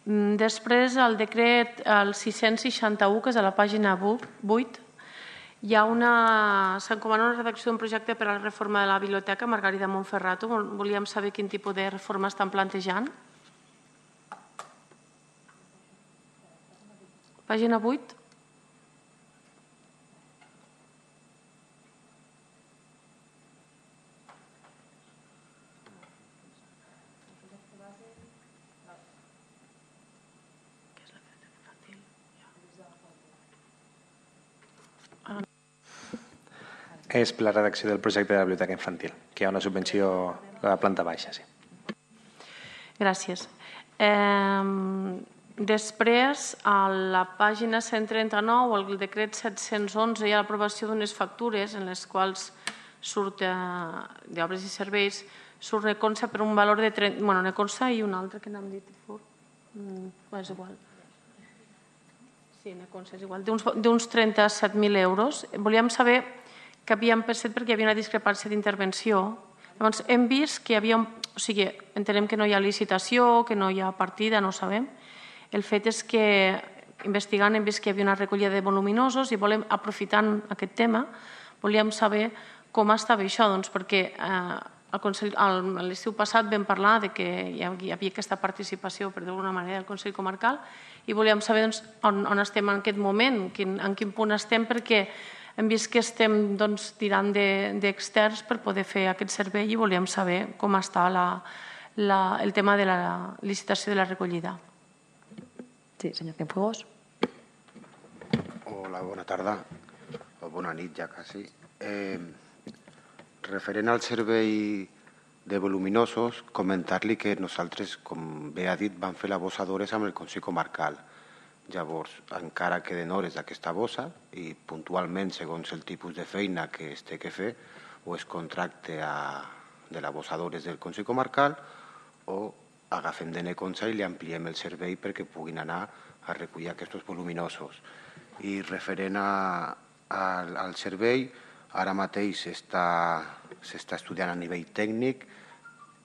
Després, el decret el sis-cents seixanta-u, que és a la pàgina vuit, hi ha una... s'encomana una redacció d'un projecte per a la reforma de la biblioteca Margarida Montferrato. Volíem saber quin tipus de reforma estan plantejant. Pàgina vuit. És per la redacció del projecte de la biblioteca infantil, que hi ha una subvenció a la planta baixa. Sí. Gràcies. Eh, després, a la pàgina cent trenta-nou, el decret set-cents onze, hi ha l'aprovació d'unes factures en les quals surt eh, d'obres i serveis, surt Neconsa per un valor de... Bueno, Neconsa i un altre que n'hem dit. Mm, és igual. Sí, Neconsa és igual. D'uns trenta-set mil euros. Volíem saber que havíem pensat perquè hi havia una discrepància d'intervenció. Llavors, hem vist que hi havia... O sigui, entenem que no hi ha licitació, que no hi ha partida, no ho sabem. El fet és que, investigant, hem vist que hi havia una recollida de voluminosos i volem, aprofitant aquest tema, volíem saber com estava això, doncs, perquè eh, l'estiu passat vam parlar de que hi havia aquesta participació, per d'alguna manera, del Consell Comarcal i volíem saber doncs, on, on estem en aquest moment, quin, en quin punt estem, perquè hem vist que estem doncs, tirant d'externs per poder fer aquest servei i volíem saber com està la, la, el tema de la licitació de la recollida. Sí, senyor Cienfuegos. Hola, bona tarda. O bona nit ja quasi. Eh, referent al servei de voluminosos, comentar-li que nosaltres, com bé ha dit, vam fer la bossa d'hores amb el Consell Comarcal. Llavors, encara queden hores d'aquesta bossa i puntualment, segons el tipus de feina que es té que fer, o es contracte a, de la bossa d'hores del Consell Comarcal o agafem de Neconsa i li ampliem el servei perquè puguin anar a recollir aquests voluminosos. I referent a, a, al servei, ara mateix s'està estudiant a nivell tècnic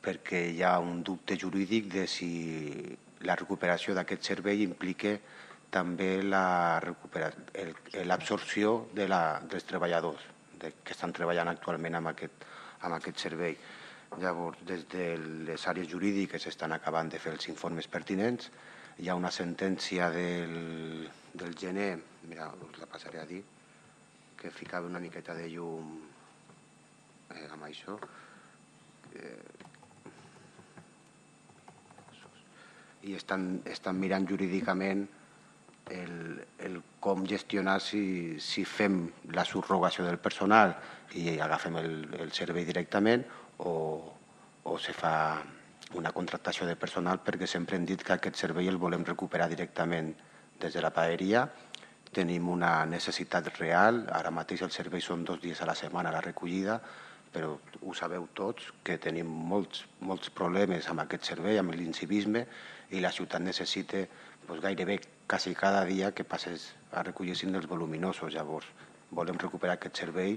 perquè hi ha un dubte jurídic de si la recuperació d'aquest servei implica també l'absorció de la, dels treballadors de, que estan treballant actualment amb aquest, amb aquest servei. Llavors, des de les àrees jurídiques estan acabant de fer els informes pertinents. Hi ha una sentència del, del gener, mira, us la passaré a dir, que ficava una miqueta de llum eh, amb això. Eh, i estan, estan mirant jurídicament el, el com gestionar si, si fem la subrogació del personal i agafem el, el servei directament o, o se fa una contractació de personal, perquè sempre hem dit que aquest servei el volem recuperar directament des de la paeria. Tenim una necessitat real, ara mateix els serveis són dos dies a la setmana la recollida, però ho sabeu tots que tenim molts, molts problemes amb aquest servei, amb l'incivisme, i la ciutat necessita doncs, gairebé quasi cada dia que passes a recollir signes dels voluminosos. Llavors, volem recuperar aquest servei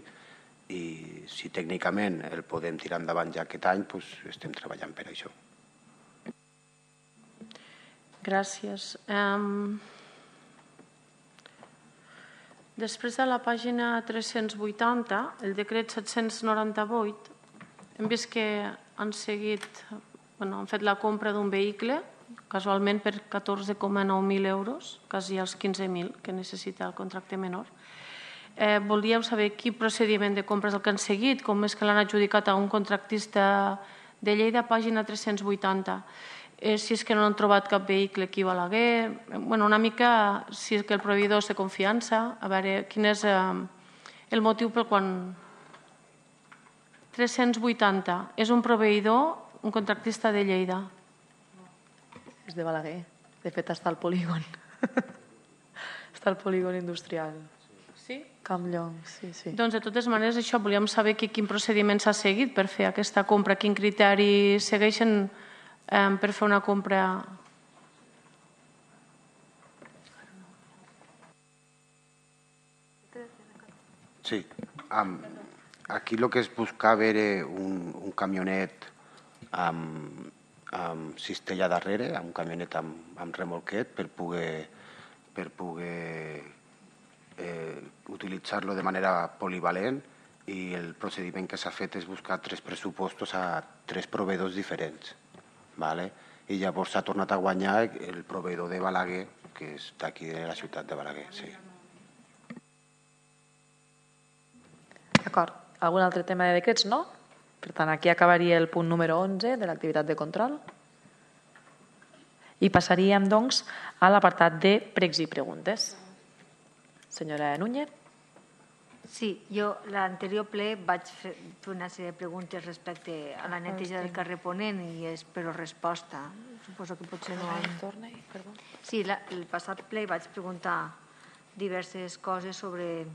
i si tècnicament el podem tirar endavant ja aquest any, doncs estem treballant per això. Gràcies. Um... Després de la pàgina tres-cents vuitanta, el decret set-cents noranta-vuit, hem vist que han seguit, bueno, han fet la compra d'un vehicle, casualment per catorze coma nou mil euros, quasi els quinze mil que necessita el contracte menor. Eh, volíem saber quin procediment de compra és el que han seguit, com és que l'han adjudicat a un contractista de Lleida, pàgina tres-cents vuitanta. Eh, si és que no han trobat cap vehicle aquí a Balaguer, bueno, una mica si és que el proveïdor té confiança, a veure quin és eh, el motiu pel qual... tres-cents vuitanta, és un proveïdor, un contractista de Lleida. És de Balaguer, de fet està al polígon. Està al polígon industrial. Sí? Campllong, sí, sí. Doncs de totes maneres això, volíem saber que, quin procediment s'ha seguit per fer aquesta compra, quin criteri segueixen Um, per fer una compra. Sí, um, aquí el que es buscava era un, un camionet amb, amb cistella darrere, un camionet amb, amb remolquet per poder, per poder eh, utilitzar-lo de manera polivalent, i el procediment que s'ha fet és buscar tres pressupostos a tres proveïdors diferents. Vale? I llavors s'ha tornat a guanyar el proveïdor de Balaguer, que és d'aquí de la ciutat de Balaguer. Sí. D'acord. Algun altre tema de decrets? No? Per tant, aquí acabaria el punt número onze de l'activitat de control. I passaríem, doncs, a l'apartat de pregs i preguntes. Senyora Núñez. Sí, jo l'anterior ple vaig fer una sèrie de preguntes respecte a la neteja del carrer Ponent i espero resposta. Suposo que potser no... Sí, la, el passat ple vaig preguntar diverses coses sobre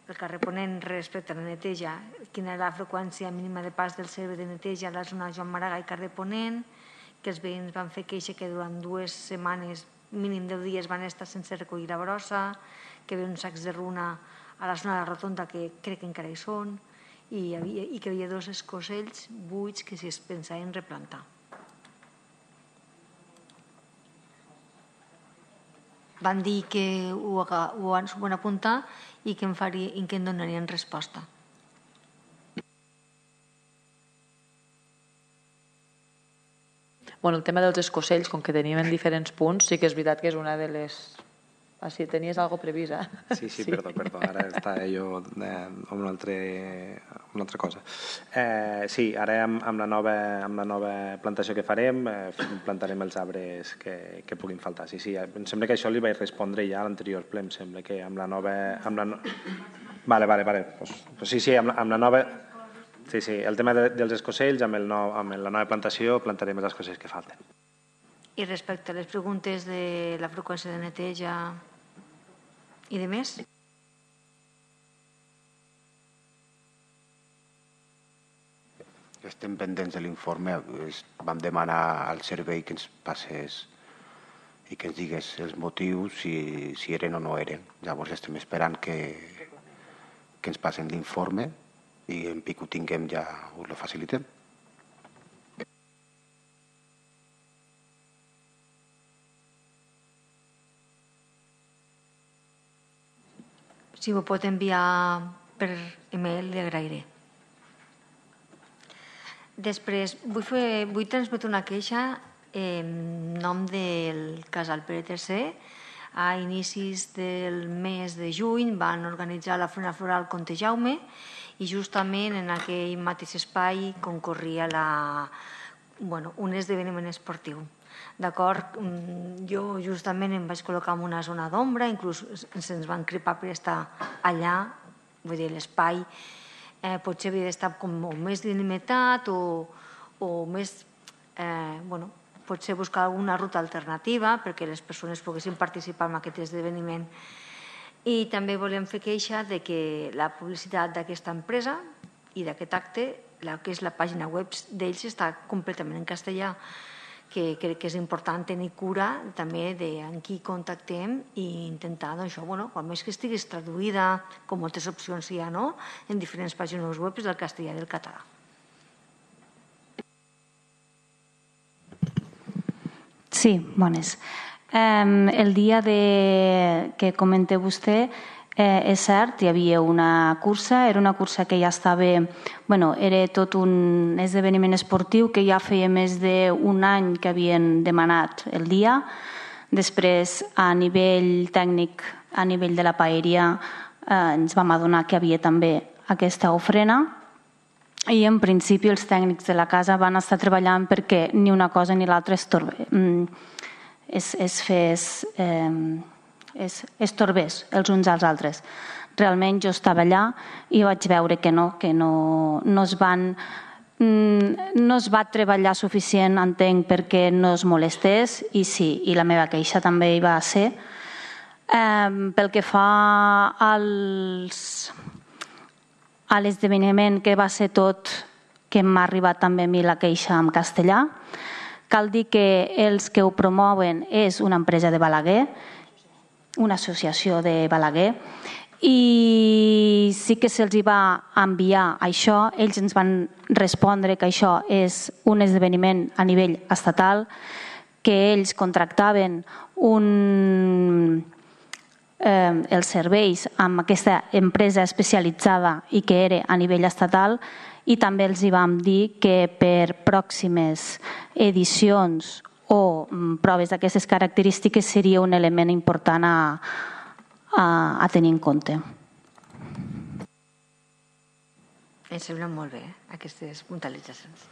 el carrer Ponent respecte a la neteja, quina era la freqüència mínima de pas del servei de neteja a la zona Joan Maragall i carrer Ponent, que els veïns van fer queixa que durant dues setmanes, mínim deu dies, van estar sense recollir la brossa, que hi havia uns sacs de runa a la zona de la rotonda que crec que encara hi són, i, hi havia, i que hi havia dos escocells buits que si es pensaven replantar. Van dir que ho, ho van apuntar i que em, faria, i que em donarien resposta. Bueno, el tema dels escocells, com que tenim en diferents punts, sí que és veritat que és una de les... Ah, sí, tenies algo previst, eh? Sí, sí, sí. perdó, perdó, ara estava jo eh, amb una, altre, una altra cosa. Eh, sí, ara amb, amb, la nova, amb la nova plantació que farem, eh, plantarem els arbres que, que puguin faltar. Sí, sí, em sembla que això li vaig respondre ja a l'anterior ple, em sembla que amb la nova... Amb la no... Vale, vale, vale. Pues, pues sí, sí, amb la, amb la nova... Sí, sí, el tema de, dels escocells, amb, el nou, amb la nova plantació plantarem els escocells que falten. I respecte a les preguntes de la freqüència de neteja i de més? Estem pendents de l'informe. Vam demanar al servei que ens passés i que ens digués els motius, si, si eren o no eren. Llavors estem esperant que, que ens passen l'informe i en pic ho tinguem ja us lo facilitem. Si ho pot enviar per e-mail, li agrairé. Després, vull, fer, vull transmetre una queixa en nom del Casal Pere tercer. A inicis del mes de juny van organitzar la Fira Floral Comte Jaume i justament en aquell mateix espai concorria la, bueno, un esdeveniment esportiu. D'acord? Jo justament em vaig col·locar en una zona d'ombra, inclús se'ns van crepar per estar allà, vull dir, l'espai eh, potser havia d'estar com molt més delimitat o, o més, eh, bueno, potser buscar alguna ruta alternativa perquè les persones poguessin participar en aquest esdeveniment. I també volem fer queixa de que la publicitat d'aquesta empresa i d'aquest acte, la que és la pàgina web d'ells, està completament en castellà, que crec que és important tenir cura també de amb qui contactem i intentar, doncs, això, bueno, quan més que estiguis traduïda, com moltes opcions hi ha, no?, en diferents pàgines web del castellà i del català. Sí, bones. Eh, el dia de, que comenta vostè, eh, és cert, hi havia una cursa, era una cursa que ja estava, bueno, era tot un esdeveniment esportiu que ja feia més d'un any que havien demanat el dia. Després, a nivell tècnic, a nivell de la paeria, eh, ens vam adonar que havia també aquesta ofrena i en principi els tècnics de la casa van estar treballant perquè ni una cosa ni l'altra es, es, es fes... Eh, es, es torbés els uns als altres. Realment jo estava allà i vaig veure que no, que no, no es van... no es va treballar suficient, entenc, perquè no es molestés, i sí, i la meva queixa també hi va ser. Eh, pel que fa als, a l'esdeveniment que va ser tot, que m'ha arribat també a mi la queixa en castellà, cal dir que els que ho promouen és una empresa de Balaguer, una associació de Balaguer, i sí que se'ls va enviar això. Ells ens van respondre que això és un esdeveniment a nivell estatal, que ells contractaven un, eh, els serveis amb aquesta empresa especialitzada i que era a nivell estatal, i també els hi vam dir que per pròximes edicions o proves d'aquestes característiques seria un element important a, a, a tenir en compte. Em semblen molt bé, eh, aquestes puntualitzacions.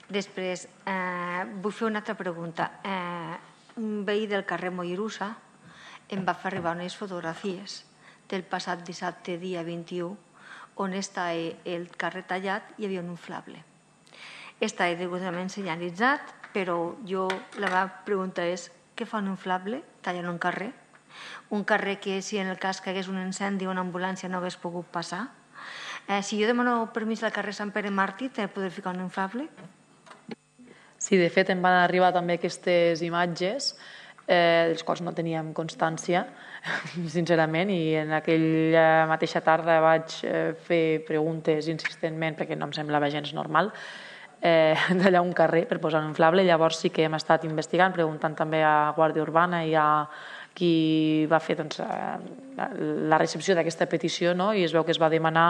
Després, eh, vull fer una altra pregunta. Eh, un veí del carrer Mollerussa em va fer arribar unes fotografies del passat dissabte, dia vint-i-u, on està el carrer tallat i hi havia un inflable. Està degudament senyalitzat, però jo la meva pregunta és què fa un inflable tallant un carrer? Un carrer que si en el cas que hagués un incendi o una ambulància no hagués pogut passar? Eh, si jo demano permís al carrer Sant Pere Màrtir, t'he de poder ficar un inflable? Sí, de fet em van arribar també aquestes imatges eh, dels quals no teníem constància, sincerament, i en aquella mateixa tarda vaig eh, fer preguntes insistentment perquè no em semblava gens normal eh, d'allà un carrer per posar un inflable. Llavors sí que hem estat investigant, preguntant també a Guàrdia Urbana i a qui va fer doncs, la recepció d'aquesta petició, no? I es veu que es va demanar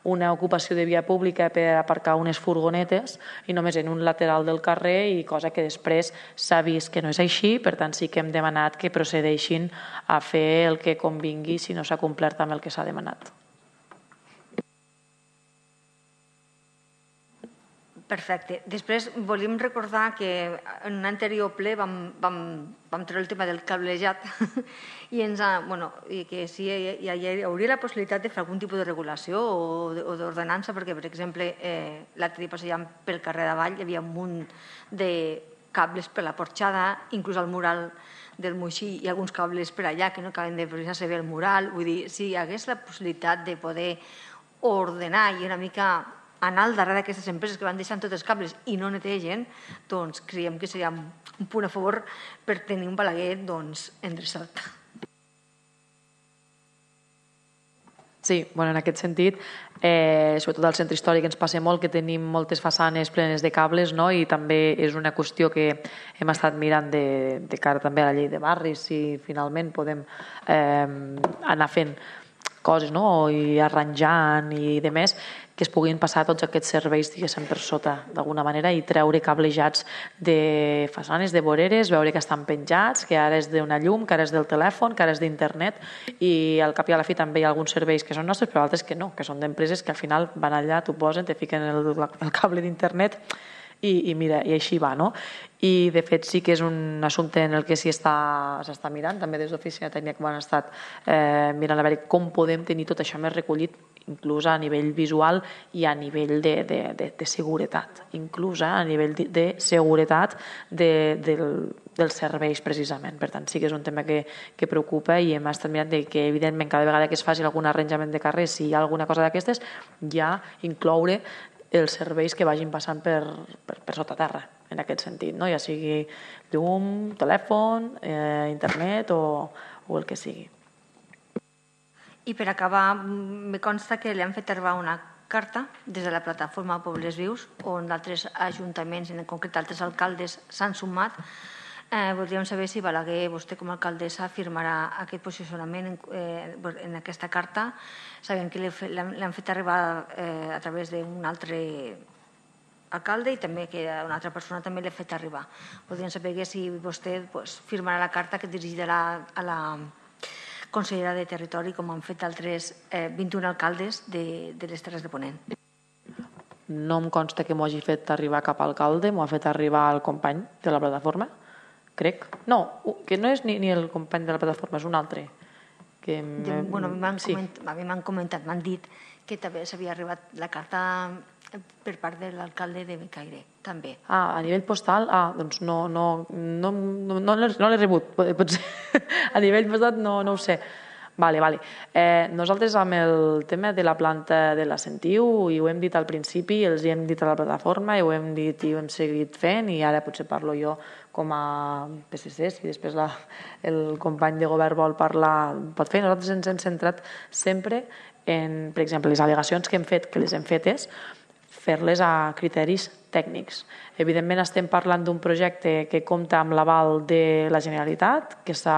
una ocupació de via pública per aparcar unes furgonetes i només en un lateral del carrer, i cosa que després s'ha vist que no és així. Per tant, sí que hem demanat que procedeixin a fer el que convingui si no s'ha complert amb el que s'ha demanat. Perfecte. Després volíem recordar que en un anterior ple vam, vam, vam treure el tema del cablejat i ens ha, bueno, i que sí, hi, hi hauria la possibilitat de fer algun tipus de regulació o d'ordenança, perquè, per exemple, eh, l'altre dia passejant pel carrer d'avall hi havia un munt de cables per la porxada, inclús al mural del Moixí hi ha alguns cables per allà que no acaben de precisar bé el mural. Vull dir, si hi hagués la possibilitat de poder ordenar i una mica anar al darrere d'aquestes empreses que van deixant tots els cables i no netegen, doncs creiem que seria un punt a favor per tenir un Balaguer doncs, endreçat. Sí, bueno, en aquest sentit, eh, sobretot al centre històric ens passa molt que tenim moltes façanes plenes de cables, no? I també és una qüestió que hem estat mirant de, de cara també a la llei de barris, si finalment podem eh, anar fent coses, no? I arranjant i de més, que es puguin passar tots aquests serveis, diguéssim, per sota, d'alguna manera, i treure cablejats de façanes, de voreres, veure que estan penjats, que ara és d'una llum, que ara és del telèfon, que ara és d'internet, i al cap i a la fi també hi ha alguns serveis que són nostres, però altres que no, que són d'empreses que al final van allà, t'ho posen, te fiquen el, el cable d'internet i, i mira, i així va, no? I de fet sí que és un assumpte en el que s'hi està, s'està mirant, també des d'Oficina Tècnica han estat eh, mirant a veure com podem tenir tot això més recollit, inclús a nivell visual i a nivell de, de, de, de seguretat, inclús a nivell de, de seguretat de, del, dels serveis precisament. Per tant, sí que és un tema que, que preocupa i hem estat mirant de que evidentment cada vegada que es faci algun arranjament de carrer, si hi ha alguna cosa d'aquestes, ja incloure els serveis que vagin passant per, per, per sota terra, en aquest sentit, no? Ja sigui llum, telèfon, eh, internet o, o el que sigui. I per acabar, me consta que li han fet arribar una carta des de la plataforma Pobles Vius, on d'altres ajuntaments, en concret altres alcaldes, s'han sumat. Eh, voldríem saber si Balaguer, vostè com a alcaldessa, firmarà aquest posicionament en, eh, en aquesta carta. Sabem que l'han fet arribar eh, a través d'un altre alcalde i també que una altra persona també l'ha fet arribar. Voldríem saber si vostè pues, firmarà la carta que dirigirà a la consellera de Territori, com han fet altres eh, vint-i-un alcaldes de, de les Terres de Ponent. No em consta que m'ho hagi fet arribar cap alcalde, m'ho ha fet arribar el company de la plataforma, crec. No, que no és ni, ni el company de la plataforma, és un altre. Que de, bueno, a mi m'han sí. comentat, comentat, m'han dit que també s'havia arribat la carta per part de l'alcalde de Becaire, també. Ah, a nivell postal? Ah, doncs no, no, no, no, no l'he rebut, potser. A nivell postal no, no ho sé. Vale, vale. Eh, nosaltres amb el tema de la planta de la Sentiu, i ho hem dit al principi, els hi hem dit a la plataforma, i ho hem dit i ho hem seguit fent, i ara potser parlo jo com a P S C, si després la, el company de govern vol parlar, pot fer. Nosaltres ens hem centrat sempre en, per exemple, les al·legacions que hem fet, que les hem fetes, fer-les a criteris tècnics. Evidentment estem parlant d'un projecte que compta amb l'aval de la Generalitat, que s'ha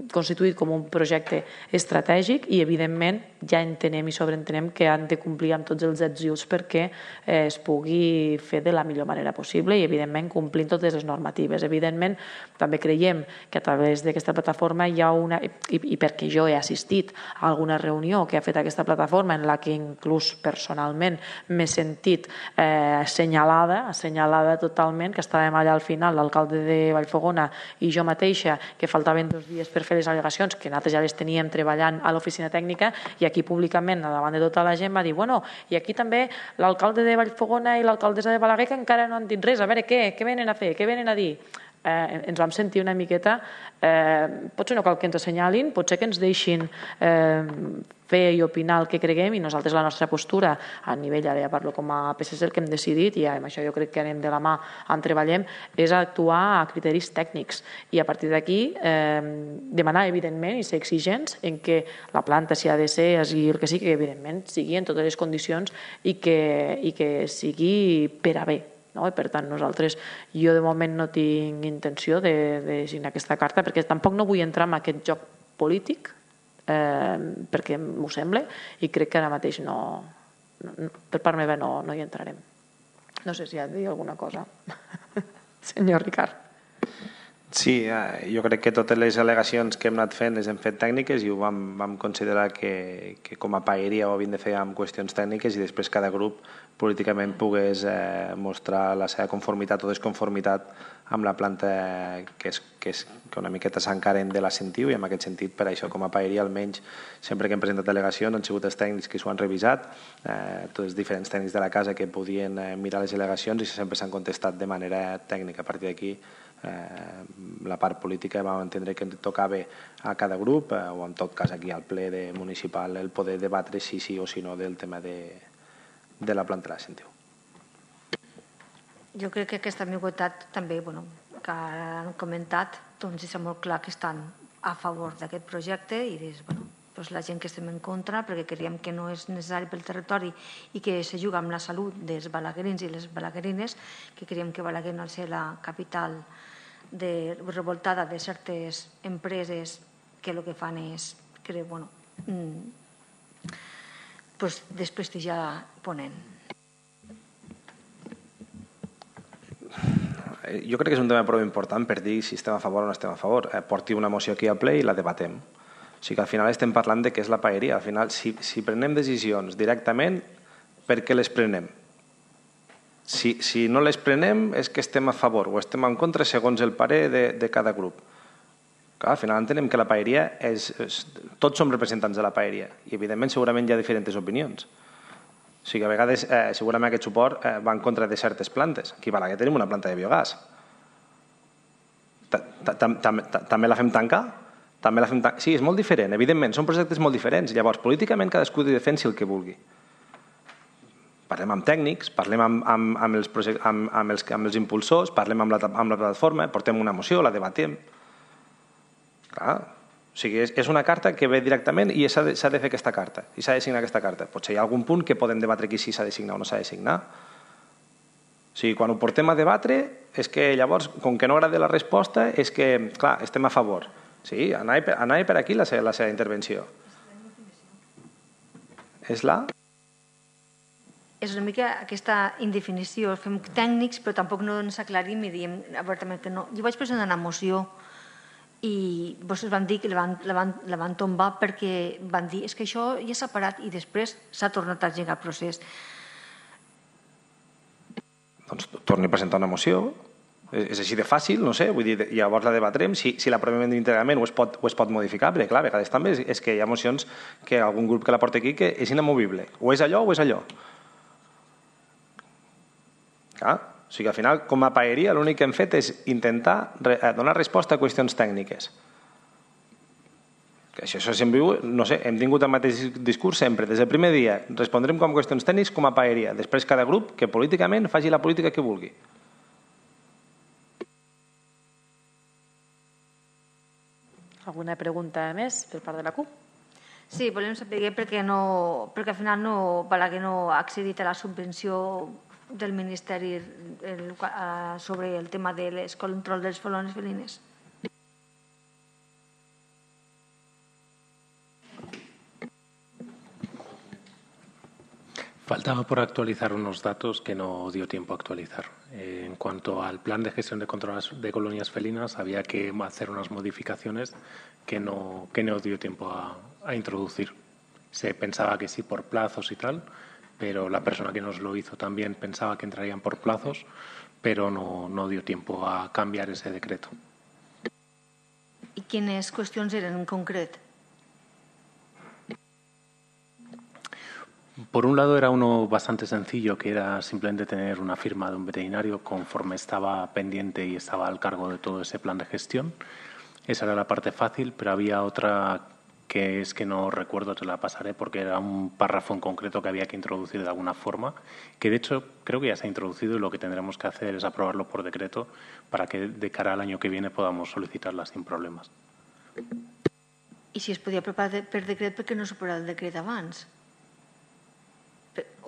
constituït com un projecte estratègic i evidentment ja entenem i sobreentenem que han de complir amb tots els ets i uts perquè eh, es pugui fer de la millor manera possible i evidentment complint totes les normatives. Evidentment també creiem que a través d'aquesta plataforma hi ha una, i, i perquè jo he assistit a alguna reunió que ha fet aquesta plataforma en la que inclús personalment m'he sentit eh, assenyalada, assenyalada totalment, que estàvem allà al final, l'alcalde de Vallfogona i jo mateixa, que faltaven dos dies per fer les al·legacions, que nosaltres ja les teníem treballant a l'oficina tècnica, i aquí públicament, davant de tota la gent, va dir, bueno, i aquí també l'alcalde de Vallfogona i l'alcaldessa de Balaguer que encara no han dit res, a veure què, què venen a fer, què venen a dir? Eh, ens vam sentir una miqueta, eh, potser no cal que ens assenyalin, potser que ens deixin eh, fer i opinar el que creguem i nosaltres la nostra postura a nivell, ara ja parlo com a P S C, el que hem decidit, i amb això jo crec que anem de la mà en treballem, és actuar a criteris tècnics i a partir d'aquí eh, demanar evidentment i ser exigents en que la planta, si ha de ser, i el que sigui, que evidentment sigui en totes les condicions i que, i que sigui per a bé. No? I per tant, nosaltres, jo de moment no tinc intenció de, de signar aquesta carta perquè tampoc no vull entrar en aquest joc polític eh, perquè m'ho sembla i crec que ara mateix no, no per part meva no, no hi entrarem. No sé si ha de dir alguna cosa. Senyor Ricard. Sí, jo crec que totes les al·legacions que hem anat fent les hem fet tècniques i ho vam, vam considerar que, que com a paeria ho havíem de fer amb qüestions tècniques i després cada grup políticament pogués eh, mostrar la seva conformitat o desconformitat amb la planta que, és, que, és, que una miqueta s'encaren de la Sentiu i en aquest sentit per això com a paeria almenys sempre que hem presentat al·legacions han sigut els tècnics que s'ho han revisat, eh, tots els diferents tècnics de la casa que podien eh, mirar les al·legacions i sempre s'han contestat de manera tècnica. A partir d'aquí Eh, la part política vam entendre que tocava a cada grup eh, o en tot cas aquí al ple de municipal el poder debatre si sí o si no del tema de, de la planta de la Sentiu. Jo crec que aquesta ambigüitat també, bueno, que han comentat, doncs és molt clar que estan a favor d'aquest projecte i des, bueno, doncs la gent que estem en contra perquè creiem que no és necessari pel territori i que se juga amb la salut dels balaguerins i les balaguerines, que creiem que Balaguer no ha de ser la capital de, revoltada de certes empreses que el que fan és que, bueno, mm, pues desprestigiar Ponent. Jo crec que és un tema prou important per dir si estem a favor o no estem a favor. Eh, porti una moció aquí al ple i la debatem. O sigui que al final estem parlant de què és la paeria. Al final, si, si prenem decisions directament, per què les prenem? Si, si no les prenem és que estem a favor o estem en contra segons el parer de, de cada grup. Clar, al final entenem que la paeria és, és... Tots som representants de la paeria i, evidentment, segurament hi ha diferents opinions. O sigui, a vegades, eh, segurament aquest suport eh, va en contra de certes plantes. Aquí a Balaguer tenim una planta de biogàs. També la fem tancar? També la fem tancar? Sí, és molt diferent, evidentment, són projectes molt diferents. Llavors, políticament, cadascú defensi el que vulgui. Parlem amb tècnics, parlem amb, amb, amb, els, amb, amb, els, amb els impulsors, parlem amb la, amb la plataforma, portem una moció, la debatem. Clar, o sigui, és, és una carta que ve directament i s'ha de, s'ha de fer aquesta carta, i s'ha de signar aquesta carta. Potser hi ha algun punt que podem debatre aquí si s'ha de signar o no s'ha de signar. O sigui, quan ho portem a debatre, és que llavors, com que no agrada la resposta, és que, clar, estem a favor. Sí, anava per, anava per aquí la seva, la seva intervenció. És la... És una mica aquesta indefinició. Fem tècnics, però tampoc no ens aclarim i diem obertament que no. Jo vaig presentar una moció i vostès van dir que la van, la van, la van tombar perquè van dir és que això ja s'ha parat i després s'ha tornat a engegar el procés. Doncs torni a presentar una moció. És així de fàcil, no sé, vull dir, llavors la debatrem, si, si l'aprovem íntegrament o es pot, o es pot modificar, perquè clar, a vegades també és, és que hi ha mocions que algun grup que la porta aquí que és inamovible. O és allò o és allò. Clar, o sigui, al final, com a paeria, l'únic que hem fet és intentar donar resposta a qüestions tècniques. Que això, això sempre, no sé, hem tingut el mateix discurs sempre, des del primer dia, respondrem com a qüestions tècniques com a paeria, després cada grup que políticament faci la política que vulgui. Alguna pregunta més per part de la C U P? Sí, volem saber perquè, no, perquè al final no, Balaguer no ha accedit a la subvenció del Ministeri el, sobre el tema del control dels colònies felines. Faltaba por actualizar unos datos que no dio tiempo a actualizar. Eh, en cuanto al plan de gestión de control de colonias felinas, había que hacer unas modificaciones que no, que no dio tiempo a, a introducir. Se pensaba que sí por plazos y tal, pero la persona que nos lo hizo también pensaba que entrarían por plazos, pero no, no dio tiempo a cambiar ese decreto. I quines qüestions eren en concret? Por un lado era uno bastante sencillo, que era simplemente tener una firma de un veterinario conforme estaba pendiente y estaba al cargo de todo ese plan de gestión. Esa era la parte fácil, pero había otra que es que no recuerdo, te la pasaré, porque era un párrafo en concreto que había que introducir de alguna forma, que de hecho creo que ya se ha introducido y lo que tendremos que hacer es aprobarlo por decreto para que de cara al año que viene podamos solicitarla sin problemas. I si es podia aprovar per decret, per què no s'aprovarà el decret abans?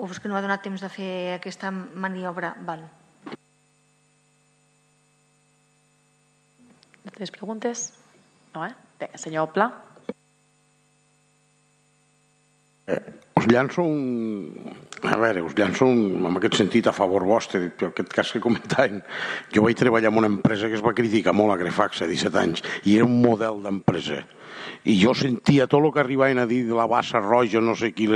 O és que no ha donat temps de fer aquesta maniobra? Val. Altres preguntes? No, eh? Bé, senyor Pla. Eh, us llanço un... A veure, us llanço un... en aquest sentit a favor vostre, en aquest cas que comentàvem. Jo vaig treballar en una empresa que es va criticar molt, a Grefax, a disset anys, i era un model d'empresa. I jo sentia tot el que arribaven a dir de la bassa roja, no sé qui...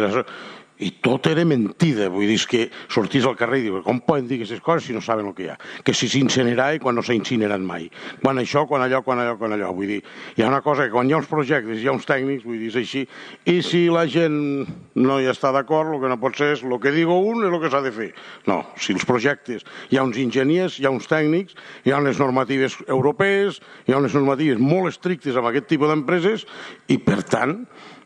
I tot era mentida, vull dir, que sortís al carrer i dius, com poden dir aquestes coses si no saben el que hi ha? Que si s'incinerava quan no s'ha incinerat mai. Quan això, quan allò, quan allò, quan allò. Vull dir, hi ha una cosa que quan hi ha uns projectes, hi ha uns tècnics, vull dir, és així, i si la gent no hi està d'acord, el que no pot ser és el que digo un és el que s'ha de fer. No, si els projectes hi ha uns enginyers, hi ha uns tècnics, hi ha unes normatives europees, hi ha unes normatives molt estrictes amb aquest tipus d'empreses i, per tant,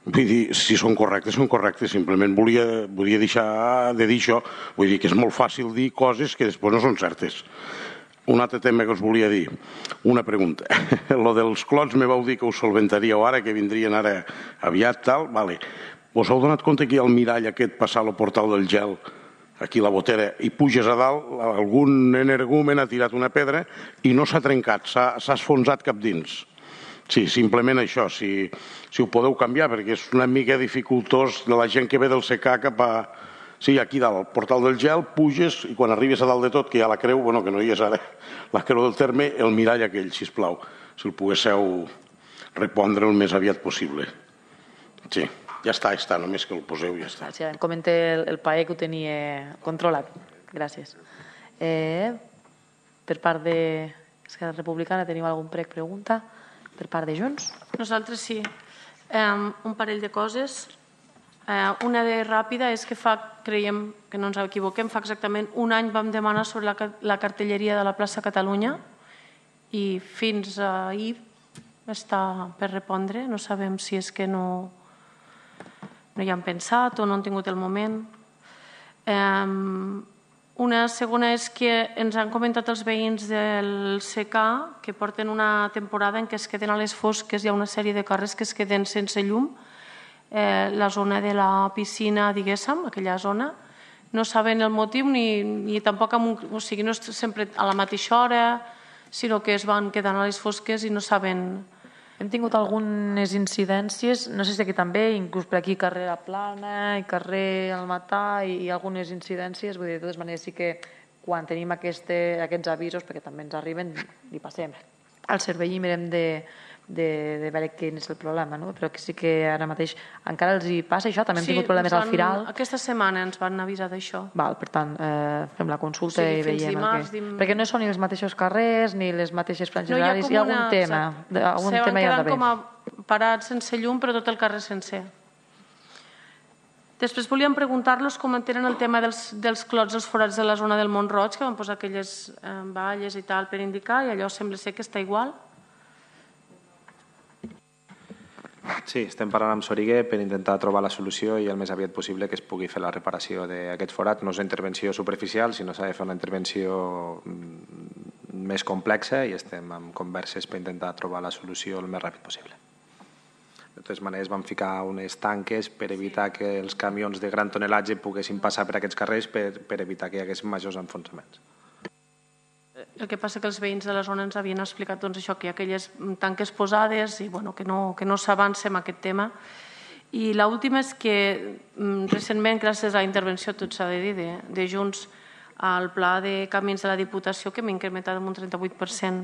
vull dir, si són correctes, són correctes. Simplement volia, volia deixar de dir això. Vull dir que és molt fàcil dir coses que després no són certes. Un altre tema que us volia dir, una pregunta. Lo dels clots me vau dir que us solventaríeu ara, que vindrien ara aviat, tal. Vale. Us heu donat compte que hi ha el mirall aquest passar al portal del gel, aquí la botera, i puges a dalt, algun energumen ha tirat una pedra i no s'ha trencat, s'ha esfonsat cap dins. Sí, simplement això, si, si ho podeu canviar, perquè és una mica dificultós de la gent que ve del secà cap a... Sí, aquí dalt, al portal del gel, puges i quan arribes a dalt de tot, que hi ha la creu, bueno, que no hi és ara, la creu del terme, el mirall aquell, sisplau, si el poguésseu repondre el més aviat possible. Sí, ja està, ja està, només que el poseu i ja està. Sí, em comenta el, el P A E que ho tenia controlat. Gràcies. Eh, per part d'Esquerra Republicana teniu algun prec pregunta? Per part de Junts? Nosaltres sí. Um, un parell de coses. Uh, una de ràpida és que fa, creiem que no ens equivoquem, fa exactament un any vam demanar sobre la, la cartelleria de la plaça Catalunya i fins ahir està per repondre. No sabem si és que no, no hi han pensat o no han tingut el moment. Um, una segona és que ens han comentat els veïns del C K que porten una temporada en què es queden a les fosques, hi ha una sèrie de carrers que es queden sense llum, eh, la zona de la piscina, diguéssim, aquella zona, no saben el motiu ni, ni tampoc, amb un, o sigui, no és sempre a la mateixa hora, sinó que es van quedant a les fosques i no saben... Hem tingut algunes incidències, no sé si aquí també, inclús per aquí carrer La Plana i carrer El Matà i, i algunes incidències, vull dir, de totes maneres sí que quan tenim este, aquests avisos, perquè també ens arriben, li passem al servei i mirem de, de, de veure quin és el problema, no? Però que sí que ara mateix encara els hi passa això, també hem sí, tingut problemes van, al Firal. Aquesta setmana ens van avisar d'això. Val, per tant, eh, fem la consulta O sigui, i fins veiem dimarts, el que... dim- Perquè no són ni els mateixos carrers ni les mateixes franges No, hi ha horaris, com hi ha algun una- tema, exacte. algun Se van tema hi ha quedant d'haver. com a parats sense llum, però tot el carrer sencer. Després volíem preguntar-los com entenen el tema dels, dels clots, els forats de la zona del Mont-roig, que van posar aquelles eh, valles i tal per indicar, i allò sembla ser que està igual. Sí, estem parlant amb Soriguer per intentar trobar la solució i el més aviat possible que es pugui fer la reparació d'aquest forat. No és una intervenció superficial, sinó s'ha de fer una intervenció més complexa i estem en converses per intentar trobar la solució el més ràpid possible. De totes maneres, vam ficar unes tanques per evitar que els camions de gran tonelatge poguessin passar per aquests carrers per, per evitar que hi hagués majors enfonsaments. El que passa que els veïns de la zona ens havien explicat doncs, això, que hi ha aquelles tanques posades i bueno, que no, que no s'avança en aquest tema. I l'última és que mm, recentment, gràcies a la intervenció, tot s'ha de dir, de, de Junts, al pla de camins de la Diputació, que hem incrementat en un trenta-vuit per cent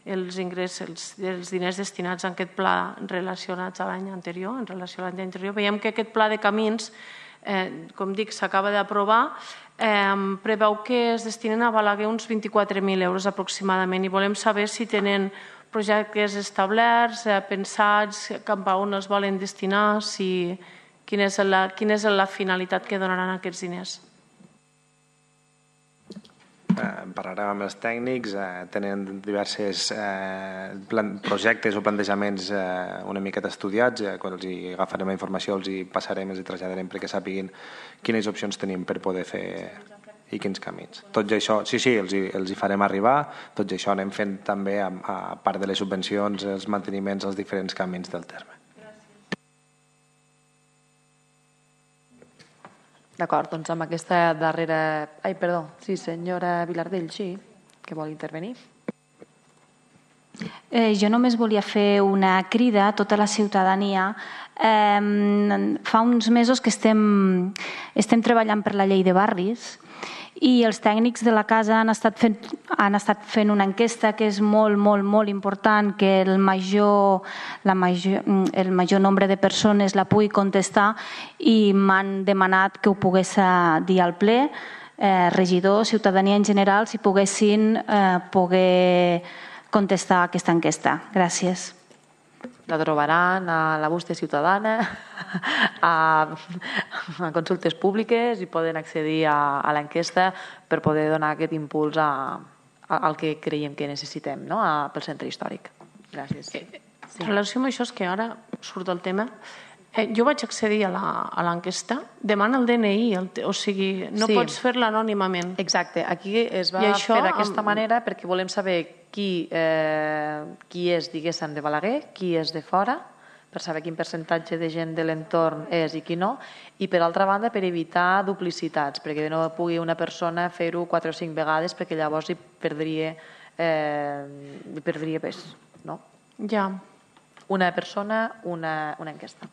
els ingressos, els, els diners destinats a aquest pla relacionats a l'any anterior, en relació a l'any anterior. Veiem que aquest pla de camins, eh, com dic, s'acaba d'aprovar, eh, preveu que es destinen a Balaguer uns vint-i-quatre mil euros aproximadament i volem saber si tenen projectes establerts, eh, pensats, cap a on els volen destinar, si, quina és la, quina és la finalitat que donaran aquests diners. Eh, parlarem amb els tècnics, eh, tenen diversos eh, plan, projectes o plantejaments eh, una miqueta estudiats, eh, quan els hi agafarem la informació els hi passarem, els hi traslladarem perquè sàpiguin quines opcions tenim per poder fer i quins camins. Tots això, sí, sí, els hi, els hi farem arribar, tots això anem fent també a, a part de les subvencions, els manteniments als diferents camins del terme. D'acord, doncs amb aquesta darrera... Ai, perdó, sí, senyora Vilardell, sí, que vol intervenir. Eh, jo només volia fer una crida a tota la ciutadania. Eh, fa uns mesos que estem, estem treballant per la llei de barris i els tècnics de la casa han estat fent, han estat fent una enquesta que és molt, molt, molt important, que el major, la major, el major nombre de persones la pugui contestar i m'han demanat que ho pogués dir al ple, eh, regidors, ciutadania en general, si poguessin eh, poder contestar aquesta enquesta. Gràcies. La trobaran a la bústia ciutadana, a, a consultes públiques i poden accedir a, a l'enquesta per poder donar aquest impuls a, a, al que creiem que necessitem, no? a, pel centre històric. Gràcies. Sí. En relació amb això, és que ara surt el tema, eh, jo vaig accedir a l'enquesta, demana el D N I, el, o sigui, no Sí. pots fer-la anònimament. Exacte, aquí es va I això fer d'aquesta amb- manera perquè volem saber qui, eh, qui és, diguéssim, de Balaguer, qui és de fora, per saber quin percentatge de gent de l'entorn és i qui no, i per altra banda per evitar duplicitats, perquè no pugui una persona fer-ho quatre o cinc vegades perquè llavors hi perdria, eh, hi perdria pes. No? Ja. Una persona, una, una enquesta.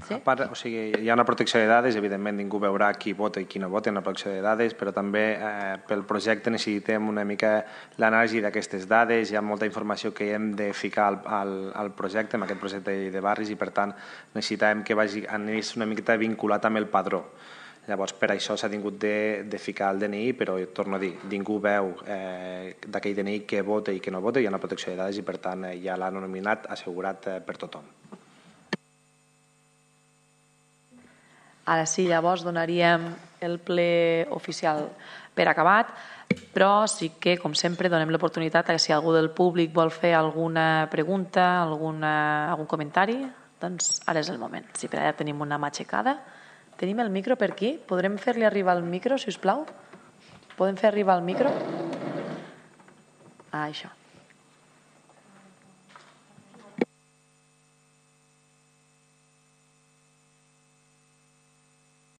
Sí? A part, o sigui, hi ha una protecció de dades, evidentment ningú veurà qui vota i qui no vota, una protecció de dades, però també eh, pel projecte necessitem una mica l'anàlisi d'aquestes dades, hi ha molta informació que hem de ficar al, al, al projecte, en aquest projecte de barris, i per tant necessitem que vagi, anés una miqueta vinculat amb el padró. Llavors, per això s'ha tingut de, de ficar el D N I, però torno a dir, ningú veu eh, d'aquell D N I què vota i què no vota, hi ha una protecció de dades i, per tant, eh, hi ha l'anonimat assegurat eh, per tothom. Ara sí, llavors donaríem el ple oficial per acabat, però sí que, com sempre, donem l'oportunitat que si algú del públic vol fer alguna pregunta, alguna, algun comentari, doncs ara és el moment. Sí, per allà tenim una mà aixecada. Tenim el micro per aquí? Podrem fer-li arribar el micro, si us plau? Podem fer arribar el micro? Ah, això.